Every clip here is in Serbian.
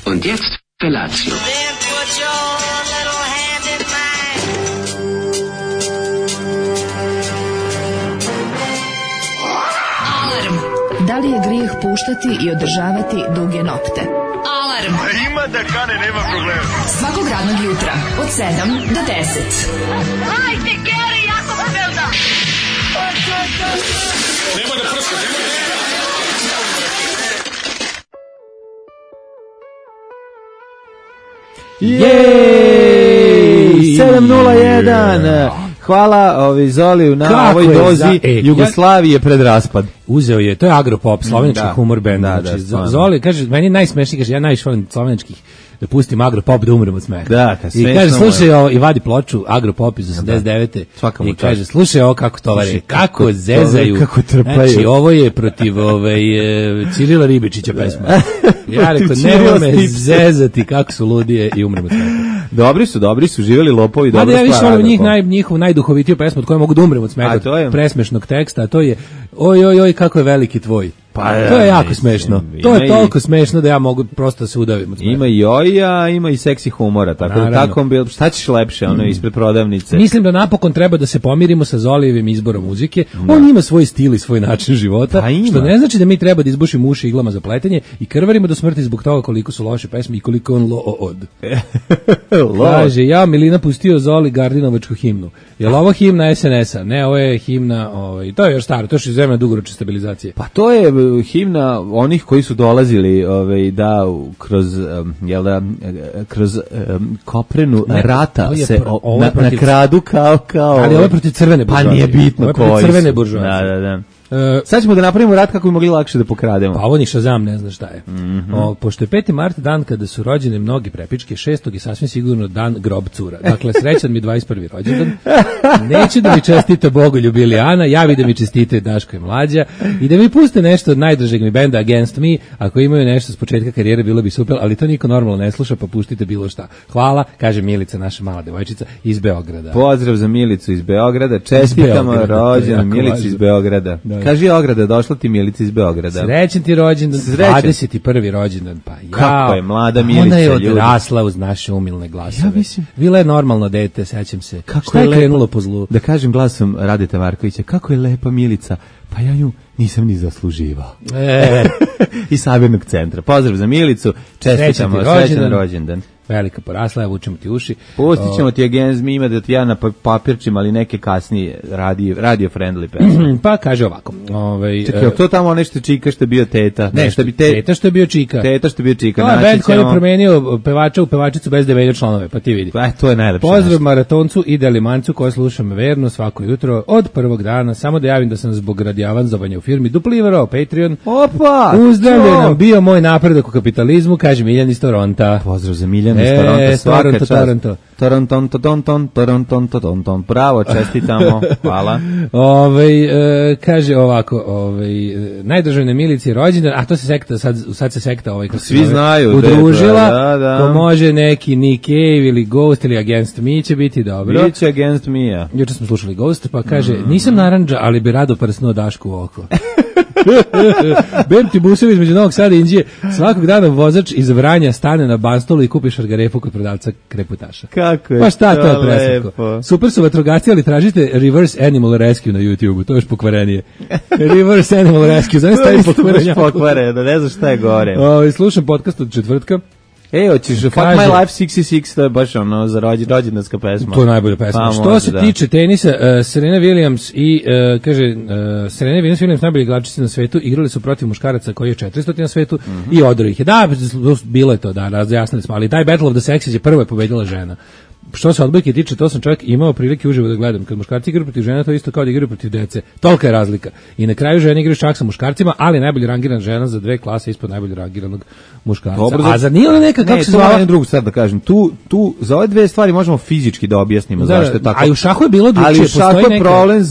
Und jetzt Felatio. Da li je grijeh puštati i održavati duge nokte? Alarm! Ima da kane, nema problema. Svakog radnog jutra, od 7 do 10. Hajde, Geri, jako se velda! Nema da prska, nema da... Jej! 7:01. Hvala Zoliju na ovoj dozi Jugoslavije pred raspad. Uzeo je, to je Agropop, slovenački humor band. Da, Zoli, kaže, meni je najsmešniji, kaže, ja najviše volim slovenačkih, da pustim Agropop da umrem od smeha. Da, i kaže, slušaj ovo, i vadi ploču Agropop iz 89. I kaže, slušaj ovo kako tovare, kako zezaju, kako trpaju. Znači, ovo je protiv Cirila Ribičića pesma. Ja rekao, nema me zezati kako su ludije i umrem od smeha. Dobri su, živjeli lopovi, dobro stvar. Ja više volim njihovu najduhovitiju pesmu od koje mogu da umrem od smeha, presmešnog teksta, a to je oj, kako je veliki tvoj. Pa, to je jako smešno. To je toliko smešno da ja mogu prosto se udavim od smeha. Ima i oja, ima i seksi humora, tako da tako šta ćeš lepše, ispred prodavnice. Mislim da napokon treba da se pomirimo sa Zolijevim izborom muzike. On ima svoj stil i svoj način života, što ne znači da mi treba da izbušimo uši iglama za pletenje i krvarimo do smrti zbog toga koliko su loše pesme i koliko on od. Kaže, ja Milina pustio Zoli Gardinovačku himnu. Je li ovo himna SNS-a? Ne, ovo je himna, to je još staro, to je iz vremena dugoročne stabilizacije. Pa to je himna onih koji su dolazili da kroz koprenu rata se na kradu kao ali ovo je protiv crvene buržoazije. Pa nije bitno koji su. Crvene buržoazije. Da. Sad ćemo da napravimo rat kako bi mogli lakše da pokrademo. Pa ovo ni Shazam ne zna šta je. Pošto je 5. mart dan kada su rođene mnogi prepičke, 6. je sasvim sigurno dan grob cura. Dakle, srećan mi 21. rođendan. Neću da mi čestite Bogoljub ili Ana, javi da mi čestite Daško i Mlađa i da mi puste nešto od najdražeg mi benda Against Me. Ako imaju nešto s početka karijere, bilo bi super, ali to niko normalno ne sluša, pa pustite bilo šta. Hvala, kaže Milica, naša mala devojčica iz Beograda. Pozdrav za Milicu iz Beograda, čestitamo rođendan Milici iz Beograda. Kaži Ograda, došla ti Milica iz Beograda. Srećan ti rođendan, 21. rođendan, pa ja. Kako je mlada Milica, ona je odrasla uz naše umilne glasove. Ja mislim. Bila je normalno dete, sećam se. Kako je krenulo po zlu? Da kažem glasom Radeta Markovića, kako je lepa Milica, pa ja nju nisam ni zasluživao. Iz Sabirnog centra. Pozdrav za Milicu, čestitamo, srećan rođendan. Velika porasla, ja vučemo ti uši. Pustit ćemo ti Against Me, ima da ti ja na papirčima, ali neke kasnije radio friendly pesme. Pa kaže ovako. Čekaj, to tamo nešto čika što je bio teta? Ne, teta što je bio čika. Teta što je bio čika. To je band koji je promenio pevača u pevačicu bez da menja članove, pa ti vidi. To je najlepše. Pozdrav maratoncu i delimancu koji slušam verno svako jutro od prvog dana. Samo da javim da sam zbog radi avanzovanja u firmi dupliverao Patreon. Opa! Uzdravljen nam bio moj napredak u kapitalizmu, kaže Miljan iz Toronta. Pozdrav za Miljan. Toronto, bravo, čestitamo, hvala. Kaže ovako, najdržavne Milici rođendan, a to se sekta, sad se sekta svi znaju, udružila, ko može neki Nick Cave ili Ghost ili Against Me će biti dobro. Biće Against Me. Juče smo slušali Ghost, pa kaže, nisam narandža, ali bi rado prsnuo Dašku u oko. Bem ti busevi između Novog Sada i Inđije. Svakog dana vozač iz Vranja stane na Banstolu i kupi šargarepu kod prodavca kreputaša. Kako je pa šta to je presako? Super su vatrogasci, ali tražite Reverse Animal Rescue na YouTube-u, to je još pokvarenije. Reverse Animal Rescue, znam stavim pokvareno, ne znam šta je gore. Slušam podcast od četvrtka. Hoćeš Fuck My Life 66, to je baš za rođendanska pesma. To je najbolja pesma. Što se tiče tenisa, Serena Williams i, Serena Williams najbolji igračice na svetu, igrali su protiv muškaraca koji je 400 na svetu i odro ih je. Da, bilo je to, da, razjasnili smo, ali taj Battle of the Sexes je prvo je pobedila žena. Što se odbojke tiče, to sam čovjek imao prilike uživo da gledam. Kad muškarci igraju protiv žena, to je isto kao da igraju protiv dece. Tolika je razlika. I na kraju žene igraju čak sa muškarcima, ali najbolje rangirana žena za 2 klase ispod najbolje rangiranog muškarca. Dobro, a za nije ona neka, kako se zvala? Jednu drugu stvar da kažem. Tu za ove dve stvari možemo fizički da objasnimo zašto je tako. A u šahu je bilo drugčije. Ali u šahu je problem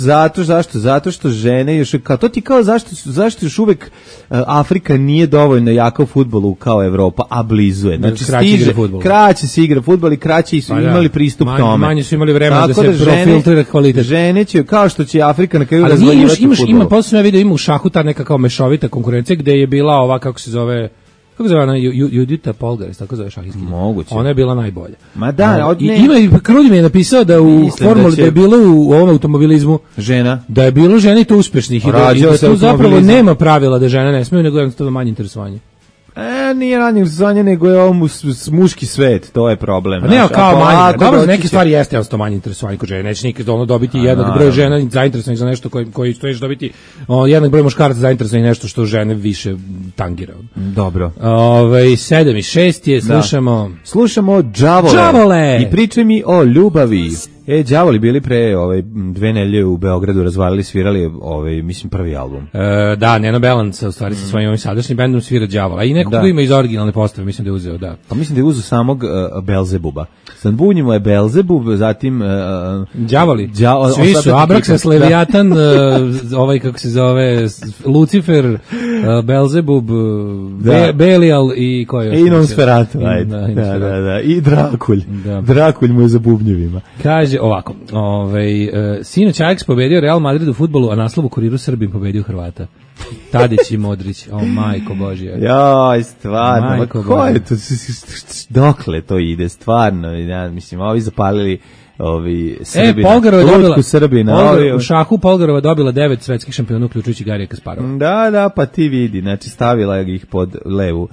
zato što žene još, kao to ti kao zašto još uvek Afrika nije dovoljno jaka u fudbalu kao Evropa, a blizu je. Znači kraće se igra fudbal i kraće su imali pristup tome. Manje su imali vremena da se profiltrira kvalitet. Žene će, kao što će Afrika na kraju razvaljivati fudbal. Ima, posle ja vidio, ima u šahu ta neka kao mešovita konkurencija gde je bila ova, kako se zove, kako zove ona, Judita Polgares, tako zove šahistkinja. Moguće. Ona je bila najbolja. Ma da, Krudi mi je napisao da u formuli da je bilo u ovom automobilizmu žena, da je bilo žena i to uspešnih i da tu zapravo nema pravila da žene ne smeju, nego jednostavno manje interesovanje. Nije ranije interesovanje, nego je ovo muški svet, to je problem. Ne, kao manje, dobro, za neke stvari jeste jednostavno manje interesovanje kod žene, neće nikad dobiti jednak broj žena zainteresovanih za nešto koji ćeš dobiti jednak broj muškaraca zainteresovanih nešto što žene više tangira. Dobro. 7:06 je, slušamo Đavole. I pričaj mi o ljubavi. Đavoli bili pre 2 nedelje u Beogradu, razvalili, svirali mislim prvi album. Da, Neno Balance u stvari sa svojim sadašnjim bendom svira Đavola. A i nekog ko ima iz originalne postave, mislim da je uzeo, da. Pa mislim da je uzeo samog Belzebuba. Sad bunjimo je Belzebub, zatim Đavoli. Svi su Abraxas, Leviatan, kako se zove, Lucifer, Belzebub, Belial i ko je? I Nosferatu, da. I Drakulj. Drakulj mu je za bubnjevima. Kaže ovako, sinoć Ajax pobedio Real Madrid u fudbalu, a naslov u Kuriru Srbim pobedio Hrvata. Tadić i Modrić, majko Božja. Joj, stvarno, ko je to, dokle to ide, stvarno, mislim, ovi zapalili Srbina, lutku Srbina. U šahu Polgarova dobila 9 svetskih šampiona, uključujući Garija Kasparova. Da, pa ti vidi, znači stavila ih pod levu.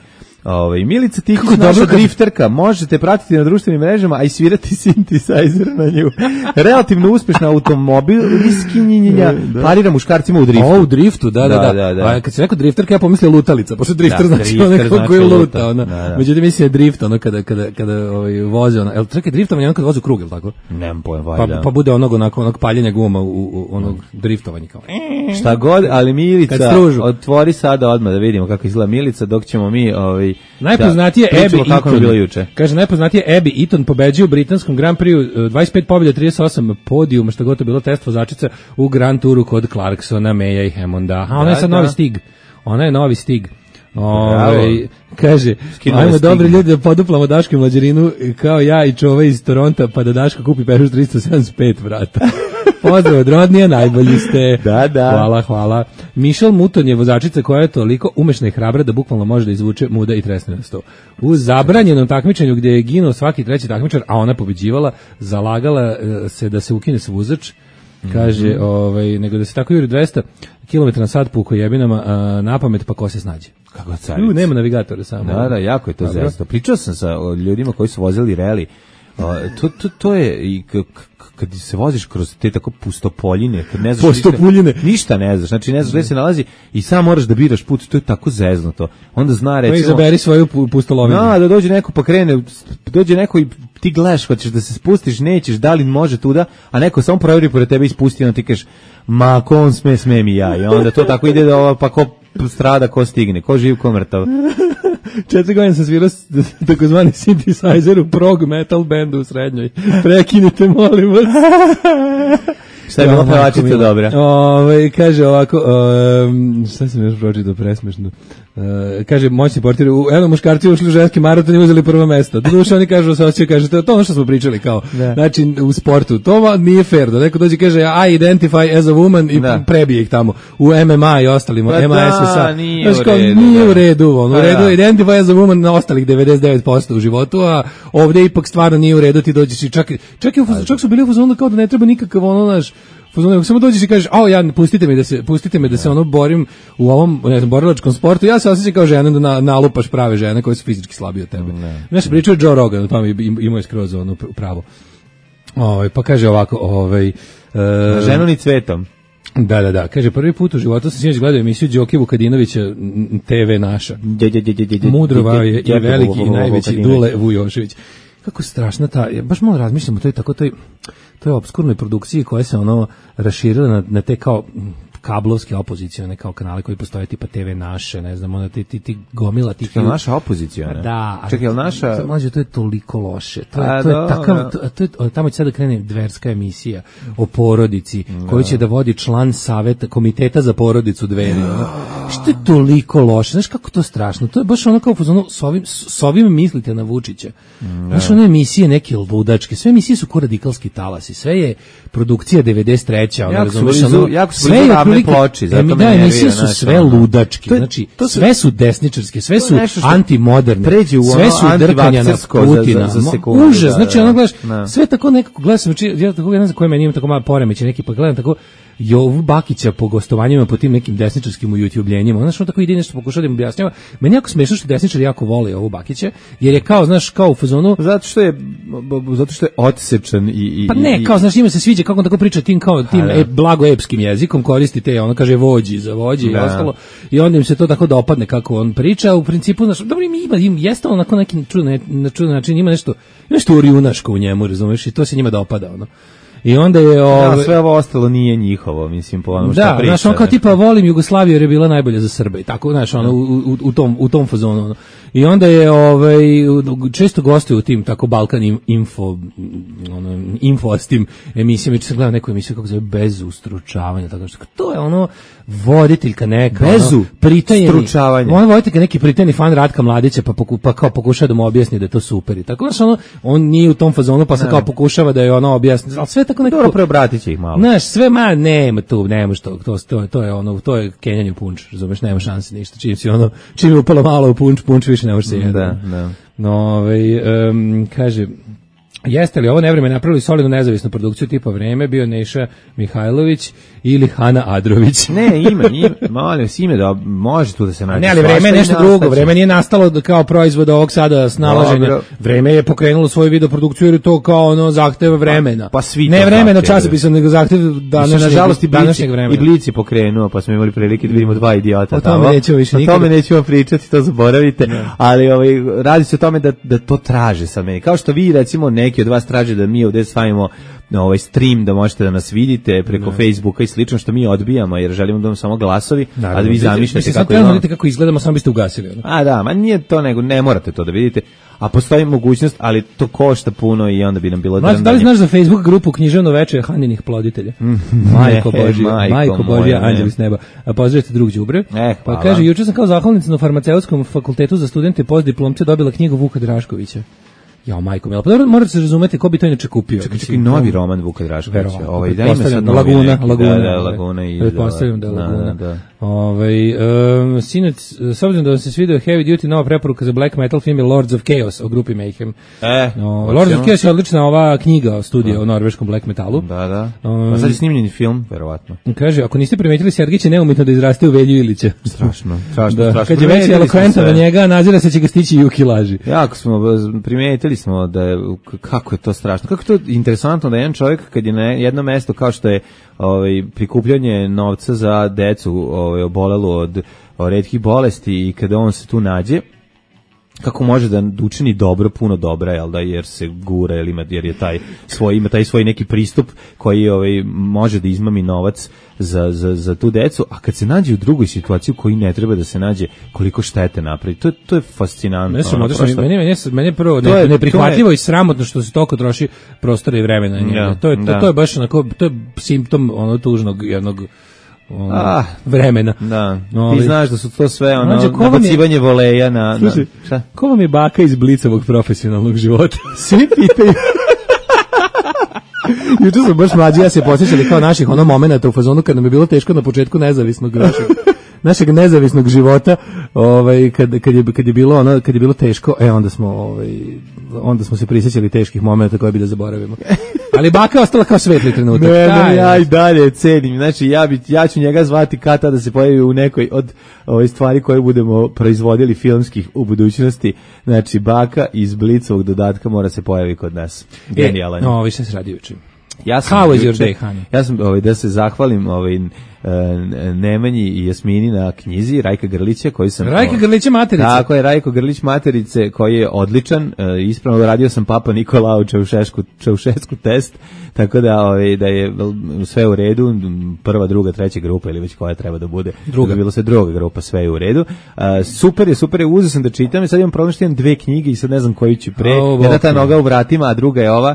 Milica Tihić, naša drifterka, možete pratiti na društvenim mrežama, a i svirati synthesizer na nju. Relativno uspešna automobil, riskinjenja, parira muškarcima u driftu. U driftu, da. A kad se rekao drifterka, ja pomislio lutalica, pošto drifter znači onako koji luta. Međutim, mislim je drift, kada voze, jel čekaj, driftovanje ono kada voze u krug, jel tako? Nemam pojem, valjda. Pa bude onog paljenja guma u onog driftovanja kao. Šta god, ali Milica, otvori sada odmah da vidimo kako izgleda Milica, dok ćemo mi najpoznatije Abby Eaton. Kaže, najpoznatije Abby Eaton pobeđuje u britanskom Grand Prix, 25 pobjeda, 38 podijuma, što god to bilo test vozačica u Grand Touru kod Clarksona, Maya i Hammonda. A ona je sad novi Stig. Ona je novi Stig. Kaže, ajmo dobri ljudi da poduplamo Daško i Mlađerinu kao ja i čova iz Toronta, pa da Daško kupi Peugeot 375 vrata. Pozdrav od Rodnija, najbolji ste. Da. Hvala. Michelle Mouton je vozačica koja je toliko umešna i hrabra da bukvalno može da izvuče muda i tresne na sto. U zabranjenom takmičenju gdje je ginuo svaki treći takmičar, a ona pobeđivala, zalagala se da se ukine svuzač. Kaže, nego da se tako juri 200 km na sat po ukojebinama na pamet, pa ko se snađe. Kako carica. Nema navigatora samo. Da, jako je to zesto. Pričao sam sa ljudima koji su vozili reli. To je i kad se voziš kroz te tako pustopoljine, kad ne znaš ništa ne znaš, znači ne znaš gde se nalazi i sam moraš da biraš put, to je tako zeznuto. Onda zna recimo, izaberi svoju pustolovinu. Da dođe neko pa krene, dođe neko i ti gledaš, hoćeš da se spustiš, nećeš, da li može tuda, a neko samo proveri pored tebe i spusti, onda ti kažeš, ma ko on sme mi ja, i onda to tako ide da pa ko strada, ko stigne, ko živ, ko mrtav. 4 godine sam svirao takozvani synthesizer u prog metal bandu u srednjoj. Prekinite, molim vas. Šta je bilo pevačica dobra? Kaže ovako, šta sam još pročitao presmešno? Kaže, moćni portir, eno muškarci ušli u ženski maraton i uzeli prvo mesto. Doduše oni kažu, se osjećaju, kaže, to je ono što smo pričali, kao, znači, u sportu. To nije fair, da neko dođe kaže, I identify as a woman i prebije ih tamo. U MMA i ostalima, MASSA. Nije u redu, u redu, identify as a woman na ostalih 99% u životu, a ovdje ipak stvarno nije u redu, ti dođeš i čak su bili u fazonu kao da ne treba nikakav naš samo dođeš i kažeš, pustite me da se borim u ovom, ne znam, borilačkom sportu, ja se osjećam kao žena da nalupaš prave žene koje su fizički slabije od tebe. Nešto pričao Joe Rogan, o tome imao je skroz pravo. Pa kaže ovako, ženu ni cvetom. Da, kaže, prvi put u životu sam sinoć gledao emisiju Đoke Vukadinovića, TV naša. Mudrova je i veliki i najveći Dule Vujošević. Kako strašna baš malo razmišljam o toj obskurnoj produkciji koja se raširila na te kao kablovske opozicione kao kanale koji postoje tipa TV naše, ne znam, ti gomila tih. Što je naša opozicija, ne? Da. Čekaj, je li naša? Mlađe, to je toliko loše. To je takav, tamo će sada krene dverska emisija o porodici, koju će da vodi član saveta, komiteta za porodicu Dveri. Što je toliko loše? Znaš kako to strašno? To je baš ono kao s ovim mislite na Vučića. Znaš, one emisije neke ludačke, sve emisije su ko radikalski talasi, sve je produkcija 93. Jako su onoj ploči, zato me nervira. Emisije su sve ludačke, znači sve su desničarske, sve su antimoderne, sve su drkanja na Putina. Užas, znači ono gledaš, sve tako nekako gledaš, znači ja tako ne znam koji meni ima tako malo poremeće neki, pa gledam tako Jovu Bakića po gostovanjima po tim nekim desničarskim ujutljenjima. Znaš, on tako ide nešto pokušava da im objašnjava. Meni jako smešno što desničari jako vole Jovu Bakića, jer je kao, znaš, kao u fazonu... Zato što je odsečan i... Pa ne, kao, znaš, njima se sviđa kako on tako priča tim blago epskim jezikom, koristi te, ono kaže vođi za vođi i ostalo, i onda im se to tako dopadne kako on priča, u principu, znaš, dobro im jeste onako neki čudan način, ima nešto orjunaško u njemu, razumeš, i to se njima dopada, ono. I onda je sve ovo ostalo nije njihovo, mislim, po onom što priča. Da, znaš, on kao tipa volim Jugoslaviju jer je bila najbolja za Srbe i tako, znaš, ono, u tom fazonu, ono. I onda je često gostuje u tim tako Balkan info s tim emisijama, če sam gledao neku emisiju kako zove Bez ustručavanja, tako što to je ono voditeljka neka, Bez ustručavanja. On voditeljka neki pritajeni fan Ratka Mladića pa kao pokušava da mu objasni da je to super i tako, znaš, on nije u tom fazonu pa se kao pokušava da je ono objasni, ali sve tako nekako... Dobro, preobratit će ih malo. Znaš, sve nema što, to je ono, to je kenjanje u punč, razumeš, nema šanse ništa, čim je upalo malo u punč više ne može se jedan. Da. No, kaže, jeste li ovo nevreme napravili solidnu nezavisnu produkciju tipa Vreme, bio Neša Mihajlović ili Hana Adrović? Ne, molim, ime da može tu da se nađe. Ne, ali Vreme je nešto drugo, Vreme nije nastalo kao proizvod ovog sada snalaženja. Vreme je pokrenulo svoju videoprodukciju jer je to kao ono zahteva vremena. Pa svi ne vremena časopisa, nego zahtev današnjeg vremena. I Blic je pokrenuo, pa smo imali prilike da vidimo dva idiota. O tome nećemo više nikada. O tome nećemo pričati, to zaboravite. Ali radi se o tome da to traže sad meni. Kao što vi, recimo, neki od vas traže da mi ovdje stavimo ovaj stream, da možete da nas vidite preko Facebooka i slično, što mi odbijamo jer želimo da vam samo glasovi, a da vi zamišljate kako izgledamo, samo biste ugasili. A da, ma nije to, nego ne morate to da vidite, a postoji mogućnost, ali to košta puno i onda bi nam bilo drndanje. Da li znaš za Facebook grupu Književno veče Haninih ploditelja? Majko Božja, anđeli s neba. A pozdravite drug đubre. Pa kaže, juče sam kao zahvalnica na farmaceutskom fakultetu za studente postdiplomce dobila knjigu Vuka Draškovića. Ja, majko mila, pa morate se razumeti ko bi to inače kupio. Čekaj, novi roman Vuka Draškovića. Laguna i pretpostavljam da je Laguna. Sinoć, s obzirom da vam se svidio Heavy Duty, nova preporuka za black metal film je Lords of Chaos o grupi Mayhem. Lords of Chaos je odlična ova knjiga studija o norveškom black metalu. Da. A sad je snimljen film, verovatno. Kaže, ako niste primetili, Sergej će neumitno da izraste u Velju Ilića. Strašno. Kad je već elokventan na njega, nazira se će ga stići Juki laži. Jako smo primetili smo da je, kako je to strašno, kako je to interesantno da jedan čovjek kad je na jedno mesto kao što je prikupljanje novca za decu obolelu od retkih bolesti i kada on se tu nađe, kako može da učini dobro, puno dobra, jel da, jer se gura, jer je ima taj svoj neki pristup koji može da izmami novac za tu decu, a kad se nađe u drugoj situaciji koji ne treba da se nađe, koliko štete napravi, to je fascinantno. Meni je prvo neprihvatljivo i sramotno što se toliko troši prostora i vremena. To je baš onako, to je simptom tužnog jednog vremena. Da. Ti znaš da su to sve nabacivanje voleja na... Slušaj, ko vam je baka iz Blicovog profesionalnog života? Svi pitaju. Juče sam baš mlađi, ja se posjećali kao naših momenata u fazonu kad nam je bilo teško na početku našeg nezavisnog života, kad je bilo teško, onda smo se prisjećali teških momenata koje bi da zaboravimo. Ali baka je ostala kao svetli trenutak. Ja i dalje cenim. Znači, ja ću njega zvati kada da se pojavi u nekoj od stvari koje budemo proizvodili filmskih u budućnosti. Znači, baka iz Blicovog dodatka mora se pojavi kod nas. Genijalan. Više se radi juče. How was your day, honey? Ja sam da se zahvalim Nemanji i Jasmini na knjizi Rajka Grlića koji sam... Rajka Grlića Materice. Tako je, Rajko Grlić Materice koji je odličan. Ispravno radio sam Papa Nikolao Čaušesku test, tako da je sve u redu. Prva, druga, treća grupa ili već koja treba da bude. Bilo se druga grupa, sve je u redu. Super je, uzeo sam da čitam i sad imam problem što imam dve knjige i sad ne znam koju ću pre. Jedna ta noga u vratima, a druga je ova...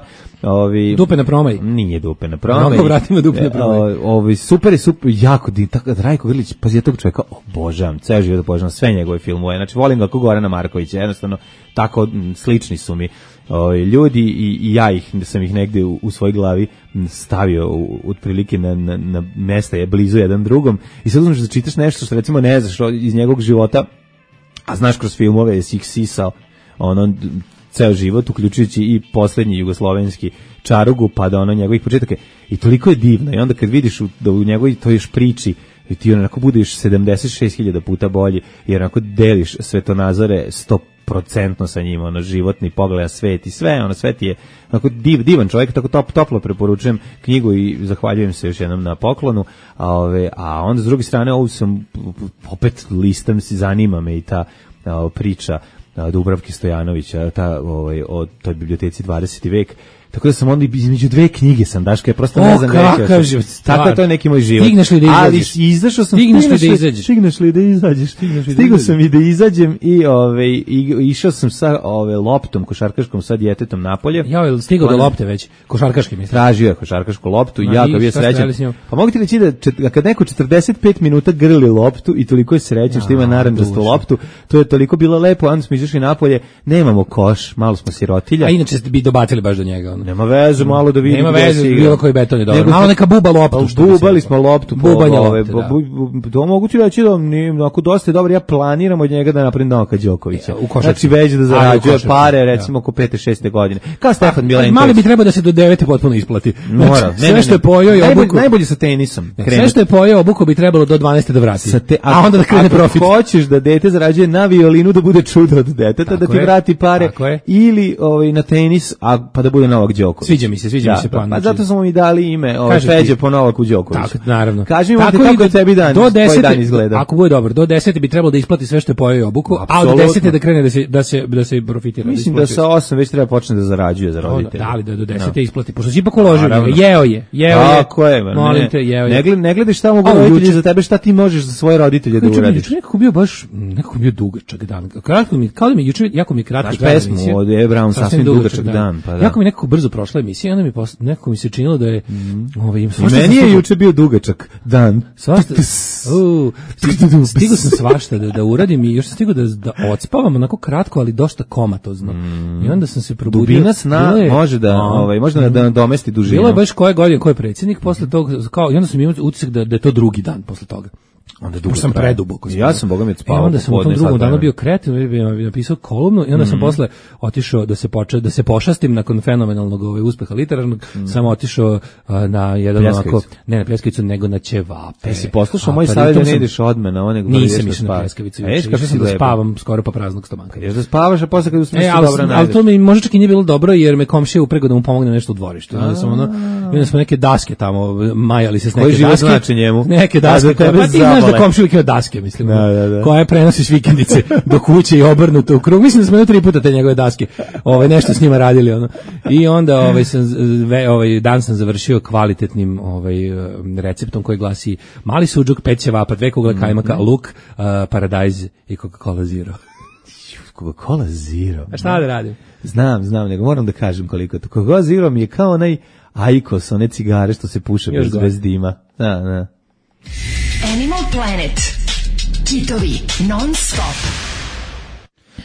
Dupe na promaj. Nije dupe na promaj. Noga u vratima, dupe na promaj. Super je, jako Rajko Grlić, pa ja tog čovjeka obožavam, ceo život obožavam sve njegove filmove. Znači volim ga kao Gorana Markovića, jednostavno tako slični su mi ljudi i ja sam ih negde u svojoj glavi stavio otprilike na mesta je blizu jedan drugom i sad uzmeš da čitaš nešto što recimo ne znaš iz njegovog života, a znaš kroz filmove si ih sisao ceo život, uključujući i poslednji jugoslovenski Čarugu, pa da njegovih početaka. I toliko je divno. I onda kad vidiš da u njegovoj to još priči, i ti onako budeš 76.000 puta bolji, jer onako deliš svetonazore 100% sa njima, životni pogled, svet i sve, svet je onako divan čovjek, tako toplo preporučujem knjigu i zahvaljujem se još jednom na poklonu, a onda s druge strane ovu sam opet listam, zanima me i ta priča Dubravke Stojanovića, o toj biblioteci 20. vek. Tako da sam onda između dve knjige sam, Daška, ja prosto ne znam kakav život. Tako je to neki moj život. Stigneš li da izađeš? Ali izašao sam. Stigneš li da izađeš? Stigao sam i da izađem i išao sam sa loptom košarkaškom sa djetetom napolje. Ja, stigao do lopte već, košarkaški mislim. Tražio je košarkašku loptu i ja ga bio srećan. Pa mogu ti reći da kad neko 45 minuta grli loptu i toliko je srećan što ima narandžastu loptu, to je toliko bilo lepo, onda smo izašli napolje, nemamo koš, malo smo sirotilja. A inače bi dobacili baš do njega. Nema veze, malo da vidimo. Nema veze, bilo koji beton je dobro. Malo neka buba loptu. Bubali smo loptu. Bubanje lopte, to mogu ti reći da ako dosta je dobro, ja planiram od njega da napravim Novaka Đokovića. Znači već da zarađuje pare, recimo oko 5. 6. godine. Kao Stefan Milenković. Mali bi trebao da se do 9. potpuno isplati. Mora. Sve što je pojeo i obuku. Najbolje sa tenisom. Sve što je pojeo obuku bi trebalo do 12. da vrati. A onda da krene profit. Ako hoćeš da dete zarađuje na violinu, da bude čudo od deteta, da ti vrati pare, ili na tenis, pa da bude Novak Đoković. Sviđa mi se plan. Pa zato smo mi dali ime Feđe po Novaku Đokoviću. Tako, naravno. Kaži mi kako je tebi dan, tvoj dan izgleda. Ako bude dobro, do 10 bi trebalo da isplati sve što je pojeo obuku, a od 10 da krene da se profitira. Mislim da sa 8 već treba počne da zarađuje za roditelje. Da li da do 10 isplati, pošto si ipak uložio, jeo je. Tako je, molim te, jeo je. Ne gledaš šta mogu roditelji za tebe, šta ti možeš za svoje roditelje da uradiš. Nekako bio dugačak dan. Kratko mi, kao da mi juče jako mi kratko trajala emisija. Pesmu od E. Brown, sasvim dugačak dan. Jako mi nekako brzo prošla emisija, onda nekako mi se činilo da je meni je juče bio dugačak dan. Stigao sam svašta da uradim i još sam stigao da odspavam onako kratko, ali dosta komatozno. I onda sam se probudio. Dubina sna može da nadomesti dužinu. Bilo je baš koje godine, ko je predsjednik, posle toga, i onda sam imao utisak da je to drugi dan posle toga. Onda dugo sam preduboko. Ja sam bogami odspavao. Onda sam u tom drugom danu bio kreativan, napisao kolumnu i onda sam posle otišao da se pošastim nakon fenomenalnog uspeha literarnog, sam otišao na jedan onako, ne na pljeskavicu, nego na ćevape. Si poslušao moj savjet da ne ideš odmah na one gdje nisam išao na pljeskavicu. Išao sam da spavam skoro pa praznog stomaka. Ješ da spavaš, a posle kad usmisliš dobro najdeš. Ali to mi možda čak i nije bilo dobro, jer me komšija uprego da mu pomogne nešto u dvorištu. Onda smo neke daske tamo, majali se s neke daske. Neke daske, da komšilike od daske, mislim, koja prenosiš vikendice do kuće i obrnuto u krug. Mislim da smo 3 puta te njegove daske nešto s njima radili. I onda dan sam završio kvalitetnim receptom koji glasi mali suđuk, 5 ćevapa, 2 kugle kajmaka, luk, paradajz i Coca-Cola Zero. Coca-Cola Zero? A šta da radim? Znam, nego moram da kažem koliko to. Coca-Cola Zero mi je kao onaj Aikos, one cigare što se puše bez dima. Da. Animal Planet. Kitovi non-stop.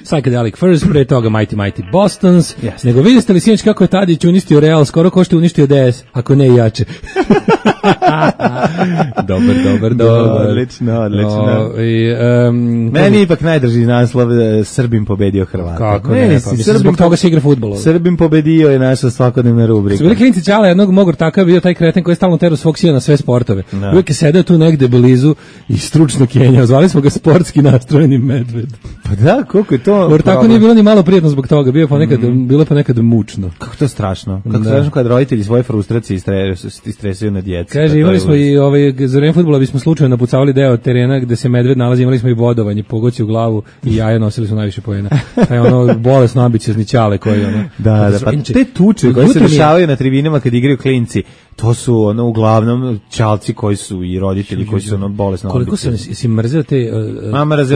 Psychedelic Furs, pre toga Mighty Bostons. Yes. Nego vidite li sinoć kako je Tadić uništio Real, skoro ko što je uništio DS, ako ne i jače. Dobar. Odlično. Meni ipak najdrži naslov Srbim pobedio Hrvata. Kako ne, pa zbog toga se igra fudbal. Srbim pobedio je naša svakodnevna rubrika. Su bili klinci Ćala, jednog mog ortaka bio taj kreten koji je stalno terao svog sina na sve sportove. Uvijek je sedeo tu negde blizu i stručno kenjao. Zvali smo ga sportski nastrojeni medved. Pa da, koliko je to ortaku nije bilo ni malo prijetno zbog toga, bilo ponekad mučno. Kako to strašno. Kako strašno kad roditelji svoje frustracije istresaju na djecu. Kaže, imali smo i za vreme fudbala bismo slučajno napucavali deo terena gde se medved nalazi, imali smo i bodovanje, pogoci u glavu i jaje, nosili smo najviše poena. Taj bolesno ambiciozničale koji Da, pa te tuče koje se dešavaju na tribinama kad igraju klinci, to su ono uglavnom ćalci koji su i roditelji koji su ono bolesno. Koliko si mrzeo te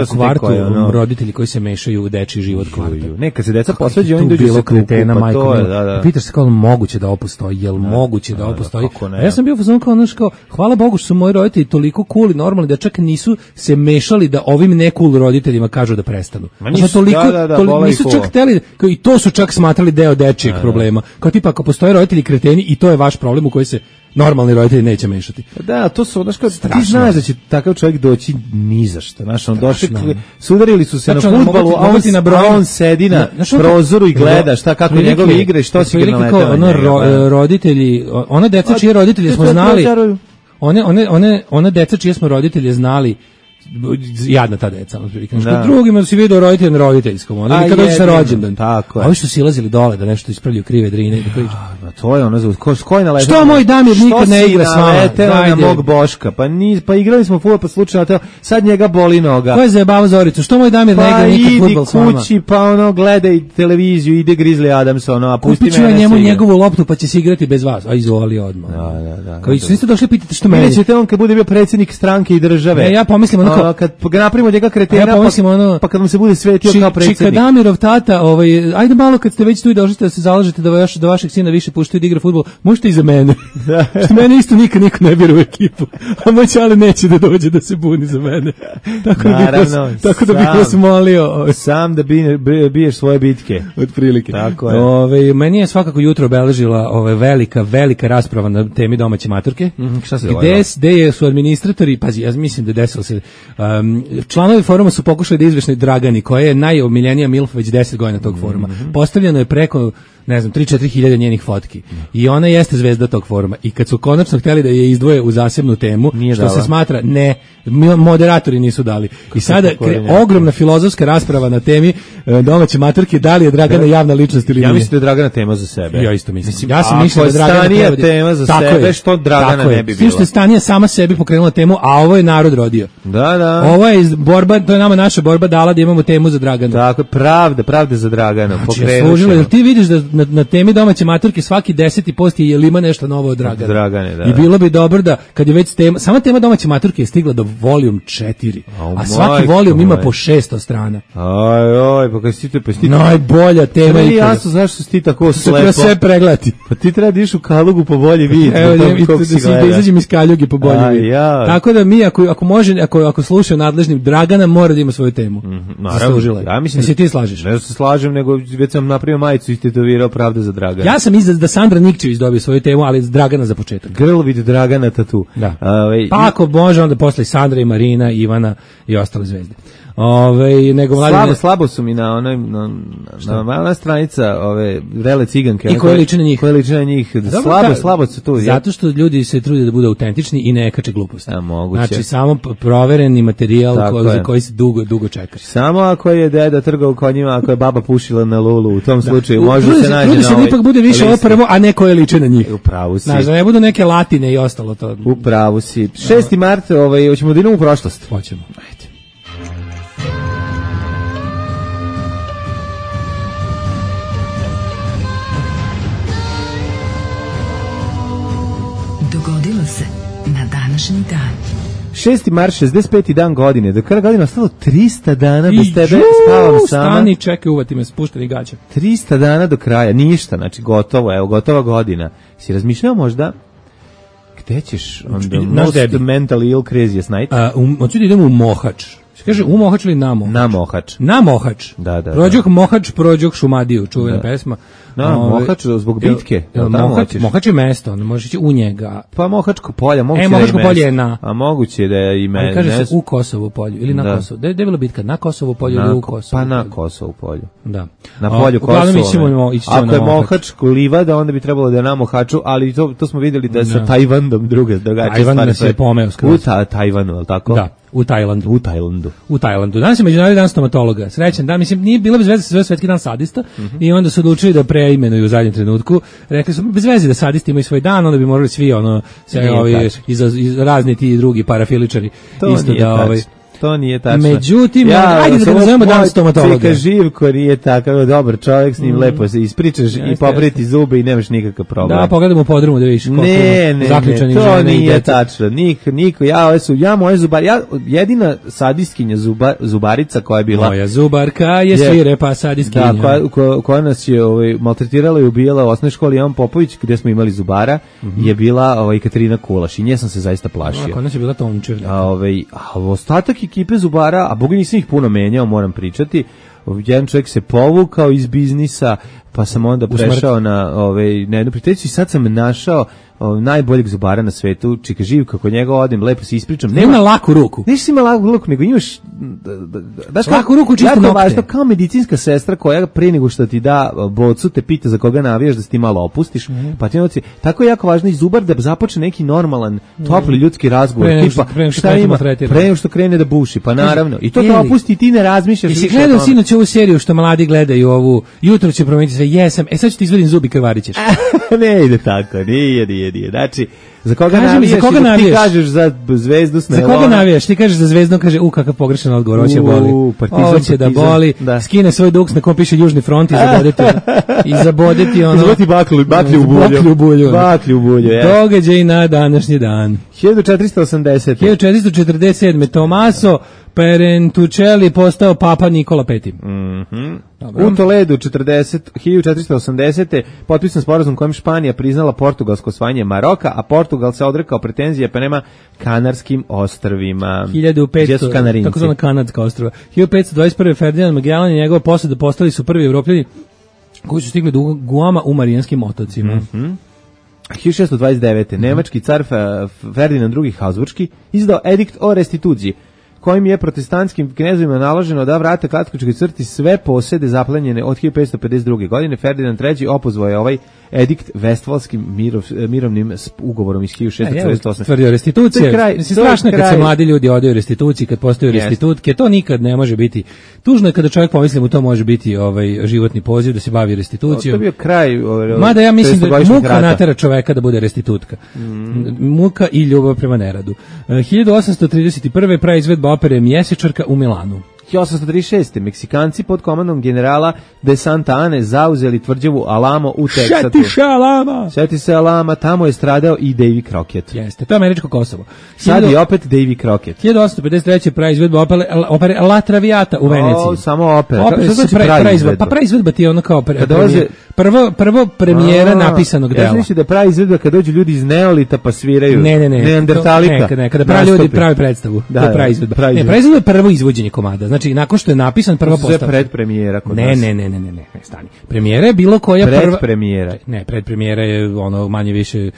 u kvartu roditelji koji se mešaju u dečiji život kvarta. Neka se deca posvađaju, oni dođu se kretena, majko. Pitaš se kao moguće da ovo postoji, jel moguće da ovo postoji? Ja sam bio fazon kao hvala Bogu što su moji roditelji toliko cool i normalni da čak nisu se mešali da ovim ne cool roditeljima kažu da prestanu. Nisu čak hteli, i to su čak smatrali deo dečijeg problema. Kao tipa ako postoje roditelji kreteni i to je vaš problem u koji se normalni roditelji neće mešati. Da, to su, znaš, ti znaš da će takav čovjek doći ni za što. Znaš, on došli, sudarili su se na fudbalu, a on sedi na prozoru i gleda šta, kako njegove igre, što si igra na letama. Roditelji, ona deca čije roditelje smo znali, one deca čije smo roditelje znali, jadna ta deca, što drugima da si vidio roditelj na roditeljskom, ili kad dođe sa rođendan. A ovi što silazili dole da nešto ispravljaju krive drine. To je ono, ko je naletao? Što moj Damir nikad ne igra s vama? Na mog Boška, pa igrali smo fudbal, pa slučajno, sad njega boli noga. Ko je zajebavao Zoricu? Što moj Damir ne igra nikad fudbal s vama? Pa idi kući, pa ono, gledaj televiziju, ide Grizzly Adams, ono, a pusti mene. Kupiću njemu njegovu loptu, pa će se igrati bez vas. A izvoli odmah. Kao su niste došli pitati što meni. Nećete on kad bude bio predsjednik stranke i države. Ja pomislim ono kad napravimo njega kretena, pa kad mu se bude svetio kao predsjednik. Čika Damirov tata, ajde malo kad ste već tu i došli da se zalažete da vašeg sina više puštaju da igra fudbal, možete i za mene. Što mene isto nikad niko ne bira u ekipu, a moj čale neće da dođe da se buni za mene. Tako da bih vas molio. Sam da biješ svoje bitke. Otprilike. Tako je. Meni je svakako jutro obeležila velika rasprava na temi domaće maturke. Šta se dogodilo? Gde su administratori, pazi, ja mislim da desilo se, članovi foruma su pokušali da izvešne Dragani, koja je najomiljenija milf već 10 godina tog foruma. Postavljeno je preko, ne znam, 3-4 hiljade njenih fotki. I ona jeste zvezda tog foruma. I kad su konačno htjeli da je izdvoje u zasebnu temu, što se smatra, moderatori nisu dali. I sada ogromna filozofska rasprava na temi domaće maturke, da li je Dragana javna ličnost ili nije. Ja mislim da je Dragana tema za sebe. Ja isto mislim. Ja sam mislio da Dragana tema za sebe, što Dragana ne bi bila. Što je Stanija sama sebi pokrenula temu, a ovo je narod rodio. Da. Ovo je borba, to je nama naša borba dala da imamo temu za Draganu. Tako, pravda za Draganu. Znači, ti vidiš da na temi domaće maturke svaki 10. post je jel ima nešto novo od Dragane. Da. I bilo bi dobro da kad je već tema, sama tema domaće maturke je stigla do volijum 4, a svaki volijum ima po 600 strana. Aj, pa kad si najbolja tema je. Jasno, znaš što si ti tako slepo. Treba sve pregledati. Pa ti treba da iš u Kalugu po bolji vid. Evo, da izađem iz Kaljuge po bolji vid. Tako da mi, ako slušaju nadležnim, Dragana mora da ima svoju temu. Zaslužila je. Ja mislim da ti slažeš. Ne se slažem, nego već sam napravio majicu i tetovirao pravda za Dragana. Ja sam da Sandra Nikčević dobije svoju temu, ali Dragana za početak. Girl with Dragana tatu. Da. Pa ako može, onda posle Sandra i Marina, Ivana i ostale zvezde. Nego slabo su mi na onoj na stranica Vrele ciganke. I koje liče na njih. Slabo su tu. Zato što ljudi se trude da budu autentični i ne kače gluposti. Moguće. Znači samo provereni materijal koji se dugo čeka. Samo ako je deda trgao konjima, ako je baba pušila na lulu, u tom slučaju može se naći. Trudi se da ipak bude više ovo prvo, a ne koje liče na njih. U pravu si. Znači, ne budu neke latine i ostalo to. U pravu si. 6. mart, hoćemo da idemo u prošlost. Hoćemo. Ajde. Dogodilo se na današnji dan. 6. mart, 65. dan godine. Do kraja godine ostalo 300 dana bez tebe, spavam sama. Stani, čekaj, uvati me, spušteni gaća. 300 dana do kraja, ništa, znači gotovo, evo, gotova godina. Si razmišljao možda gde ćeš on the most mentally ill craziest night? Hoću da idemo u Mohač. Kaže u Mohač ili na Mohač? Na Mohač. Na Mohač. Da. Prođok Mohač, prođok Šumadiju, čuvena pesma. Na Mohač zbog bitke. Mohač je mesto, onda možeš ići u njega. Pa Mohačko polje, moguće Mohačko polje je na. A moguće da je ime. Ali kaže se u Kosovu polju ili na Kosovu. Da je bila bitka na Kosovu polju ili u Kosovu. Pa na Kosovu polju. Da. Na polju Kosova. Ako je Mohačko livada, onda bi trebalo da je na Mohaču, ali to smo vidjeli da je sa Tajvanom druge drugačije stvari. Tajvan se pomeo skroz. U Tajvanu, al tako? Da. U Tajlandu. Danas je Međunarodni dan stomatologa. Srećan dan, mislim, nije bilo bez veze sve svetski dan sadista i onda su odlučili da preimenuju u zadnjem trenutku. Rekli su, bez veze da sadisti imaju svoj dan, onda bi morali svi razni ti drugi parafiličari to isto da to nije tačno. Međutim, ajde da nazovemo dan stomatologa. Cika Živko nije takav dobar čovjek, s njim lepo se ispričaš i popriti zube i nemaš nikakav problem. Da, pogledamo u podrumu da vidiš koliko zaključanih žena i djece. To nije tačno. Niko, ja moje zubari, jedina sadistkinja zubarica koja je bila... Moja zubarka je svirepa sadistkinja. Da, koja nas je maltretirala i ubijala u osnovnoj školi Jovan Popović, gdje smo imali zubara, je bila Katarina Kulaš i nje sam se zaista plašio. Kod nas je bila Tomčev. A ostatak ekipe zubara, a boga nisam ih puno menjao, moram pričati, jedan čovjek se povukao iz biznisa, pa sam onda prešao na jednu prijateljicu i sad sam našao najboljeg zubara na svetu, Čika Živka, kod njega odim, lepo se ispričam. Nema laku ruku. Nisi ima laku ruku, nego imaš laku ruku, čisto nokte. Važno, kao medicinska sestra koja pre nego što ti da bocu te pita za koga navijaš da se ti malo opustiš, pa ti noci. Tako je jako važno i zubar da započne neki normalan, topli ljudski razgovor, tipa šta ima, pre nego što krene da buši, pa naravno. I to da opusti i ti ne razmišljaš. Jesi gledao sinoć ovu seriju što mladi gledaju ovu, jutro će promeniti sve, jesam, sad ću ti izvadim zubi, krvarićeš. Ne ide tako, nije. Znači, za koga navijaš, ti kažeš za Zvezdu Snelona. Za koga navijaš? Ti kažeš za Zvezdu, kaže, kakav pogrešan odgovor, hoće boli. Hoće da boli, skine svoj duks na kom piše Južni front i zabodeti ono... Izvoti baklju u bulju. Događaj na današnji dan. 1447. Tomaso Perentucelli postao papa Nikola V. U Toledu 1480. potpisan sporazum kojim Španija priznala portugalsko osvajanje Maroka, a Portugal se odrekao pretenzije prema Kanarskim ostrvima. 1500, tako zvana Kanadska ostrva. 1521. Ferdinand Magellan i njegova posada postali su prvi Evropljani koji su stigli do Guama u Marijanskim otocima. 1629. Nemački car Ferdinand II. Habsburški izdao edikt o restituciji, kojim je protestantskim knezovima naloženo da vrate katoličkoj crkvi sve posede zaplenjene od 1552. godine. Ferdinand III. opozvao je ovaj edikt Vestfalskim mirovnim ugovorom iz 1648. Tvrdio restitucije. Strašno je kad se mladi ljudi odaju restituciji, kad postaju restitutke, to nikad ne može biti. Tužno je kada čovjek pomisli mu to može biti životni poziv da se bavi restitucijom. To bio kraj. Mada ja mislim da muka natera čoveka da bude restitutka. Muka i ljubav prema neradu. 1831. praizvedba opere Mjesečarka u Milanu. 1836. Meksikanci pod komandom generala de Santa Ane zauzeli tvrđavu Alamo u Teksatu. Sjeti se Alama, tamo je stradao i Davy Crockett. Jeste, to je američko Kosovo. Sad je opet Davy Crockett. 1853. praizvedba opere La Traviata u Veneciji. Samo opera. Pa praizvedba ti je ono kao prvo premijera napisanog dela. Ja mislim da praizvedba kad dođu ljudi iz Neolita pa sviraju. Neandertalika. Kada pravi ljudi pravi predstavu. To je praizvedba. Praizvedba je prvo izvođenje komada. Znači, nakon što je napisan prva postavka. To je predpremijera kod nas. Ne, stani. Premijera je bilo koja prva... Predpremijera. Ne, predpremijera je ono manje više...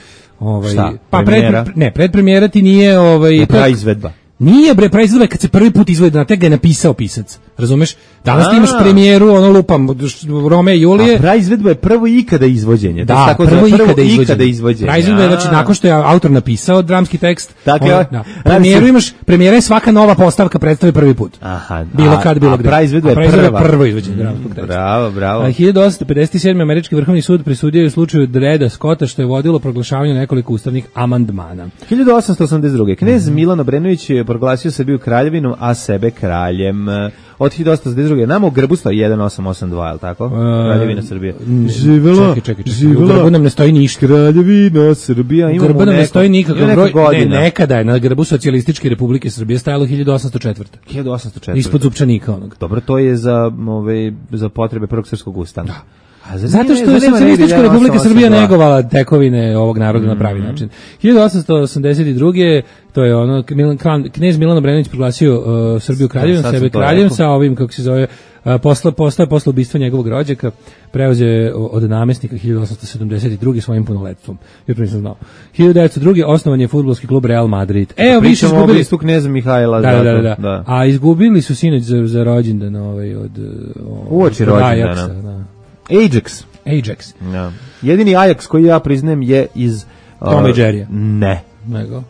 Šta? Pa predpremijera ti nije... Praizvedba. Nije praizvedba kad se prvi put izvodi na tek ga je napisao pisac. Razumeš? Danas ti imaš premijeru, lupam, Rome i Julije. A praizvedba je prvo ikada izvođenje. Da, prvo ikada izvođenje. Praizvedba je, znači, nakon što je autor napisao dramski tekst, premijera je svaka nova postavka predstave prvi put. Aha. Bilo kad, bilo gde. A praizvedba je prvo izvođenje dramskog teksta. Bravo. 1857. Američki vrhovni sud presudio je u slučaju Dreda Scotta što je vodilo proglašavanju nekoliko ustavnih amandmana. 1882. Knez Milan Obrenović je proglasio Srbiju kraljevinom, a sebe kraljem. Od 1882. Nama u grbu stoji 1882, je li tako? Kraljevina Srbije. Čekaj. U grbu nam ne stoji ništa. Kraljevina Srbija. U grbu nam ne stoji nikakav broj. Nekada je na grbu Socijalističke Republike Srbije stajalo 1804. 1804. Ispod zupčanika onog. Dobro, to je za potrebe Prvog srpskog ustana. Zato što je Socijalistička Republika Srbija negovala tekovine ovog naroda na pravi način. 1882. to je ono, knez Milan Obrenović proglasio Srbiju kraljevom, sebe kraljem sa ovim, kako se zove, posle ubistva njegovog rođaka, preuzeo od namestnika 1872. svojim punoletstvom. Jer nisam znao. 1902. osnovan je fudbalski klub Real Madrid. Pričamo o ubistvu kneza Mihajla. Da. A izgubili su sinoć za rođendan od uoči rođendana. Ajax. No. Jedini Ajax koji ja priznajem je iz Toma i Jerrya. Ne. Nego?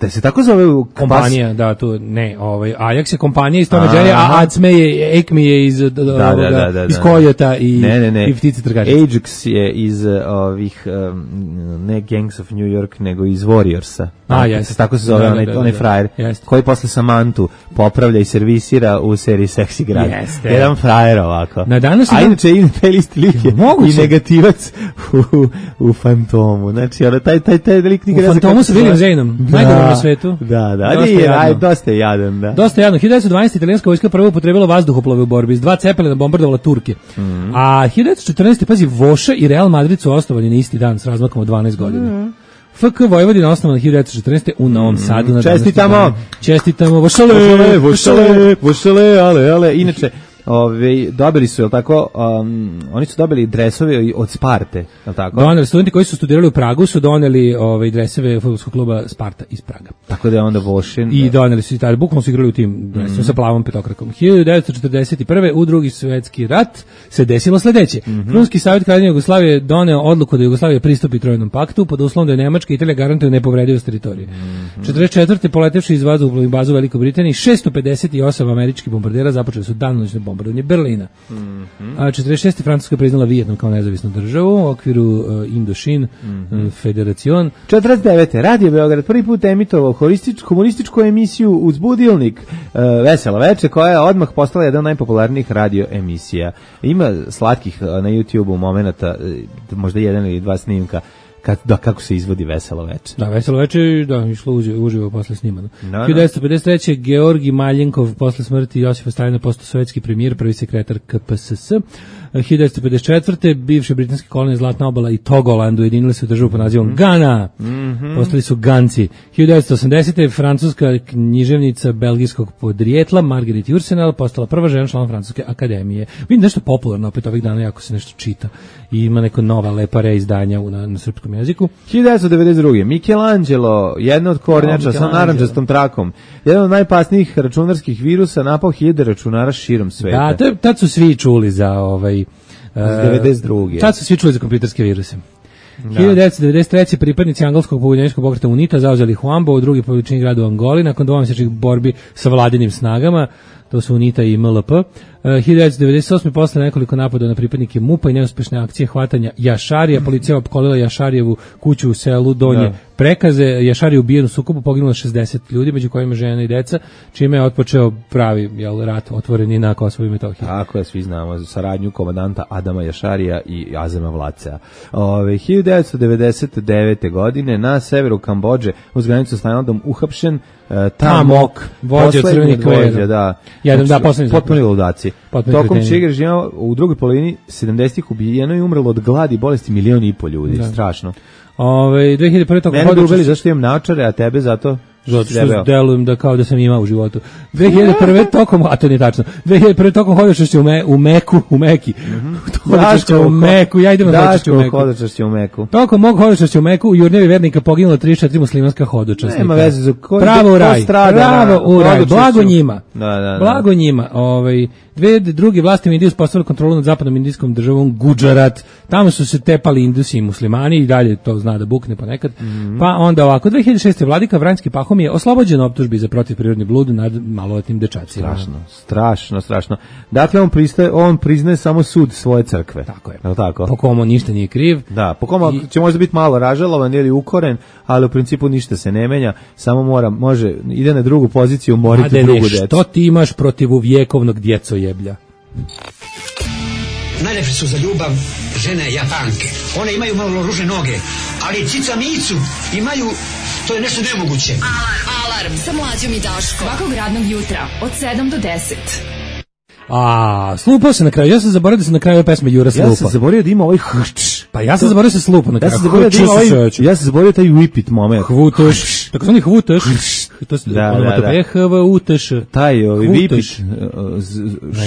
Da se tako zove kompanija, da, tu ne, Ajax je kompanija iz Toma Jerry, a Acme je Acme je iz iz Kojota i ptice trgačice. Ajax je iz ovih ne Gangs of New York, nego iz Warriorsa. Tako se zove onaj frajer koji posle Samantu popravlja i servisira u seriji Seksi grad. Jedan frajer ovako. A inače taj listi lik je i negativac u Fantomu. Znači, taj lik nikada... U Fantomu sa William Zaynom, najgorom na svetu. Dosta je jadan, da. Dosta je jadan. 1912. italijanska vojska prvo upotrebila vazduhoplove u borbi, s 2 Cepelina bombardovala Turke. A 1914. pazi, Voša i Real Madrid su osnovani na isti dan s razmakom od 12 godina. FK Vojvodina osnovana 1914. u Novom Sadu. Čestitamo, Vošale, ale. Inače, dobili su, jel tako, oni su dobili dresove od Sparte, jel tako? Doneli, studenti koji su studirali u Pragu su doneli dresove fudbalskog kluba Sparta iz Praga. Tako da je onda Vošin. I doneli su i tada, bukvalno su igrali u tim dresovima sa plavom petokrakom. 1941. u Drugi svjetski rat se desilo sledeće. Krunski savjet Kraljevine Jugoslavije doneo odluku da Jugoslavija pristupi Trojnom paktu pod uslovom da je Nemačka i Italija garantuju nepovredivost teritorije. 1944. poletevši iz vazduhoplovnih baza u Velikoj Britaniji, 658 američkih bombardera započeli su danonoćne bombardovanje Berlina. A 46. Francuska priznala Vijetnam kao nezavisnu državu u okviru Indošin federacion. 49. Radio Beograd prvi put emitovao komunističku emisiju Uzbudilnik Veselo veče, koja je odmah postala jedan od najpopularnijih radio emisija. Ima slatkih na YouTube-u momenata, možda jedan ili dva snimka kako se izvodi Veselo veče. Da, Veselo veče, išlo uživo posle snimano. 1953. Georgi Maljenkov posle smrti Josipa Stalina postao sovjetski premijer, prvi sekretar KPSS. 1954. bivše britanske kolonije Zlatna obala i Togoland ujedinili se u državu pod nazivom Gana. Postali su Ganci. 1980. francuska književnica belgijskog podrijetla Marguerite Yourcenar postala prva žena član Francuske akademije. Vidim nešto popularno opet ovih dana, jako se nešto čita i ima neko nova lepa reizdanja na srpskom jeziku. 1992. Michelangelo, jedna od kornjača sa narandžastom trakom, jedan od najopasnijih računarskih virusa, napao 1000 računara širom sveta. Da, tad su svi čuli za 92. Tad su svi čuli za kompjuterske viruse. 1993. pripadnici angleskog pobunjeničkog pokreta UNITA zauzeli Huambo, u drugi po veličini grad u Angoli, nakon dvomesečnih borbi sa vladinim snagama, to su UNITA i MLP. 1998. posle nekoliko napada na pripadnike MUP-a i neuspešne akcije hvatanja Jašarija, policija opkolila Jašarijevu kuću u selu Donje Prekaze. Jašari je ubijen u sukobu, poginulo 60 ljudi, među kojima žena i deca, čime je otpočeo pravi rat otvoreni na Kosovu i Metohiji. Tako je, svi znamo saradnju komandanta Adama Jašarija i Azema Vlacea. 1999. godine na severu Kambodže uz granicu s Tajlandom uhapšen Tamok, vođa crvenih kvera. Potpuni ludaci. Tokom čega režima u drugoj polovini 70-ih ubijeno i umrlo od gladi i bolesti 1,5 miliona ljudi. Strašno. 2001. tokom mene ubili zašto imam naočare, a tebe zato što delujem da kao da sam imao u životu. 2001. tokom, a to nije tačno, 2001. tokom hodočašća u Meki. Hodočašća u Meku, ja idem na hodočašća u Meku. Tokom mog hodočašća u Meku u Jurnjevi vernika poginulo 34 muslimanska hodočasnika. Nema veze za pravo u raj, blago njima. Blago njima. Dve druge vlasti Indije uspostavili kontrolu nad zapadnom indijskom državom Gujarat. Tamo su se tepali Indusi i muslimani i dalje to zna da bukne ponekad. Pa onda ovako, 2006. vladika Vranjski Pahom je oslobođen optužbi za protivprirodni blud nad maloletnim dečacima. Strašno. Dakle, on priznaje samo sud svoje crkve. Tako je. Tako? Po komu ništa nije kriv. Da, po komu će možda biti malo ražalovan ili ukoren, ali u principu ništa se ne menja, samo može, ide na drugu poziciju, moriti drugu decu. Što ti imaš protiv vjekovnog djecojeblja? Najlepše su za ljubav žene Japanke. One imaju malo ružne noge, ali cica micu imaju, to je nešto nemoguće. Alarm sa Mlađom i Daškom. Svakog radnog jutra od 7 do 10. Slupao se na kraju. Ja sam zaboravio da se na kraju pesme Jura slupa. Ja sam zaboravio da ima ovaj hrč. Pa ja sam zaboravio da se slupa na kraju. Ja sam zaboravio taj whippit moment. Hvutaš. Tako zvani hvutaš. To se onomatopeja hvutaš. Taj whippit.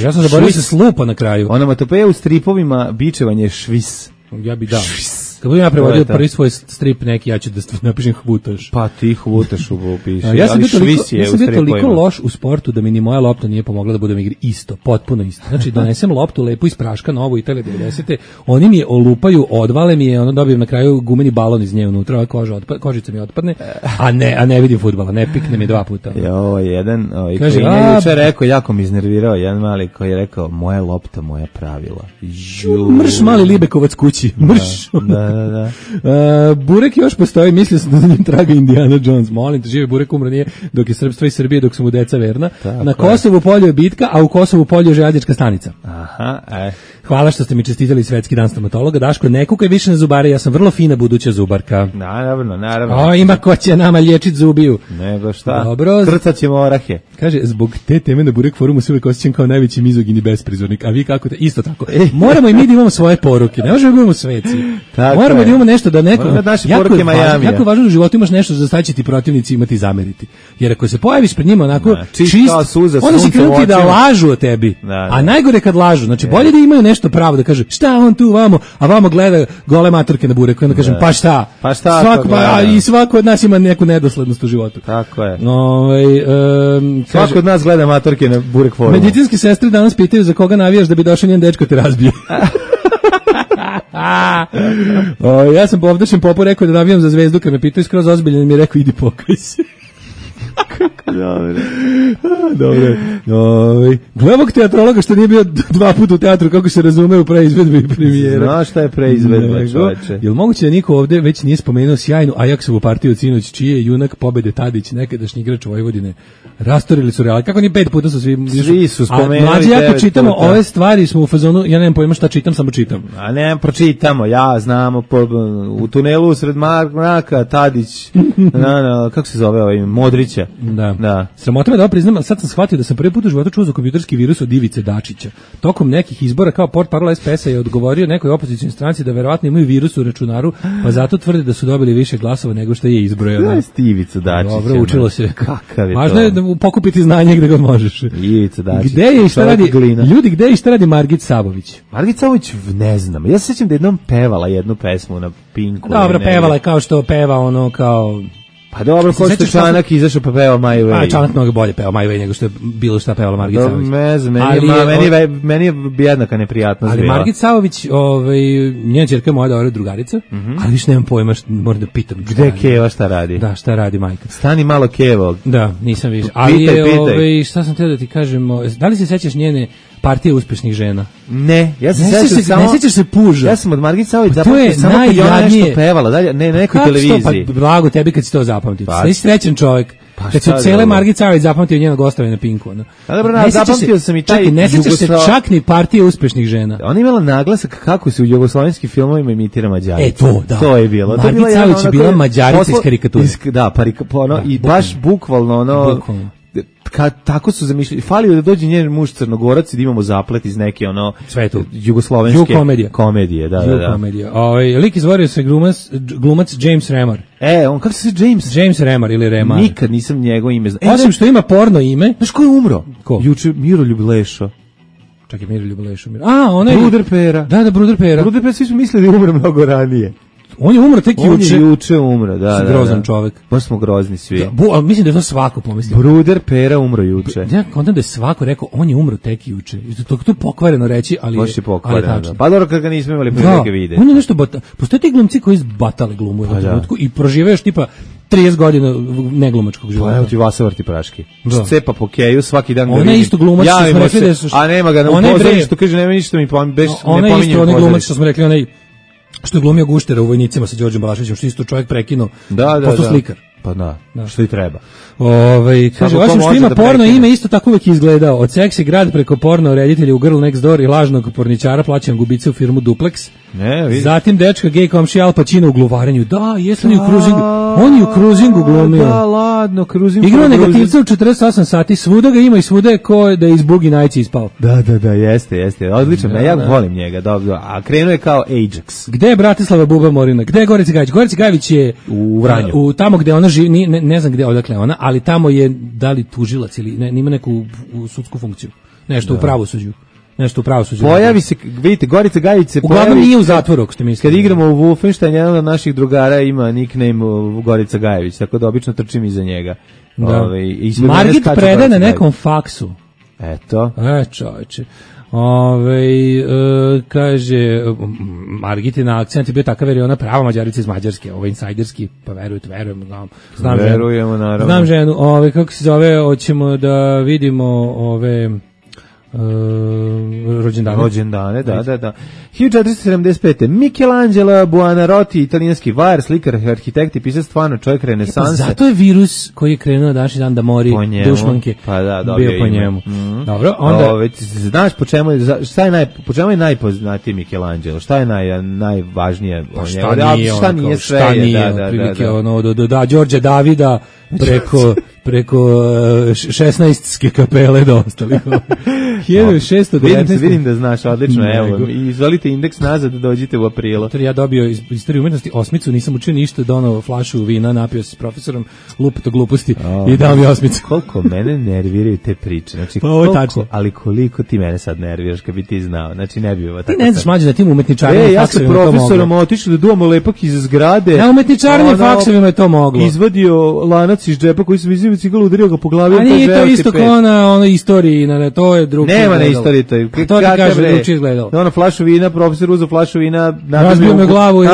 Ja sam zaboravio da se slupa na kraju. Onomatopeja u stripovima bičevanje švis. Ja bi dao. Kad budem ja prevodio prvi svoj strip neki, ja ću da napišem hvutaš. Pa ti hvutaš upiši. Ja sam bio toliko loš u sportu da mi ni moja lopta nije pomogla da budem igri isto, potpuno isto. Znači, donesem loptu lepo iz praška, novu Italije 90. Oni mi je olupaju, odvale mi je, ono dobijem na kraju gumeni balon iz nje unutra, kožica mi otpadne, a ne vidim fudbala, ne pikne mi 2 puta. Jo, jedan, kaže, koji je juče rekao, jako mi iznervirao, jedan mali koji je rekao, moja lopta, moja pravila. Mrš mali Libekovac kući, mrš. Da. Burek još postoji, mislio sam da za njim traga Indiana Jones, molim te, živi Burek, umro nije, dok je srpstvo i Srbije, dok su mu deca verna. Tako na Kosovu polju je bitka, a u Kosovu polju je željeznička stanica. Aha, Hvala što ste mi čestitali Svetski dan stomatologa. Daško, ne kukaj više na zubare, ja sam vrlo fina buduća zubarka. Naravno. Ima ko će nama liječit zubiju. Nego šta? Dobro. Krcat ćemo orahe. Kaže, zbog te teme na Burek forumu se uvijek osjećam kao najveći mizogin i besprizornik, a vi kako te? Isto tako. Moramo i mi da imamo svoje poruke, ne možemo da imamo sveci. Moramo da imamo nešto da neko... Jako je važno u životu imaš nešto za šta će ti protivnici imati zameriti. Jer ako se pojaviš pred njima onako čist, oni će krenuti da lažu o tebi. A najgore kad lažu, znači bolje da imaju nešto pravo da kaže šta on tu vamo, a vamo gleda gole maturke na Bureku, onda kažem pa šta i svako od nas ima neku nedoslednost u životu. Tako je. Svako od nas gleda maturke na Burek forumu. Medicinske sestre danas pitaju za koga navijaš da bi došao njen dečko te razbije. Ja sam po ovdašnjem popu rekao da navijam za Zvezdu, kad me pitaju skroz ozbiljno, mi je rekao idi pokaj se. Dobro. Gle ovog teatrologa što nije bio 2 puta u teatru, kako se razume u preizvedbi i premijera. Znaš šta je preizvedba, čoveče? Jel moguće da niko ovde već nije spomenuo sjajnu Ajaksovu partiju sinoć, čiji je junak pobede Tadić, nekadašnji igrač Vojvodine? Rastorili su Real. Kako ni 5 puta su svi su spomenuli. Mlađi, jako čitamo ove stvari, smo u fazonu, ja nemam pojma šta čitam, samo čitam. A ne, pročitamo, ja znamo, u tunelu sred mraka, Tadić, kako se zove ovaj, Modrića. Da. Sramota me da priznam, sad sam shvatio da sam prvi put u životu čuo za kompjuterski virus od Ivice Dačića. Tokom nekih izbora kao portparol SPS-a je odgovorio nekoj opozicionoj stranci da verovatno imaju virus u računaru, pa zato tvrde da su dobili više glasova nego što je izbrojano. Da je Ivica Dačić. Dobro, učilo se. Kakav je važno je da pokupiti znanje gde god možeš. Ivica Dačić. Gde je i šta radi? Ljudi, gde je i šta radi Margit Sabović? Margit Sabović, ne znam. Ja se sjećam da jednom pevala jednu pesmu na Pinku. Dobro, pevala je kao što peva ono kao... Pa dobro, ko što Čanak izašao pa peva My Way. A Čanak mnogo bolje peva My Way nego što je bilo šta pevala Margit Sabović. Ne znam, meni je jednaka neprijatnost. Ali Margit Sabović, njena ćerka je moja dobra drugarica, ali više nemam pojma, moram da pitam. Gde Keva šta radi? Da, šta radi majka? Stani malo Kevo. Da, nisam više. Ali pitaj. Šta sam teo da ti kažem, da li se sećaš njene partije uspešnih žena? Ne, ja se sećam samo. Ne sećaš se Puža. Ja sam od Margit Sabović zapamtio samo kad je ona nešto pevala, dalje ne nekoj televiziji. Pa blago tebi kad si to zapamtio. Ti si srećan čovjek. Kad su cele Margit Sabović zapamtio njenog gostovanja na Pinku. A dobro, zapamtio sam i taj. Ne sećaš se čak ni partije uspešnih žena. Ona imala naglasak kako se u jugoslovenskim filmovima imitira Mađarica. To je bilo. Margit Sabović je bila Mađarica iz karikature. Da, i baš bukvalno ono. Tako su zamišljali. Falio da dođe njen muž Crnogorac i da imamo zaplet iz neke svetu jugoslovenske komedije. Da. Lik izvorio se glumac James Remar. On kako se zove James? James Remar ili Remar. Nikad nisam njegovo ime znao. Osim što ima porno ime. Znaš ko je umro? Ko? Juče Miroljub Lešo. Čak je Miroljub Lešo. Onaj Bruder Pera. Da, Bruder Pera. Bruder Pera, svi su mislili da umre mnogo ranije. On je umro tek juče. On je juče umro, da. Grozan čovjek. Baš smo grozni svi. Ali mislim da je to svako pomislio. Bruder Pera umro juče. Ja kontam da je svako rekao, on je umro tek juče. To pokvareno reći, ali baš je pokvareno. Pa dobro kad ga nismo imali prilike vidjeti. On je nešto postoje ti glumci koji izbatale glumu u trenutku i prožive još tipa 30 godina neglumačkog života. Pa evo ti Vasa Vrti praški. Cepa po keju, svaki dan ga vidim. Ona je isto glumac što smo rekli da su... A nema ga na upozorištu, kaže nema ništa mi pominje. Ona je isto onaj glumac što smo rekli, onaj što je glumio Guštera u Vojnicima sa Đorđem Balaševićem, što isto čovjek prekinuo, posto slikar. Pa da, što i treba. Kaže, osim što ima porno ime, isto tako uvijek izgledao. Od seksi grad preko porno reditelja u Girl Next Door i lažnog porničara plaćan gubice u firmu Duplex. Zatim dečka gej komšija Al Pacino u gluvarenju. Da, jesu oni u Cruisingu. On je u Cruisingu glumio. Da, ladno, Cruisingu. Igrao negativca u 48 sati, svuda ga ima i svuda je ko da je iz Bugi Najci ispao. Da, jeste. Odlično, ja volim njega, dobro. A krenuo je kao Ajax. Gde je Bratislava Buba Morina? Gde je Gorica Gajić? Gorica Gajić je u Vranju. Tamo gde ona živi, ne znam gde odakle ona, ali tamo je da li tužilac ili ima neku sudsku funkciju. Nešto u pravosuđu. nešto u pravosuđu. Pojavi se, vidite, Gorica Gajić se pojavi. Uglavnom nije u zatvoru, ako ste mislili. Kad igramo u Wolfenstein, jedan od naših drugara ima nickname Gorica Gajević, tako da obično trčim iza njega. Da. Margit predaje na nekom faksu. Eto. Čovječe. Kaže Margitina akcent je bio takav jer je ona prava Mađarica iz Mađarske, insajderski, pa verujem, znam verujemo, naravno. Znam ženu, kako se zove, hoćemo da vidimo rođendane, da. 1475. Michelangelo Buonarroti, italijanski vajar, slikar, arhitekt i pisac, stvarno čovjek renesanse. Zato je virus koji je krenuo na današnji dan da mori dušmanke. Pa da, bio po njemu. Dobro, onda znaš po čemu je najpoznatiji Michelangelo? Šta je najvažnije? Šta nije sve? Da, Đorđe Davida preko 16. kapele do ostalih. 1619. Vidim da znaš, odlično, evo. I izvolite indeks nazad, dođite u aprilu. Ja dobio iz istorije umetnosti 8, nisam učio ništa, donao flašu vina, napio se s profesorom, lupeto gluposti i dao mi 8. Koliko mene nerviraju te priče. Znači, pa ovo je tačno. Ali koliko ti mene sad nerviraš kad bi ti znao. Znači, ne bi ovo tako. Ti ne znaš mlađe da tim umetničarima ja sa profesorom otišli da duvamo lepak iz zgrade. Na umetničarima faksovima je to moglo. Izvadio lanac iz džepa koji sam izvio cigalu, udario ga po glavi. A nije to isto kao na istoriji, to je drugo. Nema na istoriji to. To ti kaže da uči izgledalo. Ono flašu vina, profesor uzeo flašu vina, razbio me glavu i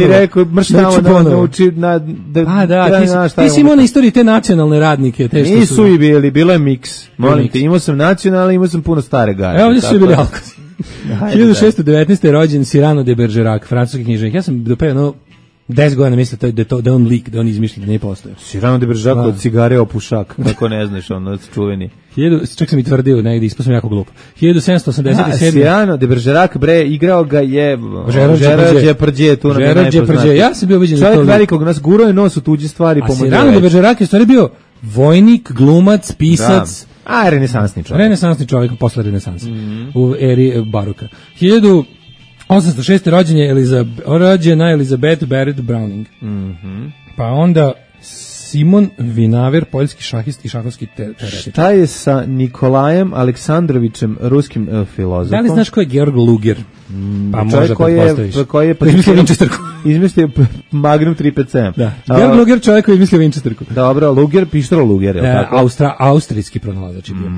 rekao mrštavo nauči ti si imao na istoriji te nacionalne radnike. Nisu i bili, bilo je miks. Molim te, imao sam nacionalne, imao sam puno stare gare. Evo, ovdje su bili alkosi. 1619. je rođen Cyrano de Bergerac, francuski književnik. Ja sam do 10 godina mislio da on lik, da on izmišlja, da ne postoje. Cyrano de Bergerac od cigare opušak, kako ne znaš, on čuveni. Čak sam i tvrdio negdje, ispao sam jako glup. 1787. Cyrano de Bergerac, igrao ga je Gerard Depardieu, tu nam je najpoznatiji. Ja sam bio ubeđen da to čovjek velikog nas gurao je nos u tuđi stvari. A Cyrano de Bergerac je stvari bio vojnik, glumac, pisac. Renesansni čovjek. Renesansni čovjek posle renesansa, u eri baroka. 1806. rođena Elizabeth Barrett Browning. Pa onda Simon Vinaver, poljski šahist i šahovski teoretičar. Šta je sa Nikolajem Aleksandrovićem, ruskim filozofom? Da li znaš ko je Georg Luger? Pa možda pretpostaviš. Koji je izmislio Winchesterku. Izmislio Magnum 357. Da. Georg Luger, čovjek koji je izmislio Winchesterku. Dobro, Luger, pištolo Luger, je li tako? Austrijski pronalazač je bio.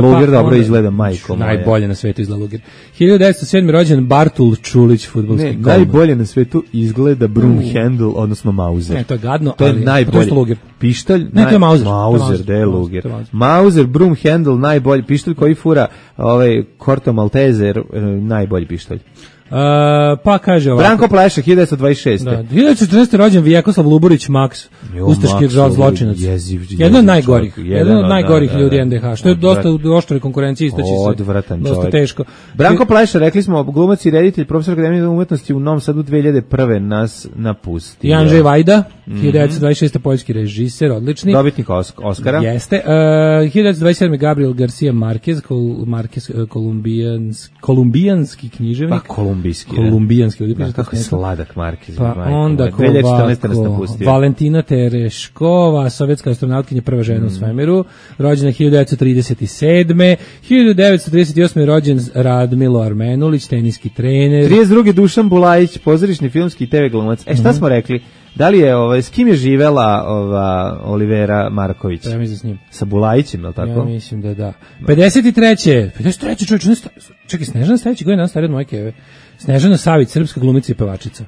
Luger dobro izgleda, majko moja. Najbolje na svetu izgleda Luger. 1907. rođen Bartul Čulić, fudbalski golman. Najbolje na svetu izgleda Broomhandle, odnosno Mauser. Ne, to je gadno, to je najbolje. Pištolj, ne, to je Mauser. Mauser, da je Luger. Mauser, Broomhandle, najbolji pištolj koji fura Corto Maltese, najbolji pištolj. Pa kaže ovako. Branko Pleša, 1926. Da, 1914. rođen Vjekoslav Luburić, Max, ustaški zločinac. Jedan od najgorih ljudi NDH, što je dosta u oštroj konkurenciji istaći se. Odvratan dosta čovjek. Teško. Branko Pleša, rekli smo, glumac i reditelj, profesor Akademije umetnosti u Novom Sadu 2001. nas napustio. Andrzej Wajda, 1926. poljski režiser, odlični. Dobitnik Oskara. Jeste. 1927. Gabriel Garcia Marquez, kolumbijanski književnik. Kolumbijanski. Kako je sladak Marquez. Pa onda Valentina Tereškova, sovjetska astronautkinja, prva žena u svemiru, rođena 1937. 1938. je rođen Radmilo Armenulić, teniski trener. 32. Dušan Bulajić, pozorišni filmski i TV glumac. Šta smo rekli? Da li je, s kim je živela Olivera Marković? Ja mislim s njim. Sa Bulajićem, je li tako? Ja mislim da. 53. čovječ, čekaj, Snežana Savić je starija od moje keve. Snežana Savić, srpska glumica i pevačica.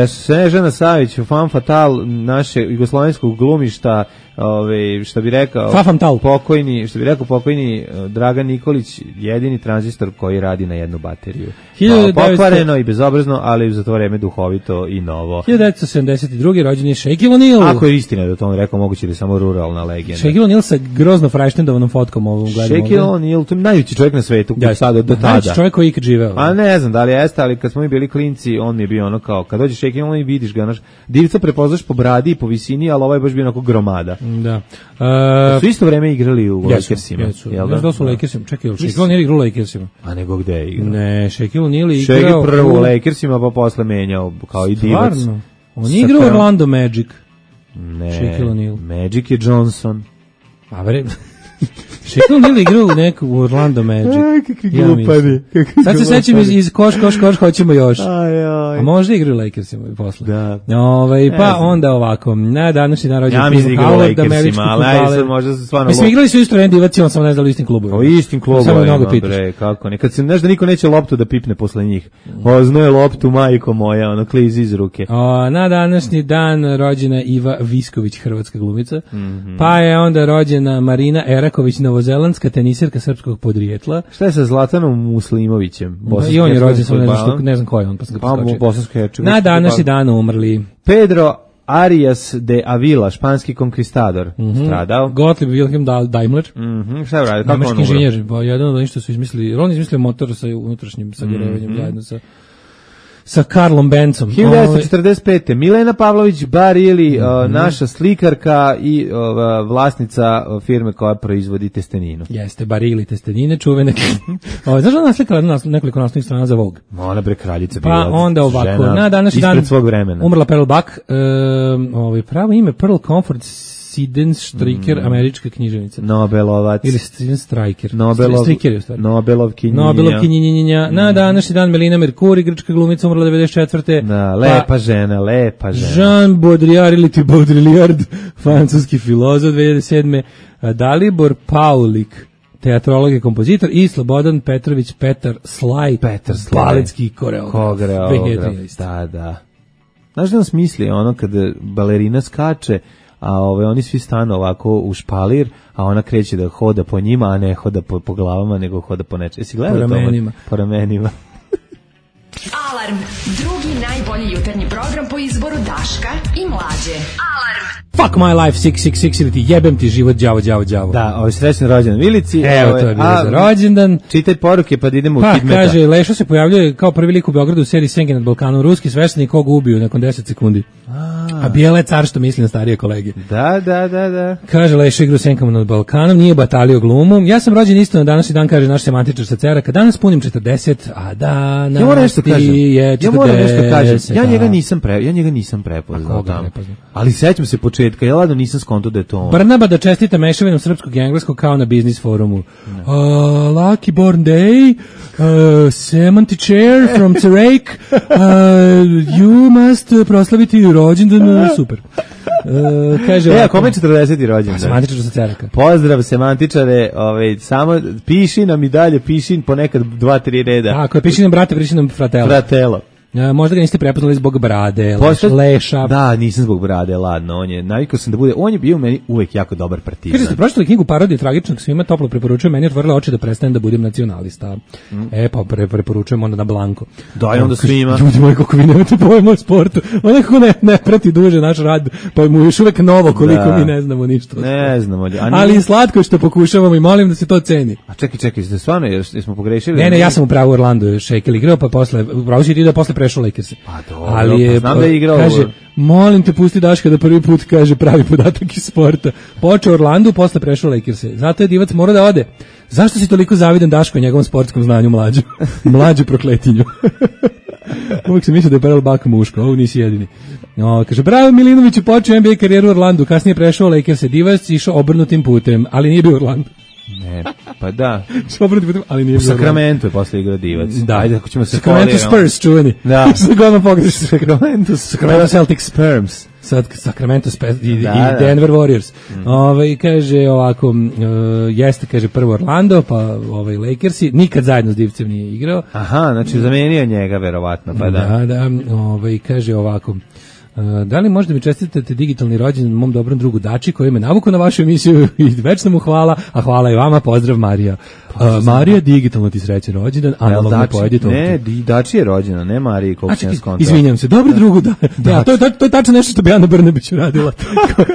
Snežana Savić, fan fatal naše jugoslovenskog glumišta, što bi rekao pokojni Dragan Nikolić, jedini tranzistor koji radi na jednu bateriju. Pokvareno i bezobrazno, ali za to vreme duhovito i novo. 1972. rođen je Shaquille O'Neal. Ako je istina da to on rekao, moguće da je samo ruralna legenda. Shaquille O'Neal sa grozno frajštendovanom fotkom ovom gledom. Shaquille O'Neal, to je najveći čovjek na svetu do tada. Najveći čovjek koji ikad živeo. A ne znam da li jeste, ali kad smo mi bili klinci, on mi je bio ono kao, kad dođe Shaquille O'Neal i vidiš ga, divca prepoznaš po bradi i po visini, ali ovaj je baš bio onako gromada. Da. Su isto vreme igrali u Lakersima. Jel da su u Lakersima? Čekaj, Shaquille O'Neal igrao u Lakersima. A nego gde je igrao? Ne, Shaquille O'Neal je igrao... Shaquille prvo u Lakersima, pa posle menjao kao i divac. Stvarno? On je igrao Orlando Magic. Ne, Shaquille O'Neal. Magic je Johnson. A bre... Shaquille O'Neal igrao u neku u Orlando Magic. Kakvi glupani. Sad se sećam iz koš, hoćemo još. Aj. A možda igraju Lakersima i posle. Da. Pa onda ovako, na današnji dan rođen Tim Howard, Lakersima, ali možda se stvarno... Mislim, igrali su isto Randy Divac, on sam ne znao u istim klubovima. O istim klubovima, bre, kako ne. Kad se, znaš da niko neće loptu da pipne posle njih. Oznoje loptu, majko moja, ono, klizi iz ruke. Na današnji dan rođena Iva Visković, hrvatska glumica. Pa je onda rođena Marina Eraković, novozelandska teniserka srpskog podrijetla. Šta je sa Zlatanom Muslimovićem? I on je rođen, ne znam ko je on, pa sam ga preskočio. Na današnji dan umrli Pedro Arias de Avila, španski konkvistador, stradao. Gottlieb Wilhelm Daimler. Šta je radio? Kako nemački inženjer, jedan od onih što su izmislili, on izmislio motor sa unutrašnjim sagorevanjem zajedno sa Karlom Bencom. 1945. Milena Pavlović Barili, naša slikarka i vlasnica firme koja proizvodi testeninu. Jeste, Barili testenine, čuvene. Znaš da naslikala nekoliko naslovnih strana za Vogue? Ona bre kraljica bila. Pa onda ovako, na današnji dan svog vremena. Umrla Pearl Buck, pravo ime Pearl Comfort Sidenstreicher, američka književnica. Nobelovac. Ili Sidenstreicher. Striker je u stvari. Nobelovkinjinja. Na današnji dan Melina Mercuri, grčka glumica, umrla 94. Da, lepa žena. Jean Baudrillard ili ti Baudrillard, francuski filozof, 2007. Dalibor Paulik, teatrolog i kompozitor, i Slobodan Petrović Petar Slaj, baletski koreograf. Da. Znaš da on smisli ono kada balerina skače, a oni svi stanu ovako u špalir, a ona kreće da hoda po njima, a ne hoda po glavama, nego hoda po nečem. Jesi gledao to? Po ramenima. Alarm, drugi najbolji jutarnji program po izboru Daška i Mlađe. Alarm. Fuck my life, 666, ili ti jebem ti život, đavo. Da, srećan rođendan Milici. Evo, to je bilo za rođendan. Čitaj poruke, pa da idemo u Kidmeta. Kaže, Lešo se pojavljuje kao prvi lik u Beogradu u seriji Senke nad Balkanom, ruski sveštenik koga ubiju nakon 10 sekundi. A bijela je car što misli na starije kolege. Da. Kaže, Lešo igra u Senkama nad Balkanom, nije batalio glumu. Ja sam rođen isto na današnji dan, kaže naš semantičar sa Ceraka. Danas punim 40, a danas je 40. Ja njega nisam prepoznao tamo. Ali sećam se početka, ja ladno nisam skonto da je to on. Brnaba da čestita mešavinom srpskog i engleskog kao na biznis forumu. Lucky born day, semantičar from Cerake, you must proslaviti rođendan, super. Kaže, kome 40. rođendan? Semantičar sa Ceraka. Pozdrav semantičare, samo piši nam i dalje, piši ponekad 2-3 reda. Ako je piši nam brate, piši nam fratelo. Možda ga niste prepoznali zbog brade, Leša. Da, nisam zbog brade, ladno. Navikao sam da bude, on je bio meni uvek jako dobar partizan. Kaže, ste pročitali knjigu Parodije tragičnog, svima toplo preporučujem, meni je otvorila oči da prestanem da budem nacionalista. Pa preporučujem onda na blanko. Daj onda svima. Ljudi moji, kako vi nemate pojma o sportu. On nekako ne prati duže naš rad, pa mu još uvek novo koliko mi ne znamo ništa. Ne znamo. Ali slatko što pokušavamo i molim da se to ceni. A čekaj, ste stvarno, jesmo pogrešili? Ne, ja sam u pravu Orlando, Shaquille igrao, pa posle, upravo si ti da posle prešao Lakers. Pa dobro, ali je, znam da je igrao. Kaže, molim te pusti Daška da prvi put kaže pravi podatak iz sporta. Počeo Orlandu, posle prešao Lakers. Zato je Divac mora da ode. Zašto si toliko zavidan Daško i njegovom sportskom znanju mlađu prokletinju? Uvijek sam mislio da je Pearl Buck muško, ovo nisi jedini. Kaže, bravo Milinović je počeo NBA karijeru u Orlandu, kasnije prešao Lakers. Divac išao obrnutim putem, ali nije bio u Orlandu. Ne, pa da. Ali nije u Sakramentu je posle igrao Divac. Da. Ajde, ako ćemo se Sacramento Spurs, čuveni. Da. Sacramento Celtic Spurs. Sacramento i Denver Warriors. Kaže ovako, jeste, kaže prvo Orlando, pa Lakersi, nikad zajedno s Divcem nije igrao. Aha, znači zamenio njega verovatno, pa da. Da, kaže ovako, da li možda mi čestitate digitalni rođendan mom dobrom drugu Dači koji me navukao na vašu emisiju i večno mu hvala, a hvala i vama, pozdrav Marija. Marija, digitalno ti srećan rođendan, analogno pojedi to. Ne, Dači je rođena, ne Mariji, koliko sam skontao. Izvinjam se, dobro drugu da. To je tačno nešto što bi Ana Brnabić uradila.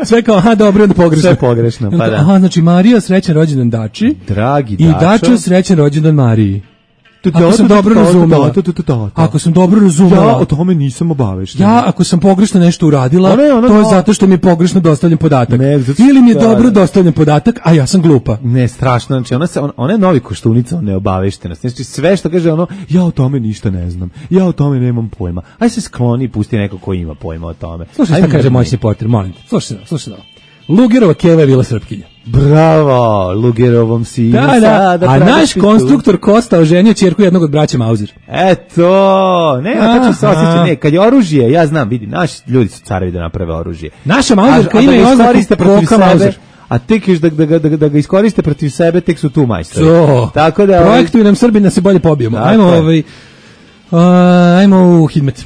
Sve kao, dobro, onda pogrešno. Sve pogrešno, pa da. Aha, znači Marija, srećan rođendan Dači. Dragi Dačo. I Dačo, srećan rođendan Mariji. Ako sam dobro razumela. Ako sam dobro razumela. Ja o tome nisam obavešten. Ako sam pogrešno nešto uradila, to je zato što mi je pogrešno dostavljen podatak. Ili mi je dobro dostavljen podatak, a ja sam glupa. Ne, strašno. Znači, ona je novi Koštunica, ona je obaveštena. Znači, sve što kaže ja o tome ništa ne znam. Ja o tome nemam pojma. Aj se skloni i pusti neko ko ima pojma o tome. Slušaj šta kaže moćni portir, molim te. Slušaj. Lugerova keva je bila Srpkinja. Bravo, Lugerovom si da. A naš konstruktor Kosta oženio ćerku jednog od braća Mauzer. Eto, tačno se osjeća, kad je oružje, ja znam, vidi, naši ljudi su carevi da naprave oružje. Naša Mauzerka ima i oznaku Koka Mauzer. A tek još da ga iskoriste protiv sebe, tek su tu majstori. Tako da projektuju nam Srbi da se bolje pobijemo. Ajmo u Hidmet.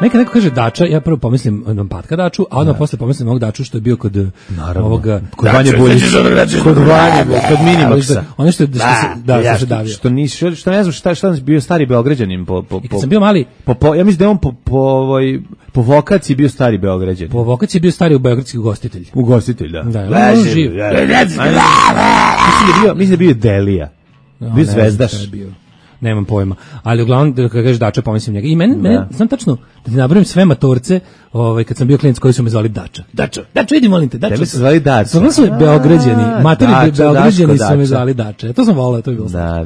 Neka neko kaže Dača, ja prvo pomislim na Patka Daču, a onda posle pomislim na ovog Daču što je bio kod ovoga... Kod Vanje Buljića. Kod Vanje, kod Minimaxa. Ono što se davio. Što ne znam šta je bio stari Beograđanin. I kad sam bio mali... Ja mislim da je on po vokaciji bio stari Beograđanin. Po vokaciji bio stari ugostitelj ugostitelj. Ugostitelj, da. Da, on živ. Mislim da bio Delija. Bio zvezdaš. Nemam pojma, ali uglavnom kad kažeš Dača pomislim njega. I mene znam tačno da ti nabrojim sve matorce, kad sam bio klinac koji su me zvali Dača. Dača, idi molim te, Dača. Tebe su zvali Dača. Samo su Beograđani, matori Beograđani su me zvali Dača. To sam volao, to je bilo. Da.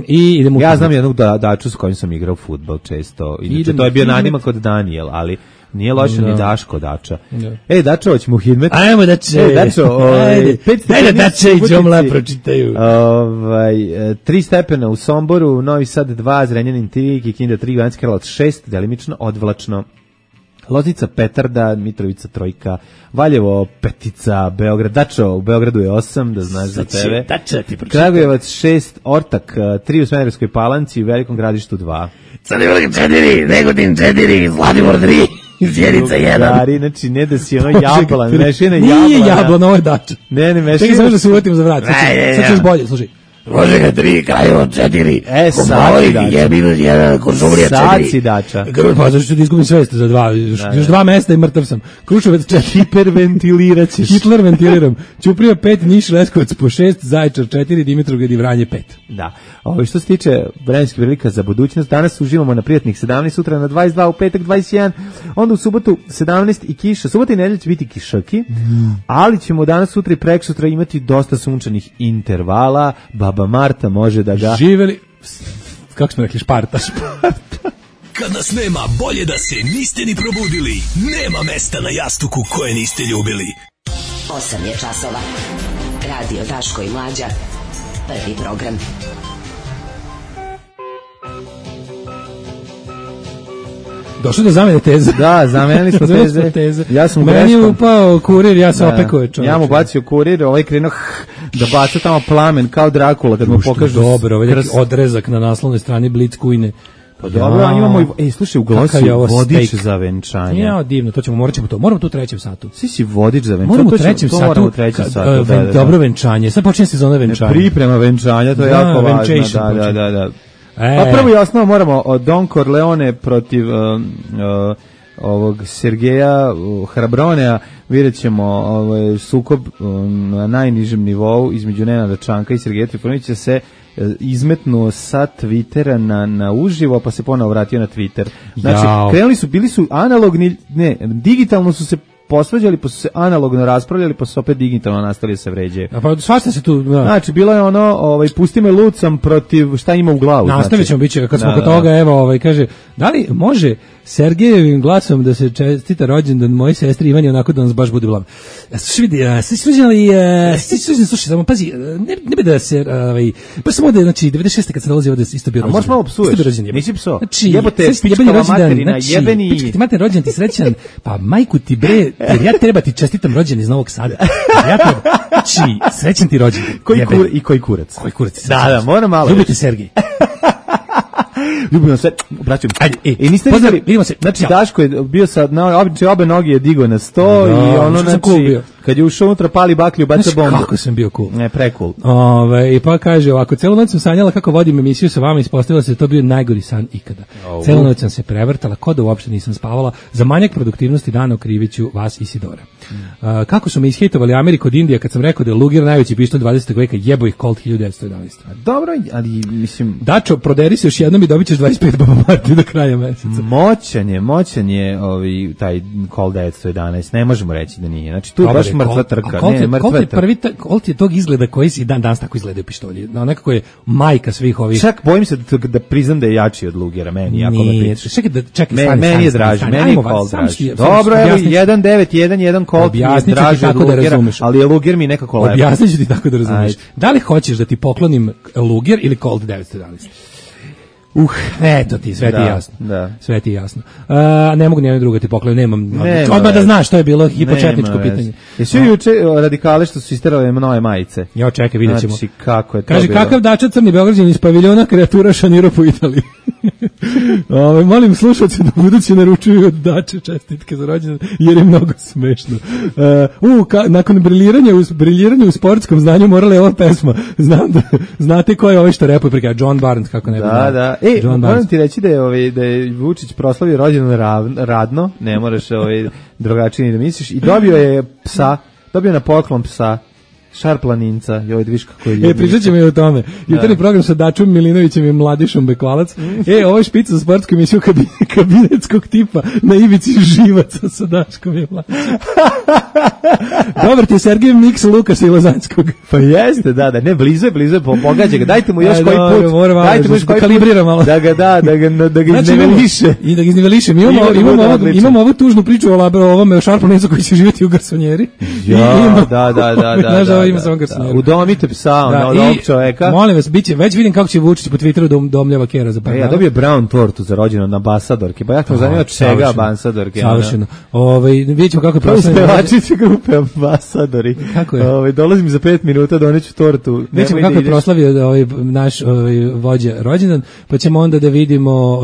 I idemo. Ja znam jednog Daču s kojim sam igrao fudbal često. Inače to je bio nadimak kod Daniel, ali nije loše ni Daško Dača. Ej, Dačo, hoćemo u Hidmet. Ajmo Dače. Ej, Dačo, daj da Dače i Đomla pročitaju. 3 stepena u Somboru, Novi Sad 2, Zrenjanin 3, Kikinda 3, Banjska Karlovac 6, delimično odvlačno. Loznica Petarda, Mitrovica 3, Valjevo 5, Beograd, Dačo, u Beogradu je 8, da znaš za tebe. Dača ti pročitaj. Kragujevac 6, Ortak 3 u Smederevskoj Palanci, u Velikom Gradištu 2. Crnogorka 4, Negotin 4, Zlatibor 3. Sjenica 1. Znači, ne da si ono jablan, mešina jablan. Nije jablan, ovo je Dača. Ne, mešina. Čekaj, samo da se uvatim za vrat. Sad ćeš bolje, slušaj. Rožega 3, Kraljevo 4, Saci Dača. je minus 1, Kuršumlija 4. Saci Dača. Pa zašto ti izgubim svest za 2, još 2 mesta i mrtav sam. Kruševac 4. Hiperventilirat ćeš. Hitler ventiliram. Ćuprija 5, Niš, Leskovac po 6, Zaječar 4, Dimitrovgrad i Vranje 5. Da. Što se tiče vremenskih prilika za budućnost, danas uživamo na prijatnih 17, sutra na 22, u petak 21, onda u subotu 17 i kiša. Subota i nedelja će biti kišaki, ali ćemo danas, sutra i preksutra imati dosta sunčanih intervala. Baba Marta može da ga... Živeli... Kako smo rekli, Šparta. Kad nas nema, bolje da se niste ni probudili. Nema mesta na jastuku koje niste ljubili. 8 je časova. Radio Daško i Mlađa. Prvi program. Došli do zamene teze. Da, zamenili smo teze. Ja sam meni upao kurir, ja sam opekao čovječe. Ja mu bacio kurir, ovaj krenuo da baca tamo plamen kao Drakula kad mu pokažu. Dobro, ovaj odrezak na naslovnoj strani Blitzkujne. Pa dobro, a imamo i slušaj, u Glosu vodič za venčanje. Ja, divno, to ćemo, moramo tu u 3. satu. Si vodič za venčanje. Moramo u 3. satu. Dobro venčanje, sad počinje sezona venčanja. Priprema venčanja, to je jako važno. Da. Pa prvo jasno moramo od Don Corleone protiv ovog Sergeja Hrabronea, vidjet ćemo sukob na najnižem nivou između Nenada Čanka i Sergeja Trifunovića se izmetnuo sa Twittera na uživo, pa se ponovo vratio na Twitter. Znači, krenuli su, bili su analogni, ne, digitalno su se posvađali, pa su se analogno raspravljali, pa su opet digitalno nastali da se vređaju. Pa svašta se tu... Da. Znači, bilo je ono, pusti me lucam protiv šta ima u glavu. Nastavit ćemo, bit će, kad smo kod toga, evo, kaže, da li može Sergejevim glasom da se čestita rođendan moje sestri Ivani onako da nas baš bude blago. Slušaj, samo pazi, ne bi da se, pa samo da je, znači, 96. kad se dolazi ovde isto bio rođendan. A možeš malo psuješ, nisi pso. Znači, jebote, pičkava materina, jebeni. Pička ti mater rođendan ti srećan, pa majku ti bre, jer ja treba ti čestitam rođendan iz Novog Sada. Ja treba, znači, srećan ti rođendan. Koji kurac? Koji kurac? Da, moram malo. Ljubite Sergej. Ljubimo se, braćo. Ajde, niste vidjeli, znači Daško je bio sa, obe noge je digo na 100 i ono, znači, kad je ušao unutra pali baklju, baca bombu. Kako sam bio cool. Ne, pre-cool. I pa kaže ovako, celu noć sam sanjala kako vodim emisiju sa vama, ispostavila se to bio najgori san ikada. Celu noć sam se prevrtala, ko da uopšte nisam spavala, za manjak produktivnosti dana okriviću vas i Sidora. Kako su me ishejtovali Ameriku od Indija kad sam rekao da je Luger najveći pištolj 20. veka, jebo ih Colt 1911. Dobro, ali mislim... Dačo, proderi se još jednom i dobit ćeš 25 Baba Marti do kraja meseca. Moćan je taj Colt 1911, ne možemo reći da nije. Znači tu baš baš mrtva trka. Colt je tog izgleda koji si dan danas tako izgledaju pištolji. No, nekako je majka svih ovih. Čak bojim se da priznam da je jači od Lugera, meni, jako me priča. Čekaj, meni je draži, meni je Colt draži. Dobro, evo, 1.9, 1.1 Colt je draži od Lugera, ali je Luger mi nekako lepo. Objasnit ću ti tako da razumiješ. Da li hoćeš da ti poklonim Luger ili Colt 911? Eto ti, sve ti jasno. Da. Sve ti jasno. Ne mogu nijedno drugo ti poklonim, nemam. Odmah da znaš, to je bilo hipočetničko pitanje. Jesu juče radikale što su isterale nove majice? Jo, čekaj, vidjet ćemo. Znači, kako je to kaže, bilo? kakav dača crni Beograđan iz paviljona kreatura šanira po Italiji. Molim slušalce da budući naručuju od dače čestitke za rođendan, jer je mnogo smešno. Nakon briljiranja u sportskom znanju morala je ova pesma. Znam da znate ko je ovaj što repuje preka John Barnes, kako ne bi. Da. Moram ti reći da je Vučić proslavio rođendan radno, ne moraš drugačije da misliš, i dobio je psa, dobio na poklon psa, šarplaninca, i ovaj dviš kako je ljubiš. Pričat ćemo i o tome. Jutarnji program sa Dačom Milinovićem i Mladišom Bekvalac. Ovo je špica za sportsku emisiju kabinetskog tipa na ivici živaca sa Daškom i Mladišom. Dobar ti je Sergej Miks Lukasa i Lozanskog. Pa jeste, da, ne, blizu je, pogađa ga, dajte mu još koji put, dajte mu još koji kalibrira malo. Da ga izniveliše. I da ga izniveliše. Imamo ovu tužnu priču o ovome šarplanincu koji će živjeti u garsonjeri. Da. Ima samo garsonjeru. Udomite psa, od ovog čoveka. Molim vas, već vidim kako će Vučić po Twitteru da domljava Kera za par dana. Ja dobio Brown tortu za rođendan na ambasadorke, pa ja sam zanimao čega ambasadorke. Savršeno. Vidjet ćemo kako je proslavljeno. Spevačice grupe ambasadori. Kako je? Dolazim za 5 minuta, doneću tortu. Vidjet ćemo kako je proslavio naš vođa rođendan, pa ćemo onda da vidimo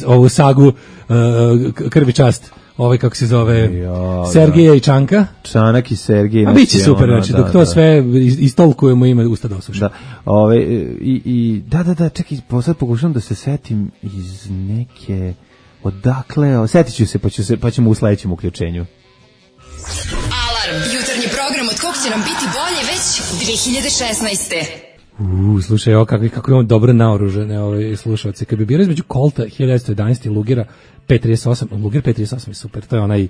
ovu sagu Krvi čast. Kako se zove, Sergeja i Čanka. Čanak i Sergej. A biće super, znači, dok to sve istolkujemo ime usta da osuša. Da, čekaj, sad pokušam da se setim iz neke, odakle, setit ću se, pa ćemo u sledećem uključenju. Alarm, jutarnji program od kog će nam biti bolje već 2016. Slušaj, kako imamo dobro naoružene slušalci. Kad bi bilo između Colta 1911 i Lugera P38, Luger P38 je super, to je onaj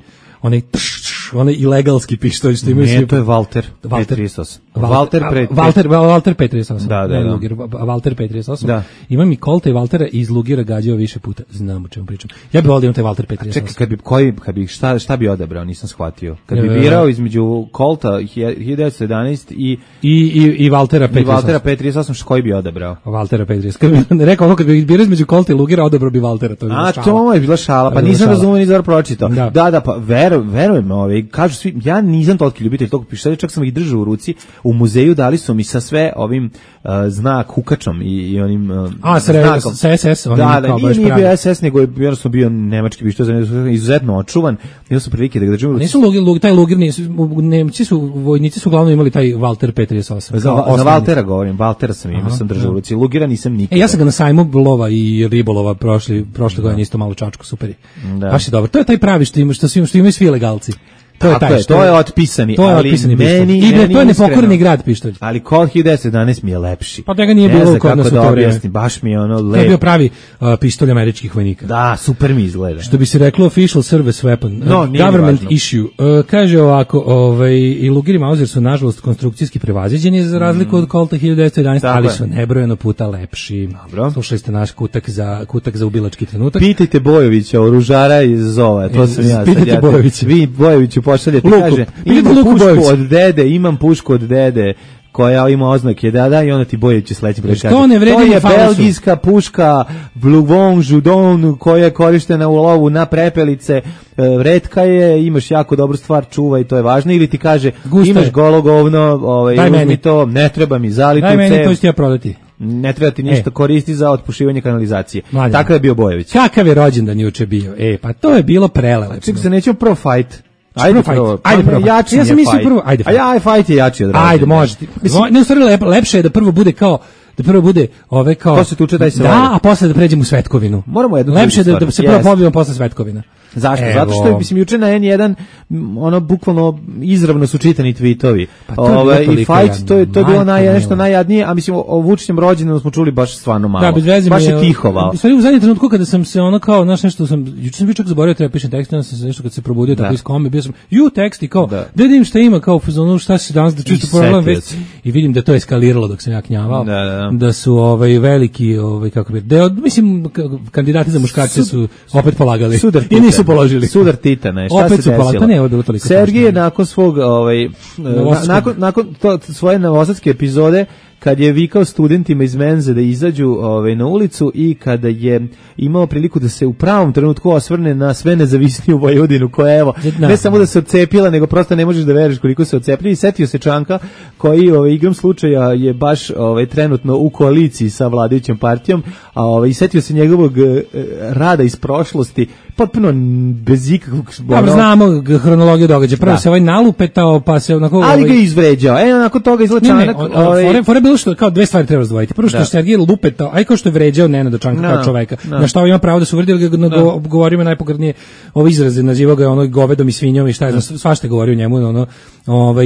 ilegalski pištolj što imaju svi. Ne, to je Walter P38. Walter P38. Da. Luger, Walter P38. Da. Imam i Colta i Waltera iz Lugera gađao više puta. Znam o čemu pričam. Ja bih volio taj Walter P38. Čekaj, šta bi odabrao, nisam shvatio. Kad bi birao između Colta 1911 i Waltera P38. I Waltera P38, koji bi odabrao? Waltera P38. Rekao kad bi birao između Colta i Lugera, odabrao bi Waltera. To je bila šala, pa nisam razumio ni dobro pročitao. Da, pa verujem, kažu svi, ja nisam toliki ljubitelj tog pištolja, čak sam ih držao u ruci, u muzeju dali su mi sa sve ovim znak hukačom i onim znakom. Sa SS, nije bio SS, nego je jednostavno bio nemački pištolj, izuzetno očuvan, imao su prilike da ga držim u ruci. Taj Luger, vojnici su uglavnom imali taj Walter P38. Za Waltera govorim, Waltera sam držao u ruci, Lugera nisam nikada. Ja sam ga na sajmu lova i ribolova prošle godine isto malo čačku, super je. Baš je dobro. To je taj pravi što imaju svi legalci. To je otpisani, ali meni to je nepokorni grad pištolj. Ali Colt 1911 mi je lepši. Pa da ga nije bilo kod nas u to vreme. Baš mi je ono lep. To je bio pravi pištolj američkih vojnika. Da, super mi izgleda. Što bi se reklo official service weapon, government issue. Kaže ovako, i Luger i Mauser su nažalost konstrukcijski prevaziđeni za razliku od Colta 1911, ali su nebrojeno puta lepši. Dobro. Slušali ste naš kutak za ubilački trenutak. Pitajte Bojovića, oružara iz Zova, to sam ja. Pitajte Bojovića. Vi Bojoviću pošaljete, kaže, imam pušku od dede, koja ima oznake dada i onda ti Bojović sledeći broj kaže. To je belgijska puška Bluvon Judon koja je korištena u lovu na prepelice, retka je, imaš jako dobru stvar, čuvaj, to je važno, ili ti kaže imaš golo govno, uzmi to, ne treba mi zaliti u cev. Daj meni, to ću ti ja prodati. Ne treba ti ništa koristi za otpušivanje kanalizacije. Takav je bio Bojović. Kakav je rođendan juče bio? Pa to je bilo prelepo. Čekaj se, nećemo prvo fight. Ajde prvo. Ja sam mislio prvo, ajde. Fight je jači od rođendana. Ajde, možete. Ne, u stvari lepše je da prvo bude kao ko se tuče daj se da, a posle da pređemo u svetkovinu. Moramo jednu lepše da se prvo pobijemo posle svetkovina. Zašto? Zato što je, mislim, juče na N1 ono bukvalno izravno su čitani tweetovi. I fight, to je bilo nešto najjadnije, a mislim o Vučićem rođendanu smo čuli baš stvarno malo. Da, bez veze baš je tihovao. Stvari u zadnjem trenutku kada sam se ono kao, znaš, nešto juče sam bio čak zaboravio treba pišem tekst, onda sam se nešto kad se probudio tako iz kome, bio sam tekst i kao, da vidim šta ima, kao fazonu šta se danas da čisto problem već i vidim da to eskaliralo dok sam ja knjavao, da su veliki, kako bi, mislim, kandidati za muškarce su opet polagali i nisu položili. Sudar Titana, šta se desilo? Pa ne, ovo je bilo toliko. Sergij je nakon svog, nakon svoje novosadske epizode, kad je vikao studentima iz menze da izađu na ulicu i kada je imao priliku da se u pravom trenutku osvrne na sve nezavisniju Vojvodinu koja evo, ne samo da se odcepila, nego prosto ne možeš da veriš koliko se odcepili. I setio se Čanka koji igrom slučaja je baš trenutno u koaliciji sa vladajućom partijom, i setio se njegovog rada iz prošlosti, potpuno bez ikakvog... Dobro, znamo hronologiju događaja. Prvo se nalupetao, pa se onako... Ali ga izvređao. Nakon toga izgleda Čanak... Fore bilo što, kao dve stvari treba razdvojiti. Prvo što je Sergij lupetao, aj kao što je vređao Nenada Čanka kao čoveka. Na šta ima pravo da se uvredi, ali govorimo najpogrdnije ove izraze, nazivao ga govedom i svinjom i šta je, svašta govorio njemu,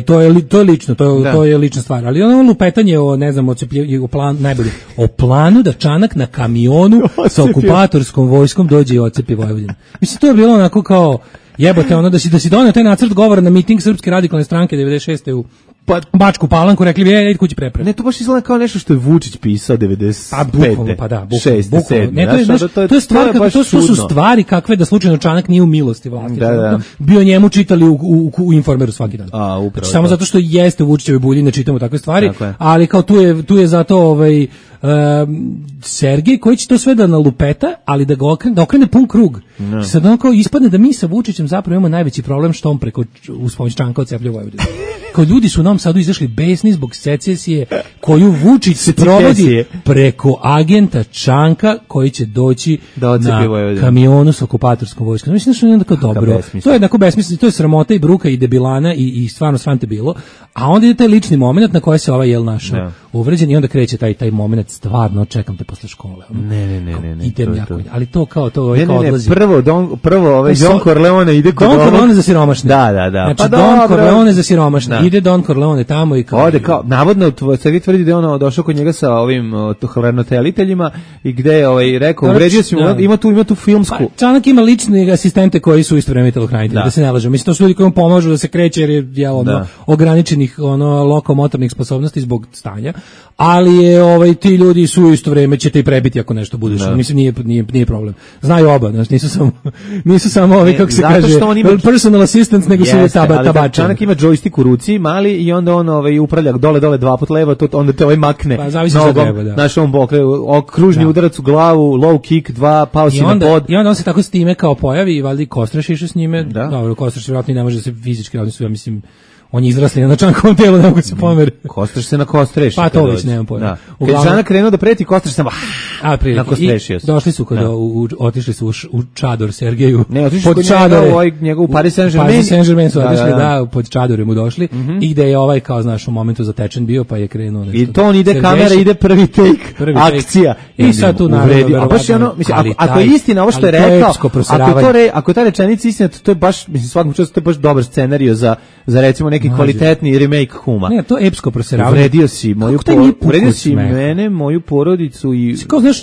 to je lično, to je lična stvar. Ali lupetanje o, ne znam, o planu da Čanak na kamionu sa okupatorskom vojskom dođe i ocepi Vojvodinu. Mislim, to je bilo onako kao, jebote, da si donio taj nacrt govora na miting Srpske radikalne stranke 96. u Bačku Palanku, rekli bi, ej, kući prepravi. Ne, to baš izgleda kao nešto što je Vučić pisao 95. Pa da, 6. 7. Ne, to je stvar, to su stvari kakve da slučajno Čanak nije u milosti vlasti. Bio njemu čitali u Informeru svaki dan. Samo zato što jeste u Vučićevoj bulji, ne čitamo takve stvari, ali kao tu je zato Sergej koji će to sve da nalupeta, ali da okrene pun krug. Sad ono kao ispadne da mi sa Vučićem zapravo imamo najveći problem što on preko uz pomoć Čanka odceplja Vojvodinu. Kao ljudi su u Novom Sadu izašli besni zbog secesije koju Vučić se provodi preko agenta Čanka koji će doći na kamionu sa okupatorskom vojskom. Mislim da su jednako dobro. To je jednako besmisleno, to je sramota i bruka i debilana i stvarno svante bilo. A onda ide taj lični moment na koji se našao uvređen i onda kreće taj moment, stvarno čekam te posle škole. Ne. Idem jako. Ali to kao odlazi. Prvo Don Corleone ide kod Don Corleone za siromašne. Da. Znači Don Corleone za siromašne. Ide Don Corleone tamo i kao... Ode kao, navodno, Sergej tvrdi da je došao kod njega sa ovim hraniteljiteljima i gde je rekao, uvredio si mu, ima tu filmsku... Pa, Čanak ima lične asistente koji su isto vreme telohranitelji, da se ne lažemo. Mislim, to su ljudi koji mu pomažu da se kreće jer je ograničenih lokomotornih sposobnosti zbog stanja, ali je ti ljudi su isto vreme će te i prebiti ako nešto budeš. Mislim, nije problem. Znaju oba, znači nisu samo ovi, kako se kaže, personal assistants, nego su tabačani. Čanak ima joystick u ruci, mali, i onda on upravlja dole dva put levo, onda te makne. Pa zavisi šta treba, da. Znaš, on kružni udarac u glavu, low kick, 2, pausi na pod. I onda on se tako s time kao pojavi i valjda Kostreš išao s njime. Dobro, Kostreš vjerojatno ne može da se fizički raditi, ja mislim, on je izrasli na Čankovom tijelu, ne mogu se pomeri. Kostreš se na Kostreš. Pa to već nemam pojma. Kad Čanak krenuo da preti, Kostreš samo na Kostrešio se. Došli su otišli su u čador Sergeju. Ne, otišli su kod njega u Paris Saint-Germain. Paris Saint-Germain su otišli, pod čadore mu došli. I gde je kao, znaš, u momentu zatečen bio, pa je krenuo nešto. I to on ide kamera, ide prvi take, akcija. I sad tu naravno. A baš je ako je istina ovo što je rekao, ako je ta rečenica istina, to je baš, mislim, svakom času, to je baš dobar scenario za recimo neki kvalitetni remake Huma. Ne, to je epsko proseravanje. Uvredio si mene, moju porodicu i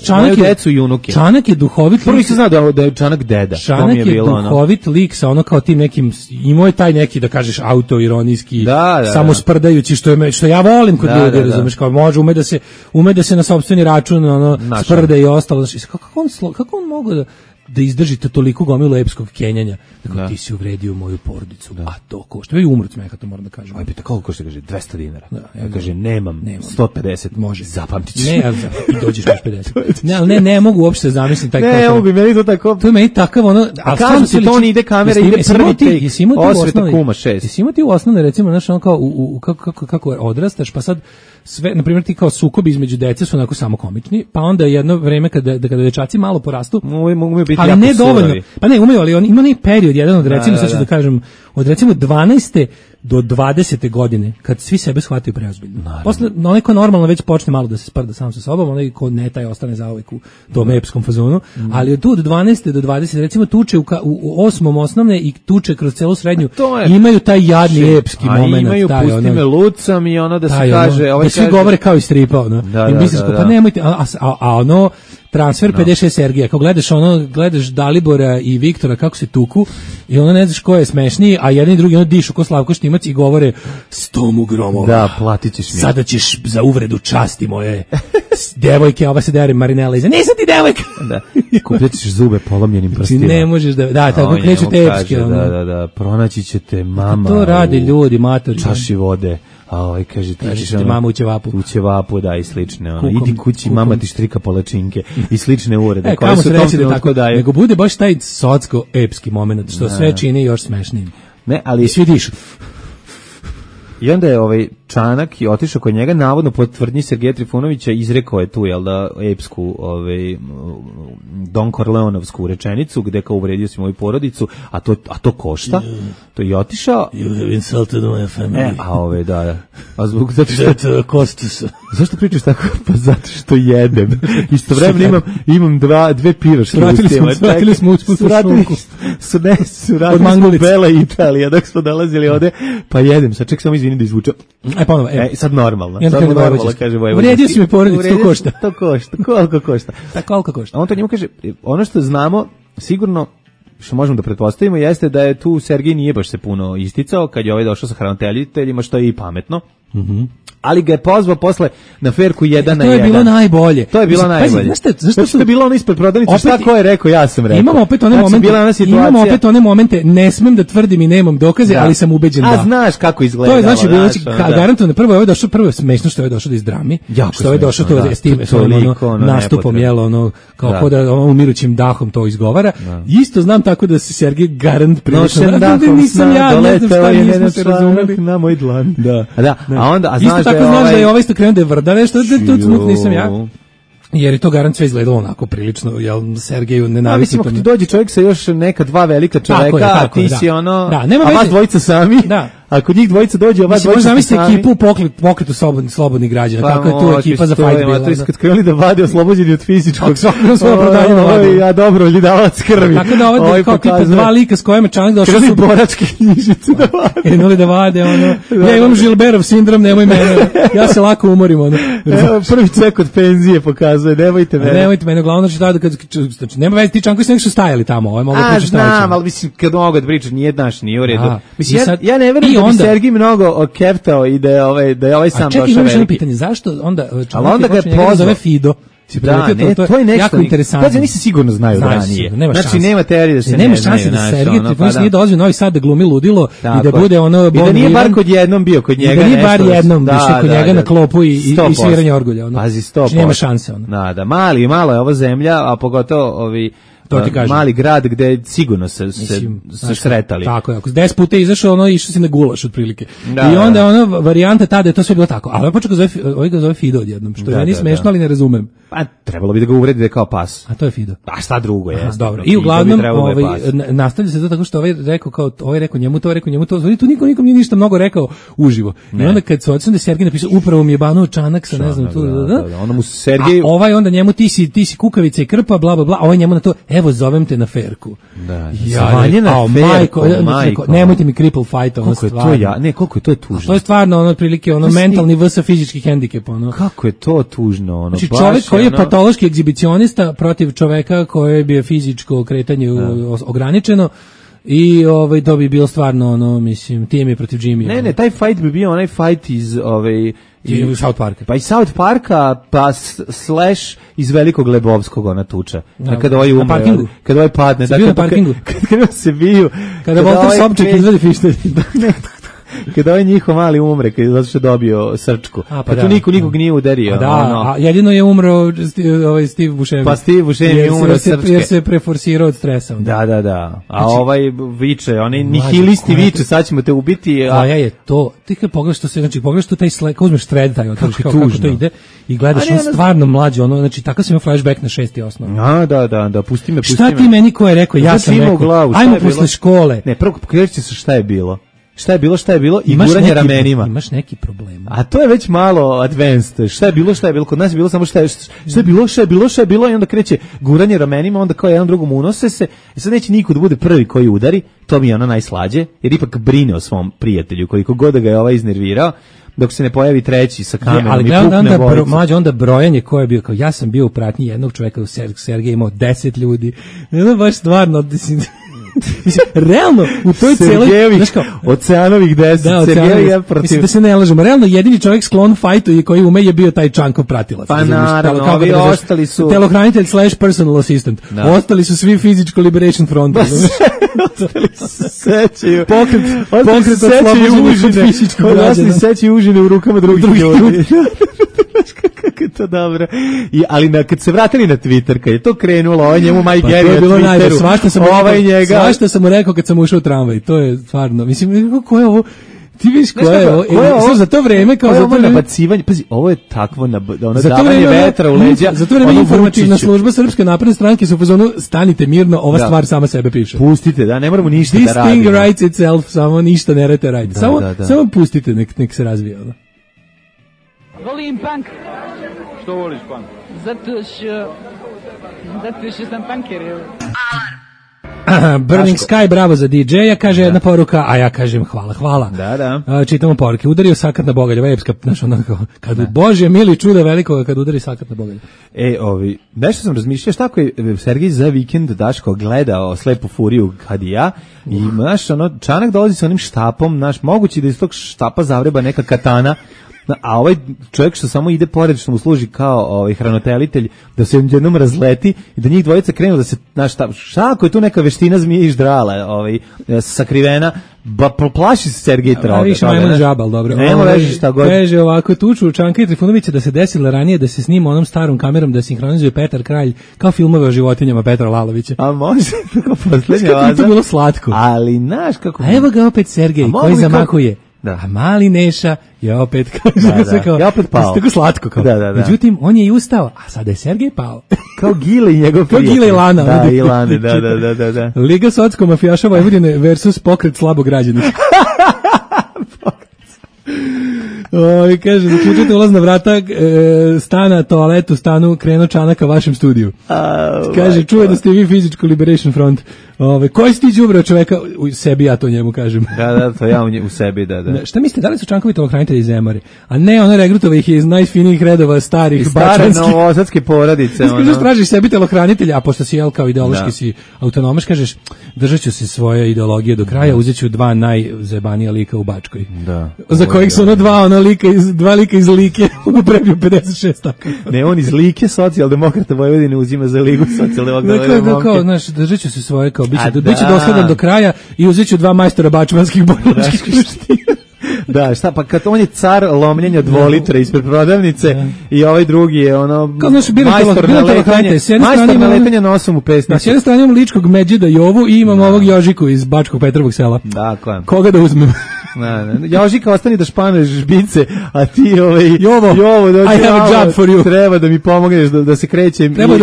moju decu i unuke. Čanak je duhovit. Prvo nisam znao da je Čanak deda. Čanak je duhovit lik sa kao tim nekim, imao je taj neki, da kažeš, autoironijski, samosprdajući, što ja volim kod ljudi, razumeš, kao može, ume da se na sopstveni račun sprda i ostalo. Kako on mogu da izdržite toliko gomilu epskog kenjanja. Dakle, ti si uvredio moju porodicu, a to košta. Je umro smeha, to moram da kažem. Aj, pita, koliko košta, kaže, 200 dinara. Ja kaže, nemam 150, može. Zapamtit ću. Ne, i dođeš na 50. Ne mogu uopšte zamisliti taj košta. Ne, mogu, meni to tako. To je meni takav, a kam ti to ide kamera, ide prvi take, osveta Kuma 6. Jesi imao ti u osnovne, recimo, znaš, ono kao, kako odrastaš, pa sad, sve, na primjer, ti kao sukobi između dece su onako samo komični, pa onda jedno vreme kada dečaci malo porastu, mogu biti ali ne dovoljno. Pa ne, umeju, ali on ima neki period, jedan od recimo, sad ću da kažem, od recimo 12. do 20. godine, kad svi sebe shvataju preozbiljno. Posle, onaj ko normalno već počne malo da se sprda sam sa sobom, onaj ko ne taj ostane zauvek u tom epskom fazonu, ali od tu od 12. do 20. recimo tuče u 8. osnovne i tuče kroz celu srednju, imaju taj jadni epski moment. Imaju, pusti me lucam i ono da se kaže... Da svi govore kao iz stripa, ono. I misliš, pa nemojte, a ono... Transfer 56 Sergija, kao gledaš Dalibora i Viktora kako se tuku i ono ne znaš ko je smešniji, a jedan i drugi ono dišu ko Slavko Štimac i govore 100 gromova. Da, platit ćeš mi. Sada ćeš za uvredu časti moje devojke, ova se dere Marinela iza. Nisam ti devojka! Da, kupljat ćeš zube polomljenim prstima. Ne možeš da, tako kreću te epske. Da, pronaći ćete mama. To rade ljudi, matori. Čaši vode. A kaže ti ćeš mama u ćevapu. U ćevapu, da, i slične. Idi kući, mama ti štrika palačinke i slične urede. Koje su tom trenutku daje. Nego bude baš taj socko-epski moment, što sve čini još smešnijim. Ne, ali... Svi dišu. I onda je Čanak i otišao kod njega, navodno po tvrdnji Sergeja Trifunovića izrekao je tu, jel da, epsku, Don Corleonovsku rečenicu, gde kao uvredio si moju porodicu, a to košta. To je otišao. You have insulted my family. Da. A zbog zato što... Kosti su. Zašto pričaš tako? Pa zato što jedem. Istovremeno imam dve pivaške ustima. Vratili smo usput u šunku. Vratili smo Bela i Italija, dok smo dolazili ovde, pa jedem. Sad ček samo izvini da izvučem. Ponovo, sad normalno. Sad normalno, kaže Vojvođanski. Uredio si mi porodicu, to košta. To košta. Koliko košta? Koliko košta? A on to njemu kaže, ono što znamo, sigurno, što možemo da pretpostavimo, jeste da je tu Sergej nije baš se puno isticao, kad je došao sa hraniteljiteljima, što je i pametno. Ali ga je pozvao posle na ferku 1 na 1. To je bilo najbolje. To je bilo najbolje. Zašto je bilo ono ispred prodavnice? Šta ko je rekao, ja sam rekao. Imamo opet one momente, ne smem da tvrdim i nemam dokaze, ali sam ubeđen da. A znaš kako izgleda. To je znači bilo garantovano prvo je smešno što je došao da iz drami, što je došao to s tim nastupom jelo kao da umirućim dahom to izgovara. Isto znam tako da se Sergej garant prilično nisam ja, ne znam šta nismo se razumeli na moj dlan. Da. A onda znaš da je ovaj isto krenuo da je vrda nešto, tu smut nisam ja. Jer je to garant sve izgledalo onako prilično, jel Sergeju nenavisno. Mislim, ako ti dođe čovjek sa još neka dva velika čoveka, a ti si ono, a vas dvojica sami, ako njih dvojica dođe, a vas dvojica sami. Možda zamislite ekipu pokretu slobodnih građana, kako je tu ekipa za fight bila. Kad krenuli da vade oslobođeni od fizičkog, ja dobro, ljudavac krvi. Tako da ovdje kao tipa dva lika s kojima Čanak došao su boračke knjižice da vade. Krenuli da vade, ja imam Žilberov sindrom, nemoj mene, ja se lako umorim. Prvi cek od penzije pokazuje, nemojte mene, uglavnom znači nema veze, ti Čanković neki su stajali tamo, mogu pričati šta hoće. Znam, ali mislim, kad mogu da pričati, nije u redu. Mislim, ja ne verujem da bi Sergij mnogo keptao i da je ovaj sam došao veliki. A čekaj, imaš pitanje, zašto onda Čanak ga je pozvao Fido? Da, to je nešto jako interesantno. Pazi, oni se sigurno znaju ranije. Znači, nema teorije da se nema šanse da Sergej Trifunović nije dolazio u Novi Sad da glumi ludilo i da bude ono... I da nije bar kod jednom bio kod njega nešto. I da nije bar jednom više kod njega na klopu i sviranje orgulja. Pazi, 100%. Nema šanse. Da, malo je ova zemlja, a pogotovo mali grad gde sigurno se sretali. Tako je, ako 10 puta izašao, išao si na gulaš otprilike. I onda varijanta tada je to sve bilo tako. Ali ovaj počeo ga zove Fido odjednom, što je meni smešno, ali ne razumem. Pa trebalo bi da ga uvredi da je kao pas. A to je Fido. A šta drugo je? Dobro. I uglavnom nastavlja se to tako što ovaj rekao njemu to. Tu nikom nije ništa mnogo rekao uživo. I onda kad se odsam da Sergej napisao upravo mi je banuo Čanak sa ne znam tu. Onda mu Sergej... A ovaj onda njemu ti si kukavica i krpa, bla bla bla. Ovaj njemu na to evo zovem te na ferku. Majko. Nemojte mi cripple fight, koliko je to tužno. To je stvarno otprilike mentalni vs fizički hendikep. Kako je to tužno. Znači čovjek koji je patološki egzibicionista protiv čoveka koje bi je fizičko kretanje ograničeno i to bi bilo stvarno mislim tim je protiv Jimmy. Ne, taj fight bi bio onaj fight iz South Parka. Pa iz South Parka, pa slash iz Velikog Lebovskog ona tuča. Kada ovaj umre, kada ovaj padne, na parkingu. Kada se biju. Kada Volter Sobčak izvedi fištelj. Kada ovaj njihov mali umre, kad je zato što dobio srčku. Pa tu nikog nije udario. A jedino je umro Steve Buscemi. Pa Steve Buscemi je umro srčke. Jer se preforsirao od stresa. Da. A ovaj viče, oni nihilisti viče, sad ćemo te ubiti. A ja je to, ti kad pogledaš to sve, znači pogledaš tu taj sled, kao uzmeš thread, taj, kako to ide i gledaš on stvarno mlađe, ono, znači takav sam imao flashback na 6. osnovu. Da, pusti me. Šta ti meni ko je rekao, ja sam rekao, ajmo posle škole. Ne, prvo kreće se šta je bilo. Šta je bilo i guranje ramenima. Imaš neki problem. A to je već malo advanced. Šta je bilo? Kod nas je bilo samo šta je bilo i onda kreće guranje ramenima, onda kao jedan drugom unose se. I sad neće niko da bude prvi koji udari, to mi je ono najslađe, jer ipak brine o svom prijatelju, koliko god da ga je ovaj iznervirao, dok se ne pojavi treći sa kamerom i pukne bolicu. Mlađe, onda brojanje ko je bio, kao ja sam bio u pratnji jednog čoveka, u Sergej imao 10 ljudi. Ne, baš stvarno, realno u toj celoj oceanovih 10 Sergejeva protiv. Mislim da se ne lažemo, realno jedini čovjek sklon fajtu i koji ume je bio taj Čankov pratilac. Pa naravno, ovi ostali su telohranitelj / personal assistant. Ostali su svi Physical Liberation Front. Ostali se sećaju. Pokret oslobođenih fizičkog građana. Ostali sećaju užine u rukama drugih ljudi. Kako je to dobro. Ali kad se vratili na Twitter, kad je to krenulo, ovo njemu Mike Gary na Twitteru, svašta sam mu rekao kad sam ušao u tramvaj, to je stvarno, mislim, ko je ovo, ti viš ko je ovo, za to vreme, kao za to nabacivanje, pazi, ovo je takvo davanje vetra u leđa. Za to vreme informativna služba Srpske napredne stranke su u fazonu, stanite mirno, ova stvar sama sebe piše. Pustite, da, ne moramo ništa da radimo. This thing writes itself, samo ništa ne rete raditi. Samo pustite, nek se razvija. Volim punk. Što voliš punk? Zato što sam punker. Burning Sky, bravo za DJ-a, kaže jedna poruka, a ja kažem hvala. Da. Čitamo poruke. Udario sakat na bogalje, epska, znaš, onako, kad Bože mili čuda velikoga, kad udari sakat na bogalje. Nešto sam razmišljao, šta ako je Sergej za vikend Daško gledao Slepu furiju kad i ja, i znaš, Čanak dolazi sa onim štapom, znaš, moguće da iz tog štapa zavreba neka katana, a ovaj čovjek što samo ide pored, što mu služi kao hranitelitelj, da se jednom razleti i da njih dvojica krenu da se, znaš, šta ako je tu neka veština zmije i ždrala sakrivena, plaši se Sergej Troga. A više majmun žabal, dobro. Nemo reći šta god. Kaže ovako, tuču Čanka i Trifunovića da se desilo ranije da se snima onom starom kamerom da sinhronizuje Petar Kralj kao filmove o životinjama Petra Lalovića. A može, kako poslednja vaza. To bilo slatko. Ali, znaš kako... A evo ga opet Sergej koji zamakuje. Da. A mali Neša je opet je opet pao. Tako slatko kao. Da. Međutim, on je i ustao, a sada je Sergej pao. Kao Gile i njegov prijatelj. Kao Gile i Lana. Da, i Lane, da. Liga socko-mafijaša Vojvodine versus pokret slabog građana. Kaže, zaključite ulazna vrata stana, toaletu, stanu, krenuo Čanaka vašem studiju. Kaže, čuje da ste vi Physical Liberation Front. Koji si ti đubrao čoveka? U sebi ja to njemu kažem. Da, to ja u sebi, da. Šta mislite, da li su Čankovi telohranitelji iz Zemare? A ne, ono regrutova ih je iz najfinijih redova starih bačanskih. Stare novosadske porodice. Kažeš, tražiš sebi telohranitelja, a pošto si kao ideološki si autonomaš, kažeš, držat ću se svoje ideologije do kraja, uzet ću dva najzajebanija lika u Bačkoj. Da. Za kojih su dva lika iz Like uprebio 56 tako. Ne, on iz Like, socijaldemokrata Vojvodine uzima za Ligu socijaldemokrata Vojvodine. Kao, znaš, držat ću se svoje, kao, biće dosledan do kraja i uzet ću dva majstora bačmanskih borilačkih veština. Da, šta, pa kad on je car lomljenja 2 litre ispred prodavnice i ovaj drugi je majstor na letanje nosom u pesnicu. S jedne strane imam ličkog Međida Jovu i imam ovog Jožiku iz Bačkog Petrovog sela. Dakle. Koga da uzmem? Jožika, ostani da španeš žbice, a ti Jovo, I have a job for you. Treba da mi pomogneš da se krećem. Treba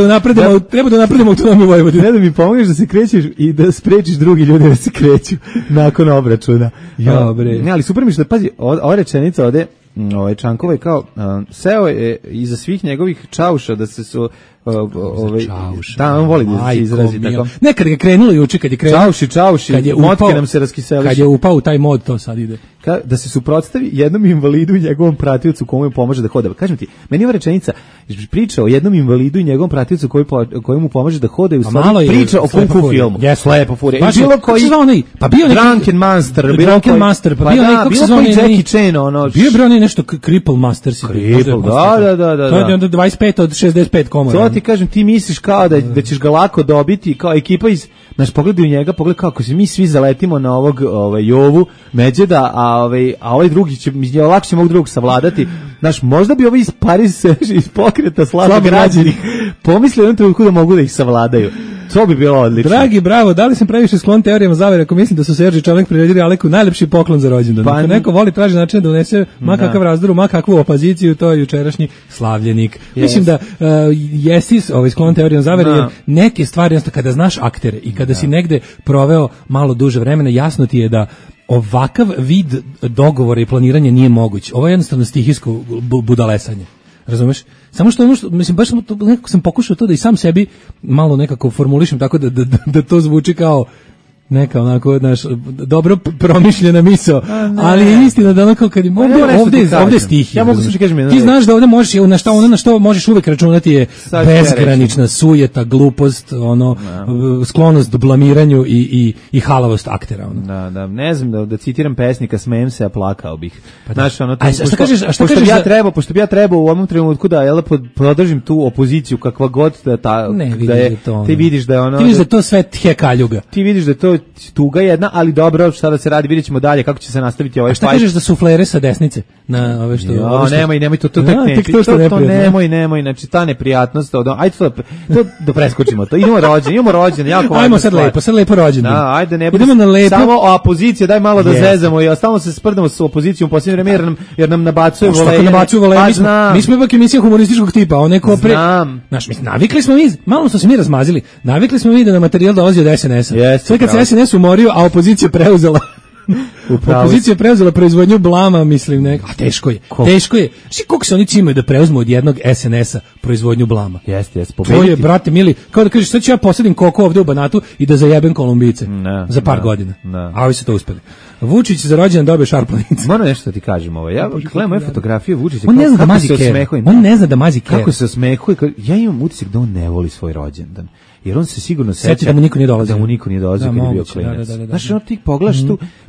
da napredimo autonomiju Vojvodine. Treba da mi pomogneš da se krećeš i da sprečiš drugi ljudi da se kreću nakon obračuna. Ne, ali super mi što, pazi, ova rečenica ovde, Čankova je kao, seo je iza svih njegovih čauša da se su da, on voli da se izrazi tako. Nekad je krenulo juče, kad je krenulo. Čauši, motke nam se raskiseliš. Kad je upao u taj mod, to sad ide. Da se suprotstavi jednom invalidu i njegovom pratiocu komu pomaže da hoda. Kažem ti, meni ova rečenica priča o jednom invalidu i njegovom pratiocu koji mu pomaže da hoda i u stvari priča o kung fu filmu. Slepa furija. Bilo koji pa bio neki Drunken Master, pa bio neki bilo koji Jackie Chan, bio nešto Cripple Master. Da. To je onda 25 od 65 komora. ti kažem, ti misliš kao da ćeš ga lako dobiti, kao ekipa iz, znaš, pogledaj u njega, pogledaj kako se mi svi zaletimo na ovog Jovu Međeda, a ovaj drugi će, lakše ovog drugog savladati. Znaš, možda bi ovi iz Paris iz pokreta slabo građani pomislili u jednom trenutku da mogu da ih savladaju. To bi bilo odlično. Dragi, bravo, da li sam previše sklon teorijama zavere ako mislim da su Serđi Čomek priredili Aleku najlepši poklon za rođendan. Pa, neko voli traži način da unese kakav razdor, kakvu opoziciju, to je jučerašnji slavljenik. Yes. Mislim da jesi sklon teorijama zavere, jer neke stvari, jednostavno, kada znaš aktere i kada si negde proveo malo duže vremena, jasno ti je da ovakav vid dogovora i planiranja nije moguć. Ovo je jednostavno stihijsko budalesanje. Razumeš? Samo što mislim, baš nekako sam pokušao to da i sam sebi malo nekako formulišem tako da to zvuči kao neka onako, znaš, dobro promišljena misao, ali je istina da onako kad ovde stih. Ja mogu kažem, ti znaš da ovde možeš na što možeš uvek računati je bezgranična sujeta, glupost, sklonost blamiranju i halavost aktera. Da, ne znam da citiram pesnika, smejem se, a plakao bih. Znaš, pošto bi ja trebao u ovom trenutku da podržim tu opoziciju kakva god da je, ti vidiš da je ono... Ti vidiš da to sve tjekaljuga. Ti vidiš da to tuga jedna, ali dobro, šta da se radi, vidjet ćemo dalje kako će se nastaviti ovaj fight. A šta kažeš za suflere sa desnice? Na ove što... Nemoj, to tek neći. To nemoj, znači ta neprijatnost, ajde to da preskočimo to. Idemo rođen, jako važno. Ajmo sad lepo rođen. Da, ajde, ne budemo na lepo. Samo opozicija, daj malo da zezamo i stalno se sprdamo s opozicijom u posljednje vreme, jer nam nabacuje voleje. Mi smo ipak emisija humorističkog tipa, navikli smo mi, malo smo se mi razmazili, navikli smo mi da na materijal dolazi od SNS-a. Sve kad se SNS umorio, a opozicija preuzela opozicija preuzela proizvodnju blama, mislim, a teško je. Šti koliko se oni cimaju da preuzmu od jednog SNS-a proizvodnju blama? Jeste. To je, brate mili, kao da kažeš, sad ću ja posadim koko ovde u Banatu i da zajebem Kolumbijice za par godina. A ovi su to uspeli. Vučić za rođendan dobije šarplanicu. Moram nešto ti kažem ovo. Ja gledam moje fotografije Vučića. On ne zna da mazi kere. Kako se osmehuje. Ja imam utisak da on ne voli svoj rođendan. Jer on se sigurno seća da mu niko nije dolazio. Da mu niko nije dolazio kad je bio klinac. Znaš, ono ti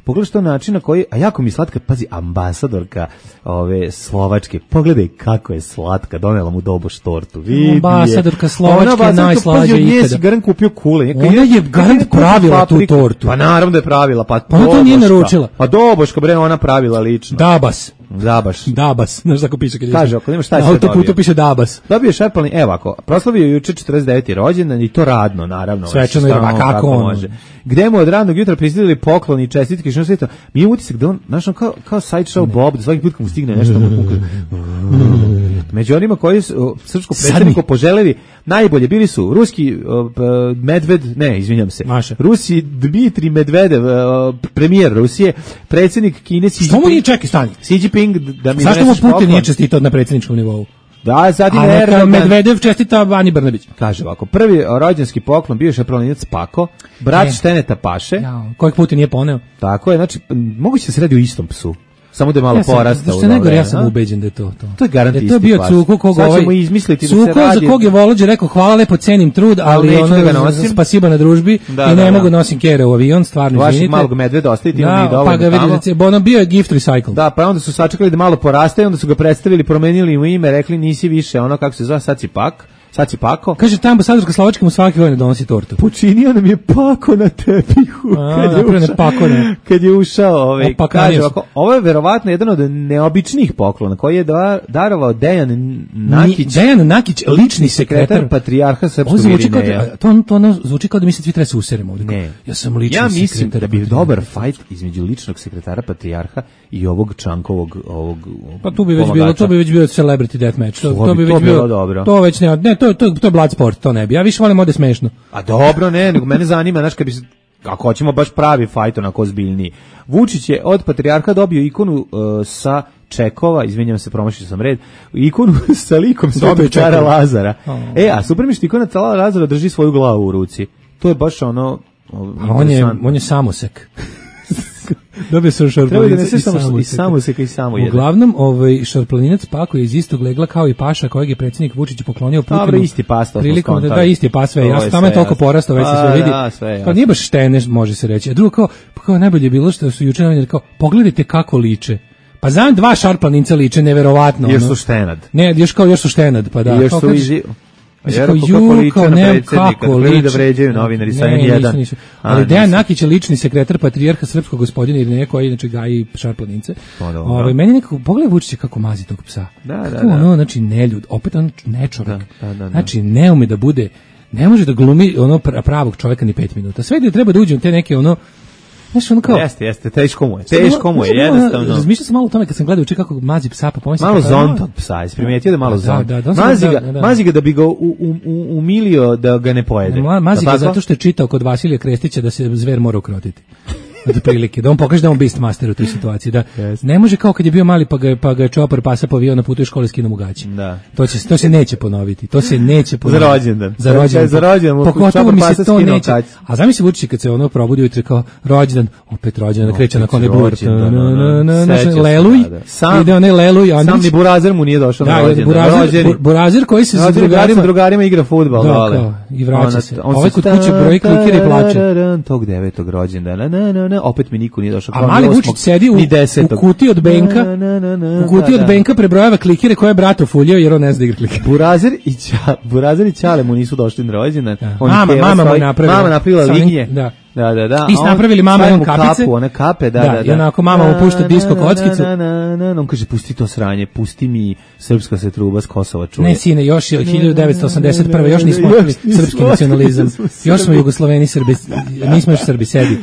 pogledaš to način na koji, a jako mi slatka, pazi, ambasadorka ove Slovačke, pogledaj kako je slatka, donela mu doboš tortu. Ambasadorka Slovačke je najslađa ikada. Pazi, Garant kupio kule. Ona je Garant pravila tu tortu. Pa naravno da je pravila. Pa ona to nije naručila. Pa doboška, bre, ona pravila lično. Dabas, znaš tako piše kad je. Kaže, ako nemaš šta se dobio. Na autoputu piše Dabas. Dobio šarpalni, evo ako, proslavio juče 49. rođendan i to radno, naravno. Svečano i radno, kako on može. Gde mu od radnog jutra pristižili pokloni i čestitke, što sve to. Mi je utisak da on, znaš, kao sideshow Bob, da svaki put kad mu stigne nešto, mu kaže. Među onima koji su srpskom predsjedniku poželeli najbolje bili su ruski Rusi Dmitri Medvedev, premijer Rusije, predsjednik Kine Xi Jinping. Što mu nije čekaj, stani? Xi Jinping da mi zašto mu Putin nije čestitao na predsjedničkom nivou? Da, zatim Medvedev čestita Ani Brnabić. Kaže ovako, prvi rođenski poklon bio je šarpalinac Pako, brat Šteneta Paše. Kojeg Putin nije poneo. Tako je, znači, moguće da se radi o istom psu. Samo da je malo porastao. Što najgore, ja sam ubeđen da je to. To je garant isti pas. To je bio Cuko koga za kog je Volođe rekao hvala lepo, cenim trud, ali spasiba na družbi i ne mogu nosim kere u avion, stvarno izvinite. Vašeg malog medveda ostaviti, imam i dovoljno pa ga vidite, ono bio je gift recycle. Da, pa onda su sačekali da malo poraste, onda su ga predstavili, promenili mu ime, rekli nisi više ono kako se zove, sad si Pako. Kaže, ta ambasadorska Slovačka mu svake godine donosi tortu. Počinio nam je Pako na tepihu. Kad je ušao. Kaže, ovo je verovatno jedan od neobičnih poklona koji je darovao Dejan Nakić. Dejan Nakić, lični sekretar patrijarha Srpskog Irineja. To zvuči kao da mi se svi treba se useremo ovdje. Ne. Ja sam lični sekretar. Ja mislim da bi dobar fajt između ličnog sekretara patrijarha i ovog Čankovog pa tu bi već bio celebrity deathmatch. To bi već bilo dobro. To već ne, to je blood sport, to ne bi. Ja više volim ovdje smešno. A dobro, ne, nego mene zanima, znaš, ako hoćemo baš pravi fajt, onako ozbiljniji. Vučić je od patrijarha dobio ikonu sa Čekova, izvinjam se, promašio sam red, ikonu sa likom Svetog cara Lazara. A super mi što ikona cara Lazara drži svoju glavu u ruci. To je baš ono... On je samosek. Dobio sam šarplaninac i samoseka i samo jedan. Uglavnom, šarplaninac Pako je iz istog legla kao i paša kojeg je predsjednik Vučić poklonio Putinu. Dobro, isti pas, to smo skontali. Da, isti pas, sve jasno. Tamo je toliko porastao, već se sve vidi. Kao nije baš štene, može se reći. A drugo, kao najbolje je bilo što su juče novinari kao, pogledajte kako liče. Pa znam, dva šarplaninca liče, neverovatno. Još su štenad. Ne, još su štenad, pa da. Jer kako nemam kako liči. Da vređaju novinari sa N1. Nisu. Ali Dejan Nakić je lični sekretar patrijarha srpskog gospodina Irineja koji inače gaji šarplanince. Meni nekako pogledaj Vučića kako mazi tog psa. Kako ono, znači neljud, opet on nečovek. Znači ne ume da bude, ne može da glumi ono pravog čoveka ni 5 minuta. Sve da treba da uđe u te neke ono. Znaš, ono kao... Jeste, teško mu je, jednostavno. Razmišljao sam malo o tome kad sam gledao kako mazi psa, pa pomislim... Malo zonta od psa, isprimijetio da malo zonta. Mazi ga da bi ga umilio da ga ne pojede. Mazi ga zato što je čitao kod Vasilija Krestića da se zver mora ukrotiti. Od prilike, da on pokaže da on beastmaster u toj situaciji, da ne može kao kad je bio mali pa ga je čopar pasa povio na putu iz škole skinuo mu gaći. To se neće ponoviti. Za rođendan. Pogotovo mi se to neće. A zamisli Vučić kad se ono probudi ujutro kao rođendan, opet rođendan, kreće na kone bur. Leluj. Ide onaj Leluj. Sam ni Burazer mu nije došao na rođendan. Burazer koji se sa drugarima igra fudbal. I vraća se. Ovaj kod kuće broji klikere i plače. Tog 9. rođendana. Opet mi niko nije došao. A mali Vučić sedi u kutiji od Benka. U kutiji od Benka prebrojava klikire koje je brat ofuljio jer on ne zna da igra klikire. Burazer i Ćale mu nisu došli na rođendan. Mama mu napravila lignje. Da. I napravili mama i on kapice. One kape, I onako mama mu pušta disko kockicu. On kaže, pusti to sranje, pusti mi srpska se truba s Kosova čuje. Ne, sine, još je 1981. Još nismo otkrili srpski nacionalizam. Još smo Jugosloveni Srbi, nismo još Srbi, sedi.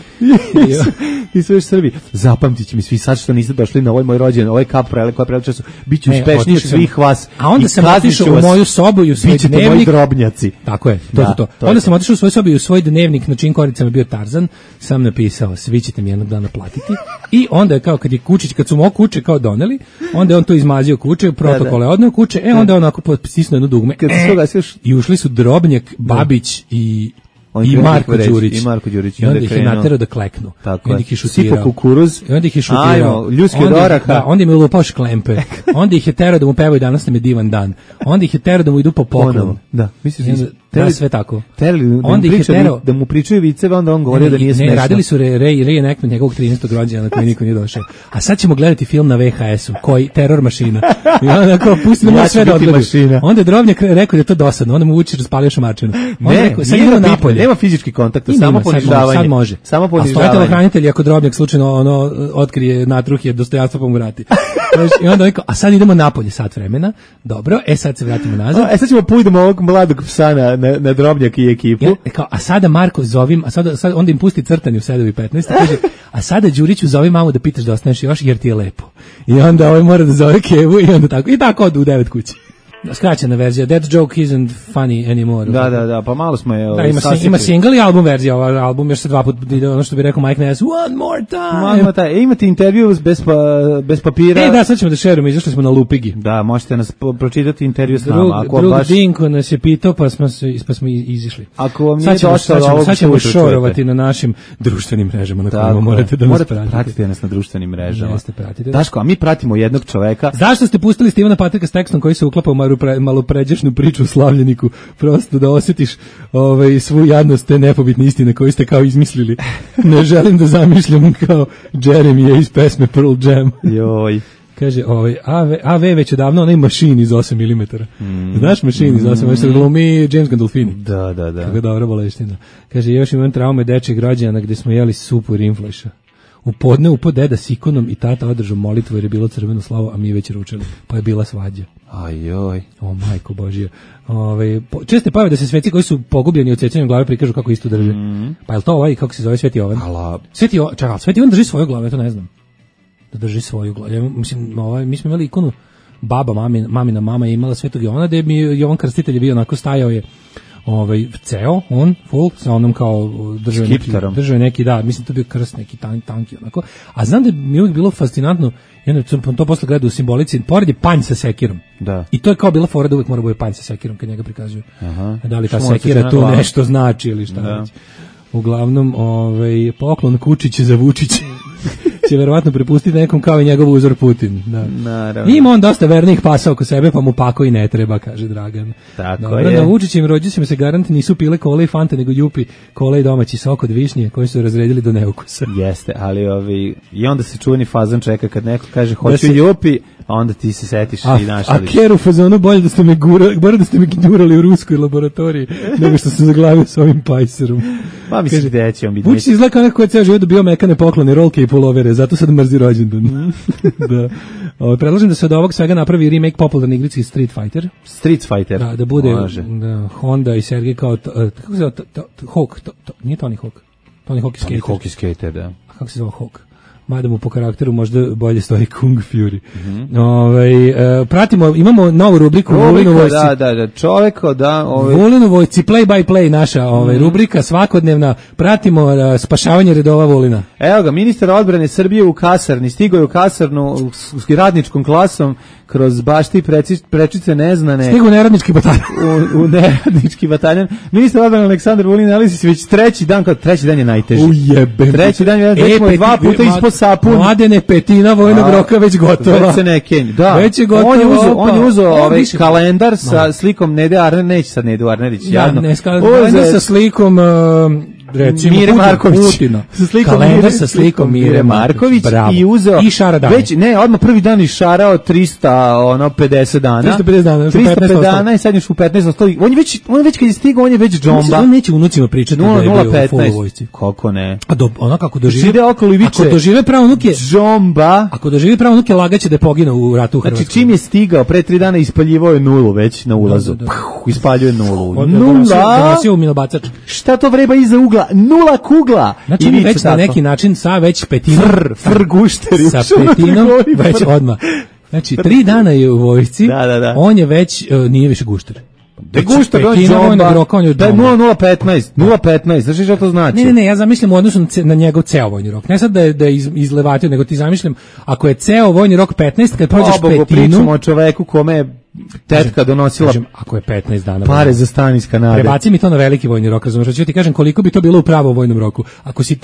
I sve još Srbi. Zapamtit će mi svi sad što niste došli na ovaj moj rođendan, ovaj kap koja prela času, bit ću uspešniji od svih vas. A onda sam otišao u moju sobu i u svoj dnevnik. Moji drobnjaci. Tako je, to. Onda sam otišao u svoju sobu i u svoj dnevnik, na čijim koricama bio Tarzan, sam napisao, svi ćete mi jednog dana platiti. I onda je kao kad je Kučić, kad su mu kuće kao doneli, onda je on to izmazio kuće, protokole odneo kuće, onda je onako stisnuo jedno dugme. I ušli su Drobnjak, Babić i Marko Đurić. I onda ih je naterao da kleknu. I onda ih je šutirao. Sipo kukuruz. I onda ih je šutirao. Ljudski od oraha. Onda im je lupao šklempe. Onda ih je terao da mu pevaju danas nam je divan dan. Onda ih je terao da mu idu po poklonu. Da, misliš da sve tako. Onda ih je terao da mu pričaju viceve, onda on govorio da nije smešno. Ne, radili su reenactment njegovog 13. rođendana na koji niko nije došao. A sad ćemo gledati film na VHS-u, koji Teror mašina. I onda kao pusti da mu sve da odgledaju. Onda je Drobnjak rekao da je to dosadno, onda mu Vučić raspalio šamarčinu. Sad idemo napolje. Nema fizički kontakt, samo ponižavanje. Sad može. Samo ponižavanje. A stoje telohranitelji ako Drobnjak slučajno otkrije natruhje dostojanstva pa mu vrati. I onda rekao, a sad idemo napolje sat vremena. Dobro, sad se vratimo nazad. Sad ćemo pojdemo ovog mladog psa na Drobnjak i ekipu. A sada Marko zovim, a sad onda im pusti crtanje u 7:15, kaže, a sada Đuriću zovi mamu da pitaš da ostaneš još jer ti je lepo. I onda ovaj mora da zove Kevu i onda tako. I tako odu u 9 kući. Skraćena verzija, that joke isn't funny anymore. Da, pa malo smo je... Ima single i album verzija, ovaj album još se 2 puta ide, ono što bi rekao Mike Ness, one more time. Imate intervju bez papira. Da, sad ćemo da šerujemo, izašli smo na Lupigi. Da, možete nas pročitati intervju s nama. Drug Dinko nas je pitao, pa smo izišli. Ako vam nije došlo do ovog sad ćemo šorovati na našim društvenim mrežama na kojima morate da nas pratite. Pratite nas na društvenim mrežama. Jeste, pratite. Daško, a mi pratimo jednog čoveka. Zašto ste pustili Stevena Patrika s tekstom koji se uklapa u malo pređašnju priču o slavljeniku, prosto da osjetiš svu jadnost te nepobitne istine koju ste kao izmislili. Ne želim da zamišljam kao Jeremy iz pesme Pearl Jam. Joj. Kaže, AV već je davno onaj mašin iz 8 mm. Znaš mašin iz 8 mm? Glumi James Gandolfini. Da. Kako dobra boleština. Kaže, još imam traume dečjeg rođena gde smo jeli supu i rinfleša. U podne upo deda s ikonom i tata održao molitvu jer je bilo crveno slavo, a mi već ručali. Pa je bila svađa. Ajoj. O majko Božija. Česte pojave da se sveci koji su pogubljeni od sećanjem glave prikažu kako isto drže. Pa je to kako se zove Sveti Jovan? Sveti Jovan drži svoju glavu, ja to ne znam. Da drži svoju glavu. Ja, mislim, mi smo imali ikonu baba, mamina mama je imala Svetog Jovana, gde mi Jovan Krstitelj je bio onako stajao je ceo, on, full, sa onom kao držao neki, da, mislim to bio krst neki tanki onako, a znam da mi je uvijek bilo fascinantno, jedno sam to posle gledao u simbolici, pored je panj sa sekirom, da. I to je kao bila fora da uvijek mora bude panj sa sekirom kad njega prikazuju, da li ta sekira tu nešto znači ili šta već. Uglavnom, poklon Kučić za Vučić. će verovatno prepustiti nekom kao i njegov uzor Putin. Da. Naravno. Ima on dosta vernih pasa oko sebe, pa mu pako i ne treba, kaže Dragan. Tako Dobro, je. na Vučićim rođusima se garant nisu pile kole i fante, nego jupi kole i domaći sok od višnje koji su razredili do neukusa. Jeste, ali i onda se čuveni fazan čeka kad neko kaže hoću se... jupi, a onda ti se setiš i našališ. A Ker u fazonu bolje da ste me gurali u ruskoj laboratoriji nego što sam zaglavio s ovim pajserom. Pa mislim da će on biti. Vučić izgleda kao neko ko je ceo život dobio mekane poklone, rolke i pulovere, zato sad mrzi rođendan. Da. Predlažem da se od ovog svega napravi remake popularne igrice Street Fighter. Street Fighter. Da bude Honda i Sergej kao kako se zove Hawk, nije Tony Hawk. Tony Hawk skater. Tony Hawk skater, da. A kako se zove Hawk? Mada mu po karakteru možda bolje stoji Kung Fury. Pratimo, imamo novu rubriku Vulinu vojci. Da, čoveko, da. Vulinu vojci, play by play naša rubrika, svakodnevna, pratimo spašavanje redova Vulina. Evo ga, ministar odbrane Srbije u kasarni, stigao je u kasarnu s radničkom klasom, kroz bašti prečice neznane. Stigu neradnički bataljon. U neradnički bataljon. Ministar odbrane Aleksandar Vulin nalazi se već treći dan je najteži. Ujebe. Treći dan je dva puta ispod sapun. Mladene, petina vojnog roka već gotova. Već se ne kenj. Da. Već je gotovo. On je uzeo ovaj kalendar sa slikom Nede Arnerić, neće sad Nedu Arnerić, jadno. Kalendar sa slikom recimo Mire Marković. Putina. Kalendar sa slikom Mire Marković. I uzeo i šara dana. Već odmah prvi dan išarao 350 dana. 350 dana i sad još u 15 ostali. On je već kad je stigao, on je već džomba. On neće unucima pričati da je bio u full vojsci. Kako ne? A ono kako dožive. Ako dožive pravo unuke džomba. Ako dožive pravo unuke, lagaće da je poginuo u ratu u Hrvatskoj. Znači čim je stigao pre 3 dana ispaljivao je nulu već na ulazu. Ispaljuje nulu. Donosio u milobacač. Šta to vreba iza ugla? Nula kugla. Znači mi već na neki način sa već petinom gušteri sa petinom već odmah. Znači 3 dana je u vojsci. Da. On je već nije više gušter. Da gušter, on je džomba. Da je 0,015. Znaš što to znači? Ne, ja zamišljam u odnosu na njegov ceo vojni rok. Ne sad da je izlevatio, nego ti zamišljam ako je ceo vojni rok 15, kad prođeš petinu. Pričamo o čoveku kome je tetka donosila ako je 15 dana pare za stan iz Kanade. Prebaci mi to na veliki vojni rok, razumiješ? Ću ti kažem koliko bi to bilo u pravom vojnom roku.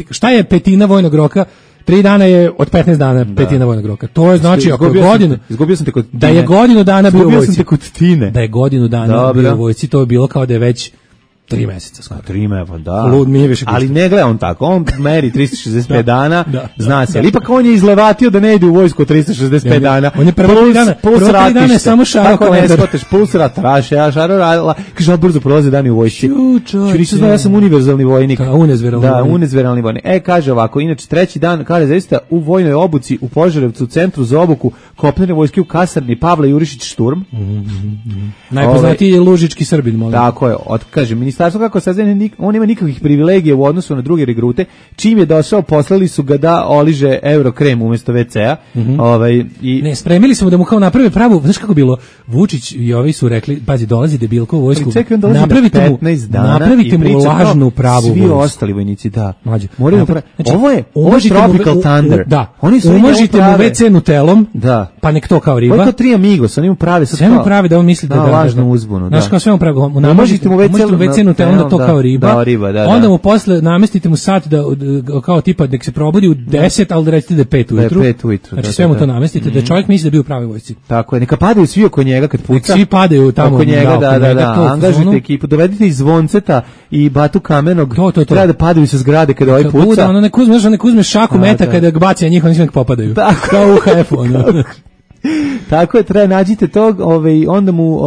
Šta je petina vojnog roka? 3 dana je od 15 dana petina vojnog roka. To je znači ako je godinu. Izgubio sam te kod Tine. Da je godinu dana bio u vojsci. Izgubio sam te kod Tine. Da je godinu dana bio u vojsci, to je bilo kao da je već 3 meseca skoro. 3 meseca, da. Ali ne gleda on tako. On meri 365 dana, zna se. Ali ipak on je izlevatio da ne ide u vojsku 365 dana. On je prvo 3 dana samo šarao kalendar. Plus rat, ja šarao, kaže, on brzo prolaze dani u vojsci. Čuriš, ja sam univerzalni vojnik. Unezveralni vojnik. Kaže ovako, inače treći dan, kaže, zaista u vojnoj obuci u Požarevcu, u centru za obuku kopnene vojske u kasarni Pavle Jurišić Šturm. Najpoznatiji je Lužički Srbin, molim. Tako je, kaže, ministarstvo kako saznanje, on nema nikakvih privilegija u odnosu na druge regrute. Čim je došao, poslali su ga da oliže Eurokrem umjesto WC-a. Ne, spremili smo da mu kao naprave pravu, znaš kako bilo, Vučić i ovi su rekli, pazi, dolazi debilko u vojsku, napravite mu lažnu pravu vojsku. Svi ostali vojnici, da. Ovo je Tropical Thunder. Da, umažite mu WC nutelom, pa nek to kao riba. Ovo je to 3 amigos, oni mu prave sad sve mu prave da on misli da lažnu uzbunu. Znaš kao sve mu prave, umažite mu WC nutelom da to kao riba, onda mu posle namestite mu sat da kao tipa nek se probudi u 10, ali da recite da je 5 ujutru. Znači sve mu to namestite, da čovjek misli da bi u pravoj vojsci. Tako je, neka padaju svi oko njega kad puca. Svi padaju tamo oko njega, da. Angažujte ekipu, dovedite iz Zvonceta i Batu Kamenog. Treba da padaju sa zgrade kada ovaj puca. Ono nek uzme šaku meta kada ga baci, a njih oni sve nek popadaju. Kao u HF-u. Tako je, treba nađite tog, onda mu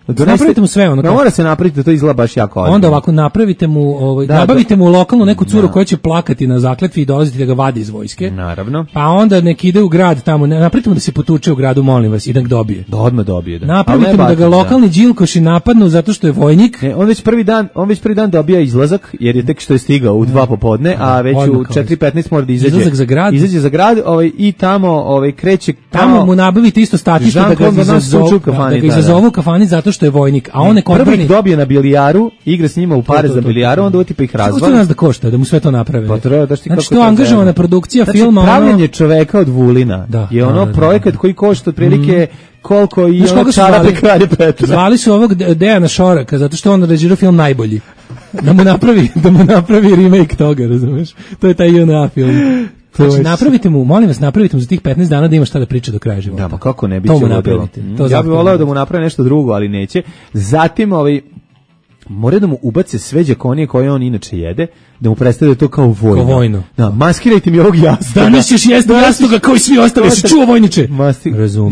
napravite mu sve ono. Mora se napraviti da to izgleda baš jako ozbiljno. Onda ovako napravite mu, nabavite mu lokalnu neku curu koja će plakati na zakletvi i dolaziti da ga vadi iz vojske. Naravno. Pa onda nek ide u grad tamo, napravite mu da se potuče u gradu, molim vas, i da ga dobije. Da odmah dobije, da. Napravite mu da ga lokalni đilkoši napadnu zato što je vojnik. On već prvi dan dobija izlazak, jer je tek što je stigao u 2 popodne, a već u 4:15 mora da izađe. Izlazak za grad. Izađe za grad, i tamo kreće. Tamo mu nabavite isto statište da ga izazovu u kafani zato što je vojnik, a on prvi dobije na bilijaru, igra s njima u pare za bilijaru, onda oti pa ih razvali. Kako to nas da košta, da mu sve to naprave? Pa treba da što znači to angažovana produkcija filma, pravljenje čoveka od Vulina je projekat koji košta otprilike koliko i ono čarape Kralja Petra. Zvali su ovog Dejana Šoraka zato što on režirao film Najbolji. Da mu napravi remake toga, razumeš? To je taj JNA film. Znači, napravite mu, molim vas, napravite mu za tih 15 dana da ima šta da priča do kraja života. Da, pa kako ne, biće ludilo. Ja bih voleo da mu napravi nešto drugo, ali neće. Zatim, moraju da mu ubace sve đakonije koje on inače jede, da mu predstavlja to kao vojno. Kao vojno. Da, maskirajte mi ovog jastoga. Danas ćeš jesti jastoga kao i svi ostali, si čuo vojniče?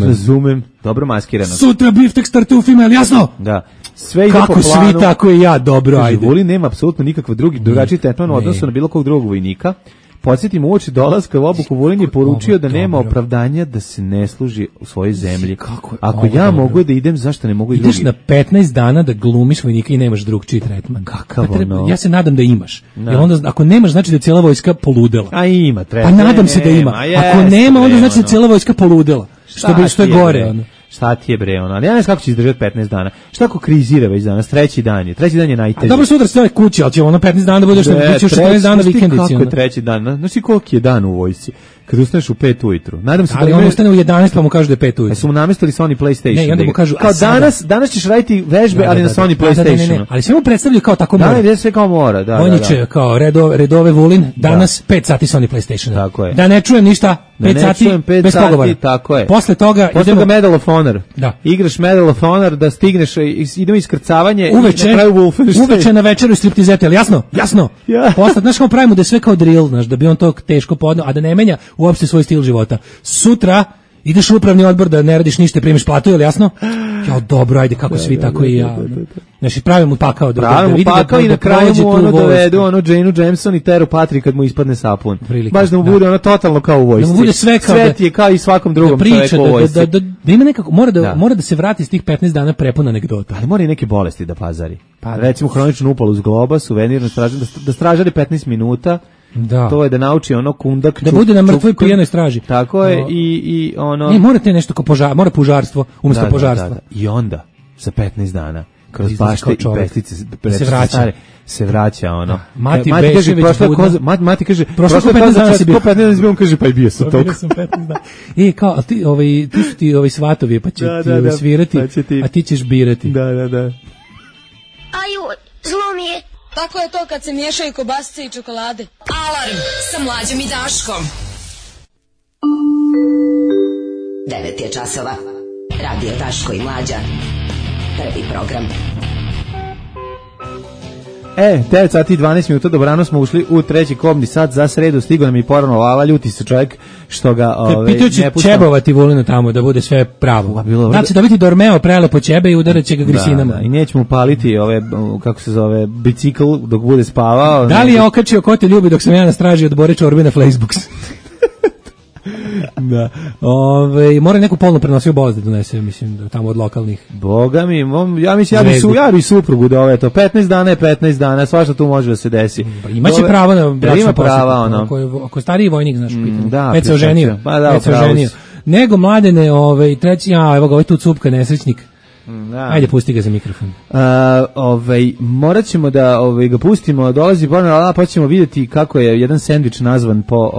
Razumem. Dobro maskirano. Sutra biftek startufima, je li jasno? Da. Sve ide kako po planu. Svi, tako i ja, dobro, ajde. Vulin nema apsolutno nikakva drugačiji tretman u odnosu na bilo kog drugog vojnika. Podsjetim, uoči dolaska u obuku Vulin je poručio da nema opravdanja da se ne služi u svojoj zemlji. Ako ja mogu da idem, zašto ne mogu i drugi? Ideš na 15 dana da glumiš vojnika i nemaš drugčiji tretman. Kakav ono? Ja se nadam da imaš. Jer onda, ako nemaš, znači da je cijela vojska poludela. A ima, treba. Pa nadam se da ima. Ako nema, onda znači da je cijela vojska poludela. Što je gore, ono. Šta ti je bre ono, ali ja ne znam kako će izdržati 15 dana. Šta ako krizira već danas, treći dan je najteži. A dobro, sutra ste kući, ali će ono 15 dana da budeš, biće još 14 dana vikendici. Kako je treći dan, znaš ti koliki je dan u vojsci? Kad ustaneš u 5 ujutru. Nadam se ali on ustane u 11 pa mu kažu da je 5 ujutru. Su mu namestili Sony PlayStation. Ne, i onda mu kažu, kao danas ćeš raditi vežbe, ali na Sony PlayStationu. Ne, ali sve mu predstavljaju kao tako mora. Da, sve kao mora, da. Vojniče, kao redove Vulin, danas 5 sati Sony PlayStation. Tako je. Da ne čujem ništa, 5 sati bez pogovora. Tako je. Posle toga idemo Medal of Honor. Da. Igraš Medal of Honor da stigneš, idemo iskrcavanje i na kraju Wolfenstein. Uveče na večeru striptizete, ali jasno? Posle, znaš kao pravimo da je sve kao drill, znaš, da bi on to teško podneo, a da ne menja uopšte svoj stil života. Sutra ideš u upravni odbor da ne radiš ništa, primiš platu, je li jasno? Ja, dobro, ajde, kako svi, tako i ja. Znači, pravim mu pakao. Pravim mu pakao i na kraju mu ono dovedu, Janeu Jameson i Teru Patrik kad mu ispadne sapun. Baš da mu bude ono totalno kao u vojsci. Da mu bude sve kao Svet je kao i svakom drugom čoveku u vojsci. Da ima nekako, mora da se vrati s tih 15 dana prepuna anegdota. Ali mora i neke bolesti da pazari. Recimo hroničnu upalu s globa, suvenirno da stražari 15 minuta. Da. To je da nauči ono kundak. Da bude na mrtvoj pijanoj straži. Tako je i ono. Ne, morate nešto kao mora požarstvo umjesto požarstva. Da. I onda za 15 dana kroz bašte i pestice se vraća ono. Mati kaže prošlo 15 dana si bio. 15 dana kaže pa i bio sam toliko. 15 dana. Kao ti su ti svatovi pa će ti svirati, a ti ćeš birati. Da. Aju, zlo mi je. Tako je to kad se miješaju kobasice i čokolade. Alarm sa Mlađom i Daškom. 9 je časova. Radio Daško i Mlađa. Prvi program. 9 sati i 12 minuta, dobrano smo ušli u treći kobni sat za sredu, stigo nam i poravno Lala, ljuti se čovjek što ga pitao će čebovati Vulinu tamo da bude sve pravo. Znači da biti Dormeo prelepo ćebe i udarat će ga grisinama. Da, i nećemo paliti kako se zove, bicikl dok bude spavao. Da li je okačio ko te ljubi dok sam ja na straži od Bore Čorbe na Facebooks? Da. Mora neku polno prenosio bolest da donese, mislim, tamo od lokalnih. Boga mi, ja mislim, ja bi suprugu da to 15 dana je 15 dana, svašta tu može da se desi. Imaće pravo na bračno posjetno. Ako je stariji vojnik, znaš, pitanje. Da, već se oženio. Nego mladene, treći, evo ga, tu cupka, nesrećnik. Da. Ajde, pusti ga za mikrofon. Morat ćemo da ga pustimo, dolazi Borna, pa ćemo vidjeti kako je jedan sendvič nazvan po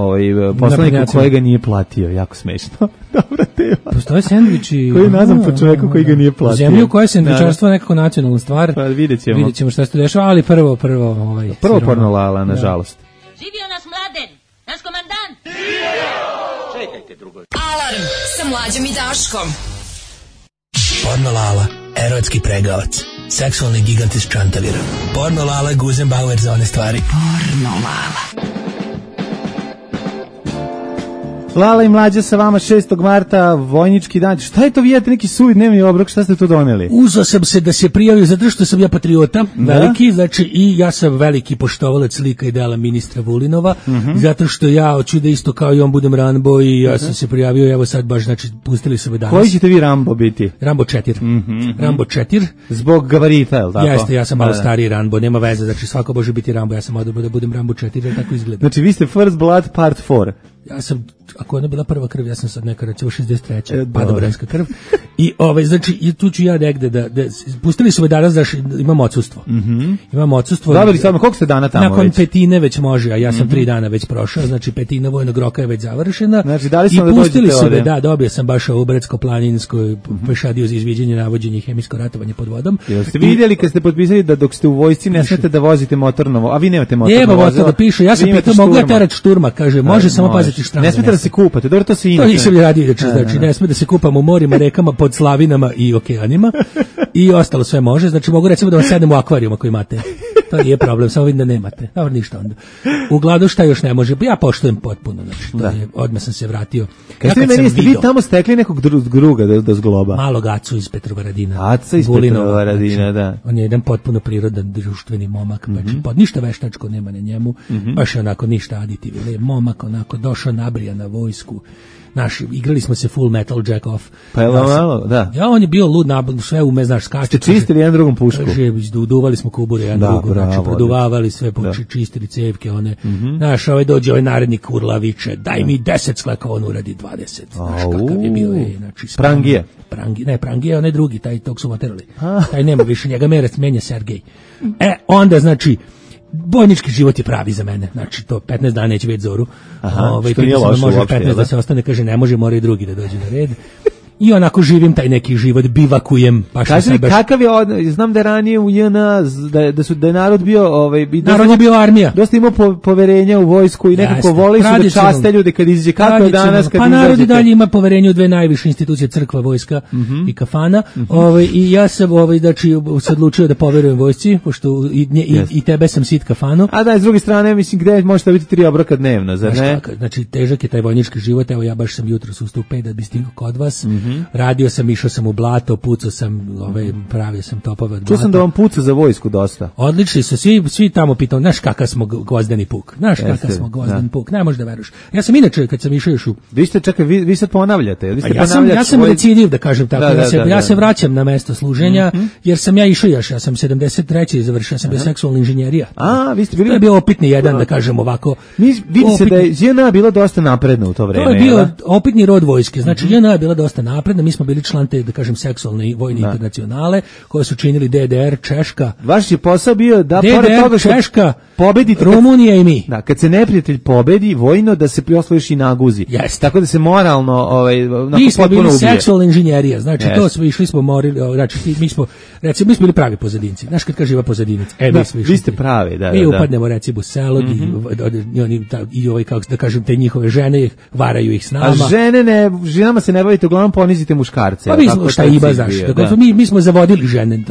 poslaniku kojega nije platio, jako smešno. Dobra tema. Postoje sendviči koji je nazvan po čoveku koji ga nije platio. U zemlji u kojoj je sendvičarstvo nekako nacionalna stvar. Pa vidjet ćemo šta se tu dešava, ali prvo porno Lala, nažalost. Živio nas Mladen, naš komandant. Čekajte drugo. Alarm sa Mlađom i Daškom. Porno Lala, erotski pregavac, seksualni gigant iz Čantavira. Porno Lala, Guzenbauer za one stvari. Porno Lala. Lala i Mlađa sa vama 6. marta, vojnički dan. Šta je to, vidite neki suvi dnevni obrok, šta ste tu doneli? Uzeo sam se da se prijavio zato što sam ja patriota, veliki, znači i ja sam veliki poštovalac lika i dela ministra Vulinova, zato što ja hoću da isto kao i on budem Rambo i ja sam se prijavio, evo sad baš, znači pustili su me danas. Koji ćete vi Rambo biti? Rambo 4. Rambo 4. Zbog gabarita, je li tako? Jeste, ja sam malo stariji Rambo, nema veze, znači svako može biti Rambo, ja sam odabro da budem Rambo 4, jer tako izgleda. Znači vi ste First Blood Part 4. Ja sam, ako ona bila prva krv, ja sam sad neka recimo 63. Padobranska krv. I znači tu ću ja negde da pustili su me danas da imam odsustvo. Imam odsustvo. Dobili samo koliko ste dana tamo nakon već? Petine već može, a ja sam 3 dana već prošao, znači petina vojnog roka je već završena. Znači dali I smo da pustili dođete su me, ovde. da, dobio sam baš u Brdsko-planinskoj pešadio za izviđanje, navođenje i hemijsko ratovanje pod vodom. Jeste vidjeli kad ste potpisali da dok ste u vojsci ne smete da vozite motorno, a vi nemate motorno vozilo? Evo, da piše, ja sam pitao, mogu ja terati šturma, kaže, može samo paziti štranje. Ne smete da se kupate, dobro to se inače. To nisam radio inače, znači ne sme da se kupam u morima, rekama, pod slavinama i okeanima i ostalo sve može, znači mogu recimo da vam sedem u akvarijum ako imate. To nije problem, samo vidim da nemate. Dobro, ništa onda. Uglavnom šta još ne može, ja poštujem potpuno, znači to je, odmah sam se vratio. Kad ste meni jeste vi tamo stekli nekog druga da zgloba? Malog Acu iz Petrovaradina. Aca iz Petrovaradina, da. On je jedan potpuno prirodan, društveni momak, znači ništa veštačko nema na njemu, baš je onako ništa aditivno. Momak onako došao nabrija na vojsku. Igrali smo se Full Metal Jack Off. Pa je malo, da. Ja, on je bio lud, sve ume, znaš, skače. Ste čistili jedan drugom pušku? Uduvali smo kubure jedan drugom, znači, produvavali sve, čistili cevke, one. Znaš, dođe ovaj narednik kurla viče, daj mi 10 skleka, on uradi 20. Znaš, kakav je bio, znači. Prangije? Ne, Prangije, onaj drugi, tog su materali. Taj nema više, njega menja Sergej. Onda, znači, bojnički život je pravi za mene, znači to 15 dana neće vidjeti zoru. Što nije loše može uopšte, 15 da se ostane, kaže ne može, mora i drugi da dođe na red. I onako živim taj neki život, bivakujem. Kaži mi, kakav je, znam da je ranije u JNA, da je narod bio... narod je bio armija. Dosta imao poverenja u vojsku i nekako voli su da časte ljude kad izađe. Kako je danas kad izađete? Pa narod i dalje ima poverenje u dve najviše institucije, crkva, vojska i kafana. I ja sam se odlučio da poverujem vojsci, pošto i tebe sam sit kafanu. A da, s druge strane, mislim, gde možete biti 3 obroka dnevno, zar ne? Znači, težak je taj vojnički život, evo ja baš sam jutro ustao u 5 da bi stigao kod vas. Radio sam, išao sam u blato, pucao sam, pravio sam topove od blata. Čuo sam da vam puca za vojsku dosta. Odlični su, svi tamo pitao, znaš kakav smo gvozdeni puk, puk, ne možeš da veruješ. Ja sam inače, kad sam išao još u... Vi sad ponavljate. Ja sam recidiv, da kažem tako, ja se vraćam na mesto služenja, jer sam ja išao još, ja sam 73. završio, ja sam bio seksualna inženjerija. Vi ste bili... To je bio opitni jedan, da kažem ovako. Vidi se da je JNA bila dosta napredna u to vreme. To je bio opitni rod vojske, znači JNA je bila dosta napredna, mi smo bili član te, da kažem, seksualne vojne internacionale, koje su činili DDR, Češka. Vaš je posao bio da, pored toga što Češka, pobedite, Rumunija i mi. Da, kad se neprijatelj pobedi, vojno, da se osvojiš i naguzi. Yes. Tako da se moralno, mi smo bili seksualna inženjerija, znači to smo išli, smo morili, znači mi smo bili pravi pozadinci. Znaš kad kaže ima pozadinac, vi ste pravi, da. Mi upadnemo recimo u selo, i kako da kažem, te njihove žene varaju ih s nama. A ženama se ne bavite, uglavnom ponizite muškarce. Pa mi smo šta ima zašto. Mi smo zavodili žene,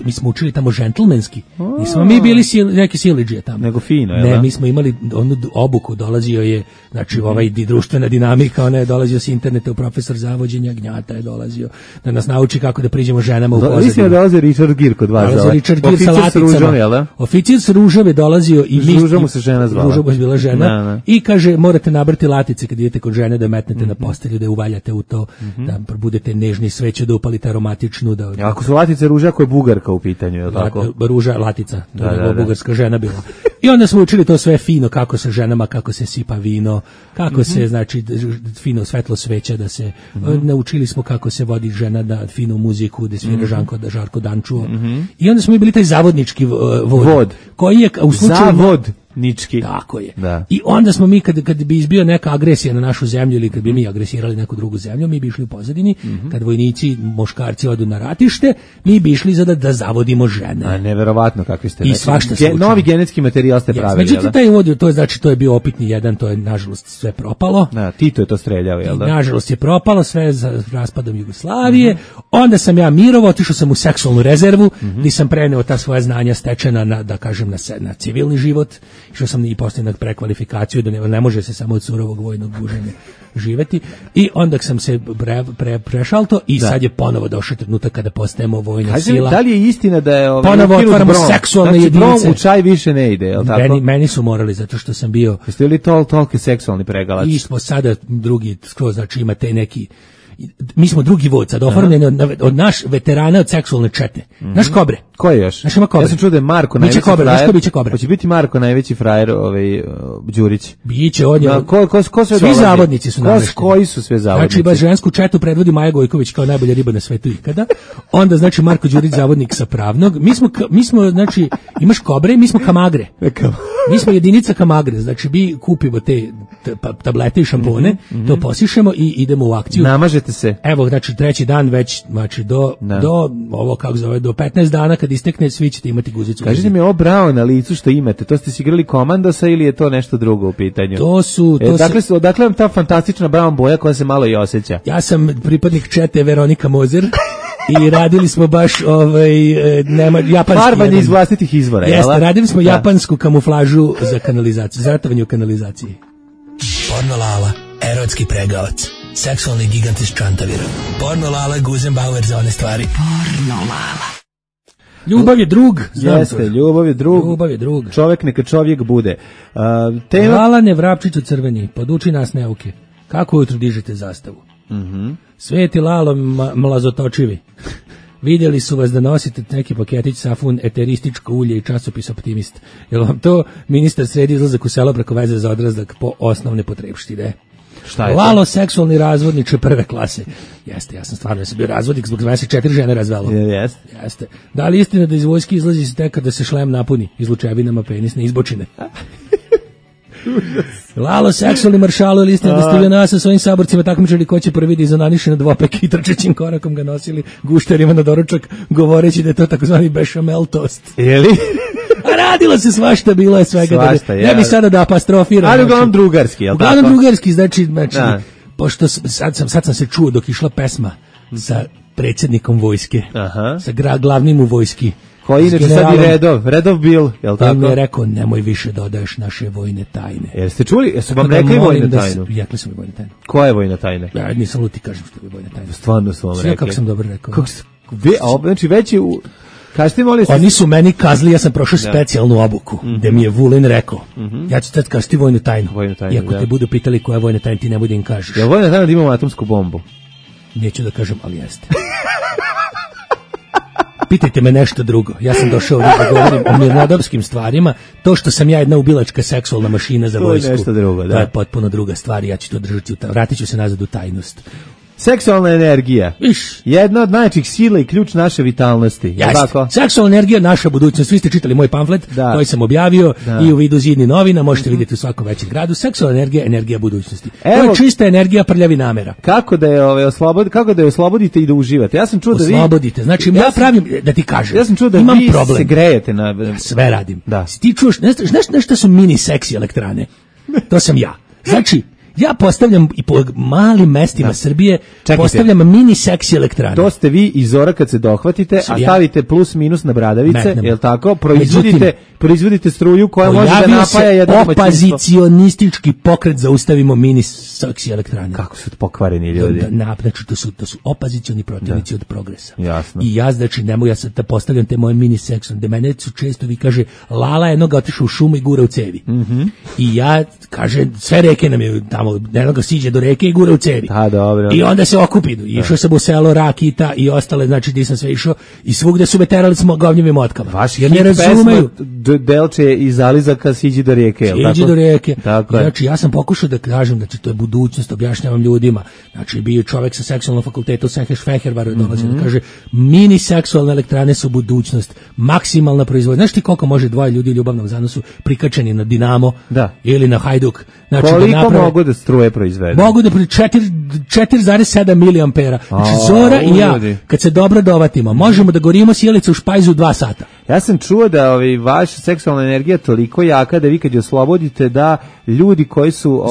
mi smo učili tamo džentlmenski. Nismo mi bili neki siledžije tamo. Nego fino, ne, mi smo imali onu obuku, dolazio je, znači društvena dinamika, ona je dolazio s interneta, profesor zavođenja, Gnjata je dolazio da nas nauči kako da priđemo ženama u pozadinu. Mislim da dolazi Richard Gere kod vas. Dolazi Richard Gere sa laticama. Oficir s ružave dolazio i mi... Ruža mu se žena zvala. Ruža mu je bila žena. I kaže, morate nabrati latice kad idete kod žene, da metnete na postelju, da je uvaljate u to, da budete nežni, sveću, da upalite aromatičnu. Ako su latice ruža, ako je Bugarka u pitanju, je li tako? Ruža, latica, bugarska žena bila. I onda smo učili to sve fino, kako sa ženama, kako se sipa vino, kako se, znači, fino svetlo sveća, da se, naučili smo kako se vodi žena da finu muziku, da svira Žarko Dančuo. I onda smo i bili taj zavodnički vod. Koji je u slučaju... Nički. Tako je. Da. I onda smo mi, kad bi izbio neka agresija na našu zemlju ili kad bi mi agresirali neku drugu zemlju, mi bi išli u pozadini, kad vojnici, muškarci odu na ratište, mi bi išli da zavodimo žene. A neverovatno kakvi ste. I svašta se novi genetski materijal ste pravili. Međutim, taj uvod, to je, znači, to je bio opitni jedan, to je nažalost sve propalo. Tito je to streljao, jel da? Nažalost je propalo sve za raspadom Jugoslavije. Onda sam ja mirovo, otišao sam u seksualnu rezervu, gdje sam preneo ta svoja znanja stečena na, da kažem, na civilni život. Išao sam i poslije na prekvalifikaciju, da ne može se samo od surovog vojnog guženja živeti. I onda sam se prešao to i sad je ponovo došao trenutak kada postajemo vojna sila. Da li je istina da je ponovo otvaramo seksualne jedinice? Brom u čaj više ne ide, je li tako? Meni su morali, zato što sam bio... Jeste li toliki seksualni pregalač? I smo sada drugi skroz, znači imate neki... mi smo drugi vod sad oformljeni od naš veterana od seksualne čete. Naš Kobre. Ko je još? Naš ima Kobre. Ja sam čuo da je Marko najveći Kobre, frajer. biće Kobre. Hoće biti Marko najveći frajer, Đurić. Biće on je. Ko sve svi zavodnici su namešteni. Koji su sve zavodnici? Znači, baš žensku četu predvodi Maja Gojković kao najbolja riba na svetu ikada. Onda, znači, Marko Đurić zavodnik sa pravnog. Mi smo, znači, imaš Kobre, mi smo Kamagre. Mi smo jedinica Kamagre, znači mi kupimo te tablete i šampone, to posišemo i idemo u akciju. Namažete se. Evo, znači, treći dan već, znači, do ovo, kako zove, do 15 dana kad istekne, svi ćete imati guzicu. Kažite mi, ovo bravo na licu što imate, to ste si igrali Komandosa ili je to nešto drugo u pitanju? Odakle vam ta fantastična brown boja koja se malo i osjeća? Ja sam pripadnik čete Veronika Mozer. I radili smo baš japanski farbanje iz vlastitih izvora. Jeste, radili smo japansku kamuflažu za kanalizaciju, za ratovanje u kanalizaciji. Pornolala, erotski pregavac, seksualni gigant iz Čantavira. Pornolala, Guzenbauer za one stvari. Pornolala. Ljubav je drug. Jeste, ljubav je drug. Čovjek neka čovjek bude. Lalane Vrapčiću crveni, poduči nas neuke. Kako ujutro dižete zastavu? Sveti Lalo mlazotočivi. Vidjeli su vas da nosite neki paketić safun, eterističko ulje i časopis Optimist. Jel vam to ministar sredi izlazak u selo preko veze za odrazak po osnovne potrebštine? Šta je Lalo seksualni razvodniče prve klase. Jeste, ja sam stvarno bio razvodnik zbog 24 žene razvelo. Jeste. Da li istina da iz vojske izlazi se tek kada se šlem napuni izlučevinama penisne izbočine? Lalo seksualni maršalo ili istina da ste vi nas sa svojim saborcima takmičili ko će prvi da izonaniše na dvopek i trčećim korakom ga nosili gušterima na doručak govoreći da je to takozvani bešamel tost. Jeli? A radilo se svašta, bilo je svega. Ne bi sada da apostrofiram. Ali uglavnom drugarski, jel tako? Uglavnom drugarski, znači pošto sad sam se čuo dok išla pesma sa predsjednikom vojske, sa glavnim u vojski. Koji inače sad i Redov bil, jel tako? On mi je rekao, nemoj više dodaješ naše vojne tajne. Jeste čuli? Jesu vam rekli vojnu tajnu? Rekli su mi vojne tajne. Koja je vojna tajna? Ja nisam luti, kažem što je vojna tajna. Stvarno su vam rekli. Sve kako sam dobro rekao. Znači već je kažete molim se. Oni su meni kazali, ja sam prošao specijalnu obuku, gde mi je Vulin rekao, ja ću tad kažiti vojnu tajnu. I ako te budu pitali koja je vojna tajna, ti ne bude im kažeš. Je vojna tajna da imamo atomsku bombu? Neću da kažem, ali jeste. Pitajte me nešto drugo. Ja sam došao ovdje da govorim o mirnodopskim stvarima. To što sam ja jedna ubilačka seksualna mašina za vojsku, nešto drugo, da. To je potpuno druga stvar. Ja ću to držati, vratit ću se nazad u tajnost. Seksualna energija. Jedna od najjačih sila i ključ naše vitalnosti. Jeste. Seksualna energija, naša budućnost. Vi ste čitali moj pamflet koji sam objavio i u vidu Zidni novina. Možete vidjeti u svakom većem gradu. Seksualna energija, energija budućnosti. To je čista energija prljavi namera. Kako da je oslobodite i da uživate? Ja sam čuo da vi... Oslobodite. Znači, ja pravim, da ti kažem, ja sam čuo da imam vi problem. Se grejete na... Ja sve radim. Da. Ti čuješ, znaš šta su mini seksi elektrane? To sam ja. Znači, ja postavljam i po malim mestima Srbije, postavljam mini seksi elektrane. To ste vi iz Zora kad se dohvatite, a stavite plus minus na bradavice, jel tako? Proizvodite struju koja može da napaja jedno domaćinstvo. Opozicionistički pokret zaustavimo mini seksi elektrane. Kako su pokvareni ljudi? Znači, to su opozicioni protivnici od progresa. Jasno. I ja, znači, ne mogu ja sad da postavljam te moje mini seksone, da mene su često vi kaže, Lala jednoga otišao u šumu i gura u cevi. I ja, kaže, sve reke nam je tamo, jednoga siđe do reke i gura u cevi. Dobro. I onda se okupi. Išao sam u selo Rakita i ostale, znači, gdje sam sve išao i svugde su me terali smo govnjivim motkama. Vaš hit pesma Delče iz Alizaka siđi do rijeke. Siđi do rijeke. Znači, ja sam pokušao da kažem, znači, to je budućnost, objašnjavam ljudima. Znači, bio čovjek sa seksualnom fakultetu, Seheš Fehervar, dolazi da kaže, mini seksualne elektrane su budućnost, maksimalna proizvodnja. Znaš ti koliko može dvoje ljudi u ljubavnom zanosu prikačeni na Dinamo ili na Hajduk? Znači, koliko mogu da struje proizvedu? Mogu da 4,7 miliampera. Znači, Zora i ja, kad se dobro dovatimo, možemo da gorimo sjelice u špajzu 2 sata. Ja sam čuo da vaša seksualna energija toliko jaka da vi kad je oslobodite da ljudi koji su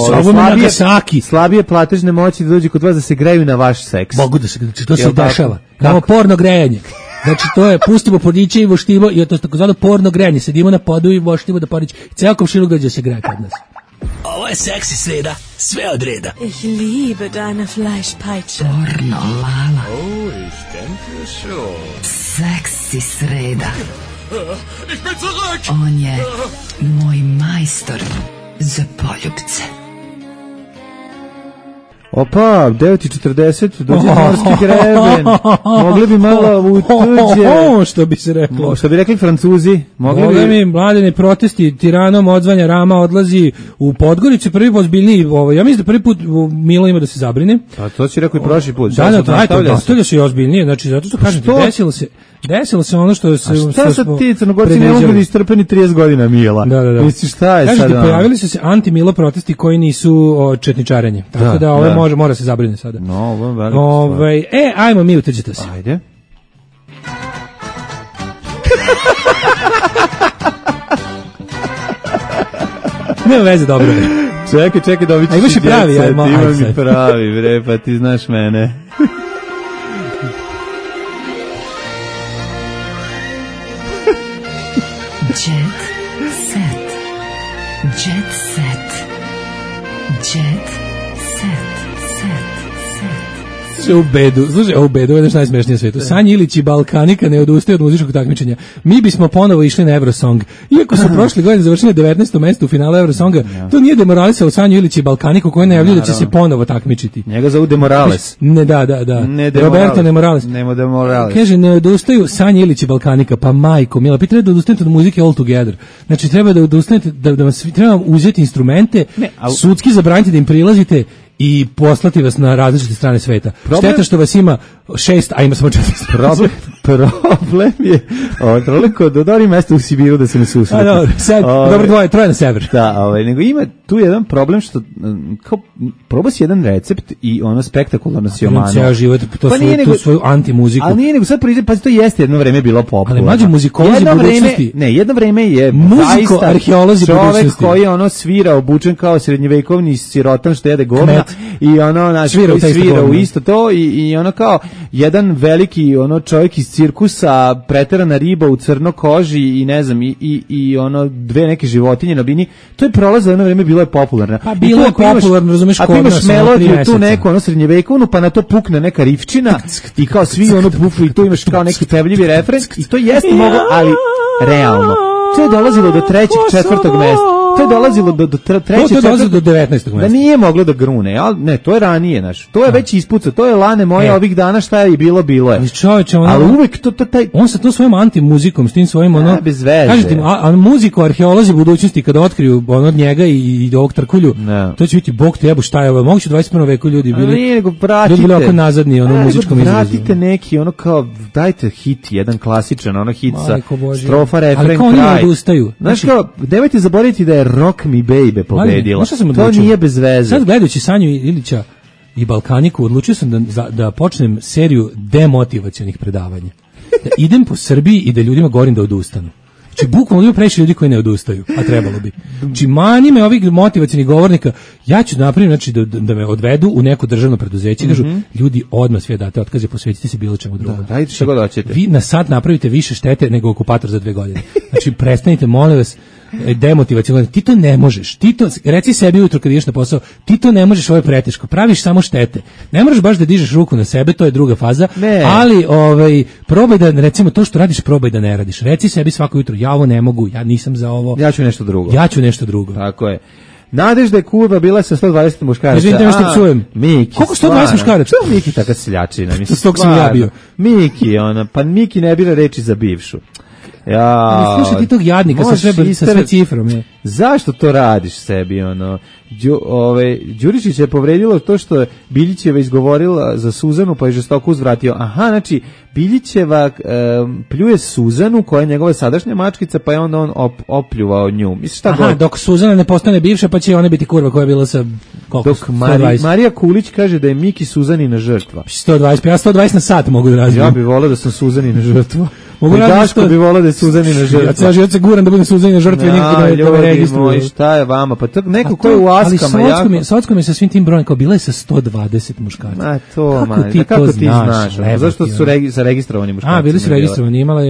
slabije platežne moći da dođu kod vas da se greju na vaš seks. Mogu da se, znači to se dešava. Imamo porno grejanje. Znači to je, pustimo podiće i voštimo i to je takozvano porno grejanje. Sedimo na podu i voštimo da podiće. Ceo komšiluk dođe se greje kod nas. Ovo je seksi sreda, sve od reda. Ich liebe deine Fleischpeitsche. Pornolala. Oh, ich denke schon. Seksi sreda. Ich bin zurück! On je moj majstor za poljubce. Opa, 9:40, dođe morski greben. Mogli bi malo u tuđe. Što bi se reklo. Što bi rekli Francuzi. Mogli bi mladene protesti, Tiranom odzvanja Rama, odlazi u Podgoricu, prvi ozbiljniji, ja mislim da prvi put Milo ima da se zabrine. A to si rekao i prošli put. Nastavlja se i ozbiljnije, znači zato što kažem ti, desilo se ono što se... A šta sad ti Crnogorci ne mogu da istrpeni 30 godina Mila? Da. Misliš šta je sad? Kažete, pojavili su se anti-Milo protesti koji nisu četničarenje. Tako da ovo mora se zabrine sada. No, ovo je veliko stvar. Ajmo mi, utrđite se. Ajde. Nema veze, dobro je. Čekaj, dobit ćeš imaš i pravi, imam i pravi, bre, pa ti znaš mene. Jet set. Jet set. Jet set. Slušaj, u bedu, ovo je najsmešnije na svetu. Sanja Ilić i Balkanika ne odustaju od muzičkog takmičenja. Mi bismo ponovo išli na Eurosong. Iako su prošle godine završili 19. mesto u finalu Eurosonga, to nije demoralisalo Sanju Ilić i Balkaniku koji najavljuju da će se ponovo takmičiti. Njega zovu Demorales. Ne, da. Roberto Demorales. Nemo Demorales. Kaže, ne odustaju Sanja Ilić i Balkanika, pa majko, mila, treba da odustanete od muzike all together. Znači, treba da odustanete, treba vam uzeti instrumente, sudski zabraniti da im prilazite i poslati vas na različite strane sveta. Šteta što vas ima 6, a ima samo 4. Problem je toliko do dobri mesta u Sibiru da se ne susreti. Dobro, troje na sever. Da, nego ima tu jedan problem što kao proba si jedan recept i ono spektakularno si omano. Ceo život tu svoju antimuziku. Ali nije nego sad priđe, pa to jeste jedno vreme bilo popularno. Ali mlađi muzikolozi budućnosti. Jedno vreme je muziko-arheolozi budućnosti. Čovek koji je ono svira obučen kao srednjevekovni sirotan što jede govna i ono svira u isto to i ono kao jedan veliki ono čovjek iz cirkusa, preterana riba u crno koži i ne znam i ono dve neke životinje na bini. To je prolazilo jedno vreme, bilo je popularno. Pa bilo je popularno, razumeš, kod nas. Ako imaš melodiju tu neku ono srednjevekovnu, pa na to pukne neka rifčina i kao svi ono pufu i tu imaš kao neki pevljivi refren i to jeste mogo, ali realno. To je dolazilo do 3., 4. mesta. To je dolazilo do 3., 4. To dolazilo do 19. mesta. Da nije moglo da grune, ali ne, to je ranije, znaš. To je već ispuca, to je lane moje ovih dana, šta je i bilo je. Ali čovječe, ali uvek taj on sa to svojim antimuzikom, s tim svojim ono bez veze. Kažete, a muziku arheolozi budućnosti kada otkriju ono od njega i ovog Trkulju, to će biti bog te jebu šta je ovo. Moguće 21. veku ljudi bili. Ljudi bili oko nazadni ono muzičkom izrazu. Vratite neki ono kao dajte hit, jedan klasičan ono hit sa strofa, refren, kraj. Ali kao oni odustaju. Znaš kao, nemojte zaboraviti da je Rock Me Baby pobedila. To nije bez veze. Sad gledajući Sanju Ilića i Balkaniku, odlučio sam da počnem seriju demotivacionih predavanja. Da idem po Srbiji i da ljudima govorim da odustanu. Znači, bukvalno ima previše ljudi koji ne odustaju, a trebalo bi. Znači, mani me ovih motivacionih govornika, ja ću napraviti, znači, da me odvedu u neko državno preduzeće i kažu, ljudi, odmah sve date otkaze, posvetite se bilo čemu drugom. Dajte što god hoćete. Vi na sad napravite više štete nego okupator za 2 godine. Znači, prestanite, molim vas, demotivaciono. Ti to ne možeš. Reci sebi ujutro kad ideš na posao, ti to ne možeš, ovo je preteško. Praviš samo štete. Ne možeš baš da dižeš ruku na sebe, to je druga faza. Ali probaj da, recimo, to što radiš, probaj da ne radiš. Reci sebi svako jutro, ja ovo ne mogu, ja nisam za ovo. Ja ću nešto drugo. Tako je. Nadežda je kurva bila sa 120 muškaraca. Izvinite me što psujem. Miki. Koliko 120 muškaraca? Što Miki taka seljačina? Stog sam ja bio. Miki, pa Miki ne bira reči za bivšu. Ja, slušaj ti tog jadnika sa sve cifrom. Zašto to radiš sebi, ono? Đurišić je povredilo to što Biljićeva izgovorila za Suzanu, pa je žestoko uzvratio. Aha, znači, Biljićeva pljuje Suzanu, koja je njegova sadašnja mačkica, pa je onda on opljuvao nju. Misliš šta god? Dok Suzana ne postane bivša, pa će ona biti kurva koja je bila sa koliko? Dok Marija Kulić kaže da je Miki Suzanina žrtva. 120, ja 120 na sat mogu da razvijem. Ja bih volao da sam Suzanina žrtva. Daško bi volao da je Suzanina žrtva. Ja ceo život se guram da budem Suzanina žrtva i nikako da me registruju. Šta je vama? Pa neko ko je u Askama jako... Ali Socko mi sa svim tim brojem, kao bila je sa 120 muškaraca. Kako ti znaš? Zašto su zaregistrovani muškarci? Bili su registrovani, imala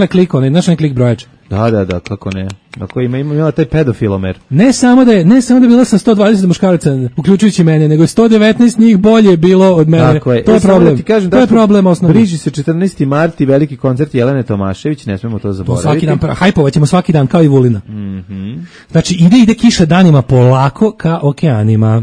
je klik, znaš onaj klik brojač. Da, kako ne. Ako imala taj pedofilomer. Ne samo da je bila sa 120 muškaraca, uključujući mene, nego je 119 njih bolje bilo od mene. To je problem. To je problem osnovni. Bliži se 14. marti, veliki koncert Jelene Tomašević, ne smemo to zaboraviti. Svaki dan, hajpovaćemo svaki dan, kao i Vulina. Znači, ide kiša danima polako ka okeanima.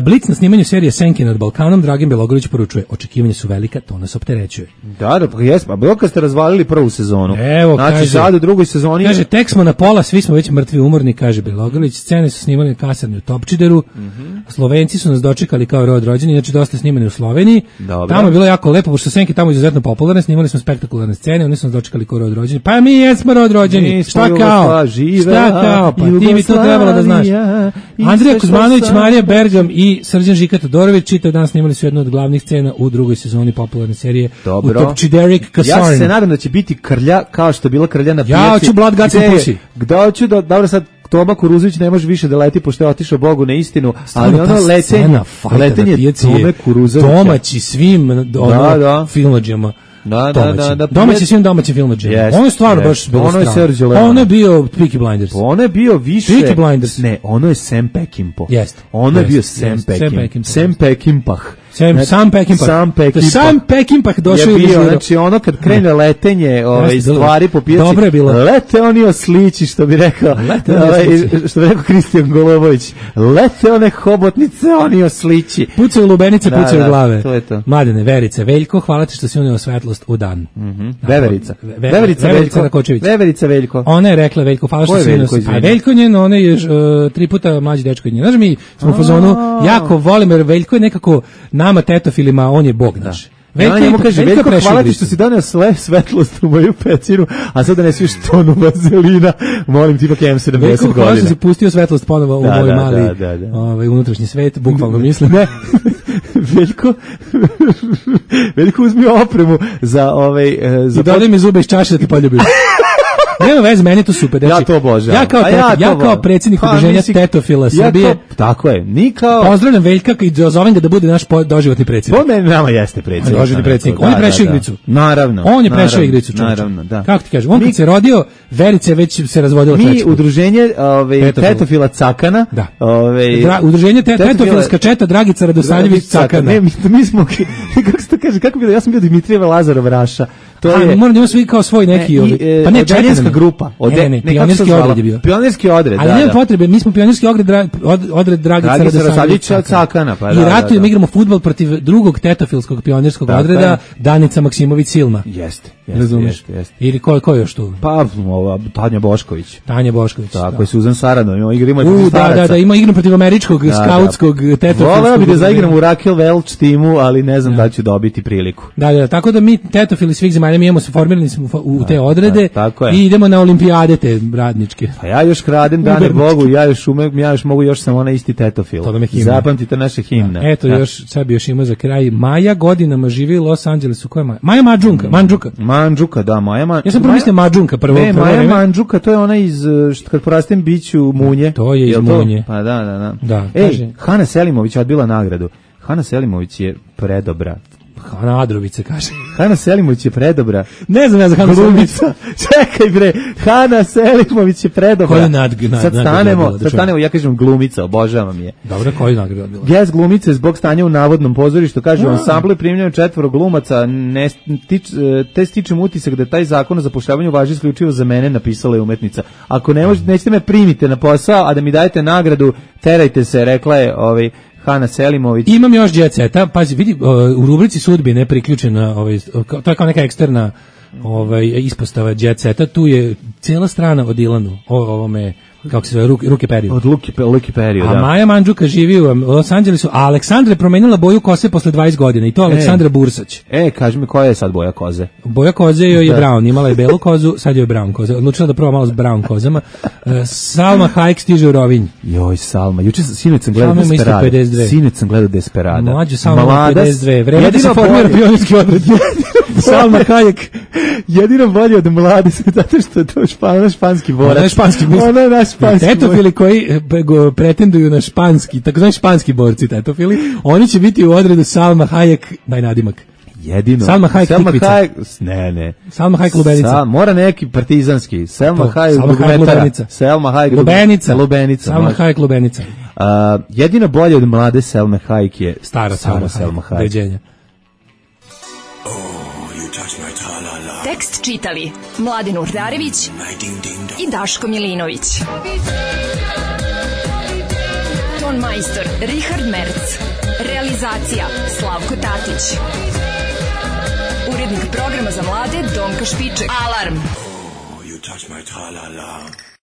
Blic na snimanju serije Senke nad Balkanom, Dragan Bjelogrlić poručuje, očekivanja su velika, to nas opterećuje. Da, pa jesmo, a bilo kad ste razvalili prvu sezonu. Evo, znači, kaže, sad u drugoj sezoni... Kaže, tek smo na pola, svi smo već mrtvi umorni, kaže Bjelogrlić, scene su snimali na kasarni u Topčideru, Slovenci su nas dočekali kao rod rođeni, znači dosta snimani u Sloveniji. Dobro. Tamo je bilo jako lepo, pošto Senke tamo izuzetno popularne, snimali smo spektakularne scene, oni su nas dočekali kao rod rođeni. Pa mi jesmo rod rođeni. Šta kao? Šta kao? Pa ti bi to trebalo da znaš. Andrija Kuzmanović, Marija Bergam i Srđan Žika Todorović čitav dan snimali su jednu od glavnih scena u drugoj sezoni popularne serije u Topčiderik kasarni. Ja se nadam da će biti krlja kao što je bila krlja na pijaci. Ja hoću Blood Guts and Pussy. Gde hoću da, dobro sad Toma Kuruzović ne može više da leti pošto je otišao Bogu na istinu, ali ono letenje Tome Kuruzovića. Domaći svim filmadžama. Domaći svim domaćim filmadžama. Ono je stvarno baš bilo strano. Ono je bio Peaky Blinders. Ono je bio više... Peaky Blinders. Ne, ono je Sam Peckinpah. Jeste. Ono je bio Sam Peckinpah. Sam Peckinpah. Sam Peckinpah došao je bio, znači ono kad krene letenje stvari po pijaci, dobro je bilo. Lete oni oslići, što bi rekao Kristijan Golovović, lete one hobotnice, oni oslići. Pucaju lubenice, pucaju glave. To je to. Mladene, Verice, Veljko, hvala ti što si unio svetlost u dan. Veverica Rakočević. Veverica Veljko. Ona je rekla Veljko, hvala što si unio. A Veljko njen, ona je 3 puta mlađi dečko od nje. Znaš, mi smo u fazonu, jako volim, jer Veljko je nekako nama tetofilima, on je bog naš. Veljko kaže, Veljko, hvala ti što si donio svetlost u moju pećinu, a sad da ne sviš tonu vazelina, molim ti ipak imam 70 godina. Veljko, hvala što si pustio svetlost ponovo u moj mali unutrašnji svet, bukvalno mislim. Ne, Veljko uzmi opremu za i dodaj mi zube iz čaše da ti poljubim. Nema veze, meni to super. Ja to obožavam. Ja kao predsjednik udruženja tetofila Srbije. Tako je. Pozdravljam Veljka i zovem ga da bude naš doživotni predsjednik. On nama jeste predsjednik. Doživotni predsjednik. On je prešao igricu. Naravno. On je prešao igricu. Naravno, da. Kako ti kažem? On kad se rodio, Verica već se razvodila treći put. Mi udruženje tetofila Cakana. Da. Udruženje tetofilska četa Dragica Radosavljević Cakana. Ne, mi smo, kako se to kaže, kako bilo, ja sam bio Dimitrijev Lazarov Raša. Moram da ima svi kao svoj neki pa ne četanska grupa. Pionirski odred je bio. Pionirski odred, ali nema potrebe, mi smo pionirski odred Dragica Radosavljevića Cakana. I ratujemo, igramo fudbal protiv drugog tetofilskog pionirskog odreda, Danica Maksimović Silma. Jeste. Ili ko je još tu? Pa, Tanja Bošković. Tako je, Suzan Saradov. Igramo protiv staraca. Da, ima igram protiv američkog skautskog tetofilskog. Voleo bi da zaigram u Raquel Welch timu, ali ne znam da ću dobiti priliku. Da, tako da mi tetofili svih zemalja, mi imamo se formirani smo u te odrede i idemo na olimpijade te radničke. Pa ja još kradem, dane Bogu, ja još mogu još sam ona isti tetofil. Zapamtite naše himne. Eto, još sad bi još imao za kraj. Maja godinama živi u Los Angelesu. Ko je Maja? Maja Mandžuka, da, Maja Mandžuka. Ja sam promislio Mandžunka prvo. Ne, Maja Mandžuka, to je ona iz, kad porastem biću Munje. To je iz Munje. Pa da. Ej, Hana Selimović je odbila nagradu. Hana Selimović je predobra. Hana Adrović kaže. Hana Selimović je predobra. Ne znam ja za Hanu Selimović. Čekaj bre, Hana Selimović je predobra. Sad stanemo, ja kažem glumica, obožavam je. Dobro, koju nagradu bila? Gest glumice zbog stanja u navodnom pozorištu, kaže ansambl je primljeno 4 glumaca, te stičem utisak da taj zakon o zapošljavanju važi isključivo za mene, napisala je umetnica. Ako nećete me primite na posao, a da mi dajete nagradu, terajte se, rekla je Hana Selimović. Imam još Jet Seta, pazi, vidi, u rubrici sudbine priključena, to je kao neka eksterna ispostava Jet Seta, tu je cijela strana o Dilanu, ovome, kako se zove, Ruke Periju. Od Luke Periju, da. A Maja Mandžuka živi u Los Angelesu, a Aleksandra je promenila boju kose posle 20 godina i to Aleksandra Bursać. Kaži mi koja je sad boja koze? Boja koze joj je brown, imala je belu kozu, sad joj je brown koza. Odlučila da proba malo s brown kozama. Salma Hayek stiže u Rovinj. Joj, Salma, sinoć sam gledao Desperada. Mlađu Salma 52, vreme da se formira pionirski odred. Salma Hayek. Jedino bolje od Mlade, zato što je to španski borac. Ona je naš španski tetofili koji pretenduju na španski, takozvani španski borci tetofili, oni će biti u odredu Salma Hayek, daj nadimak. Jedino. Salma Hayek tikvica. Ne. Salma Hayek lubenica. Mora neki partizanski. Salma Hayek lubenica. Salma Hayek lubenica. Salma Hayek lubenica. Jedino bolje od Mlade Salma Hayek je stara Salma Hayek. Beđenja. Tekst čitali Mladen Urdarević i Daško Milinović. Ton majstor Richard Merc. Realizacija Slavko Tatić. Urednik programa za mlade Donka Špiček. Alarm! You touch my tra-la-la.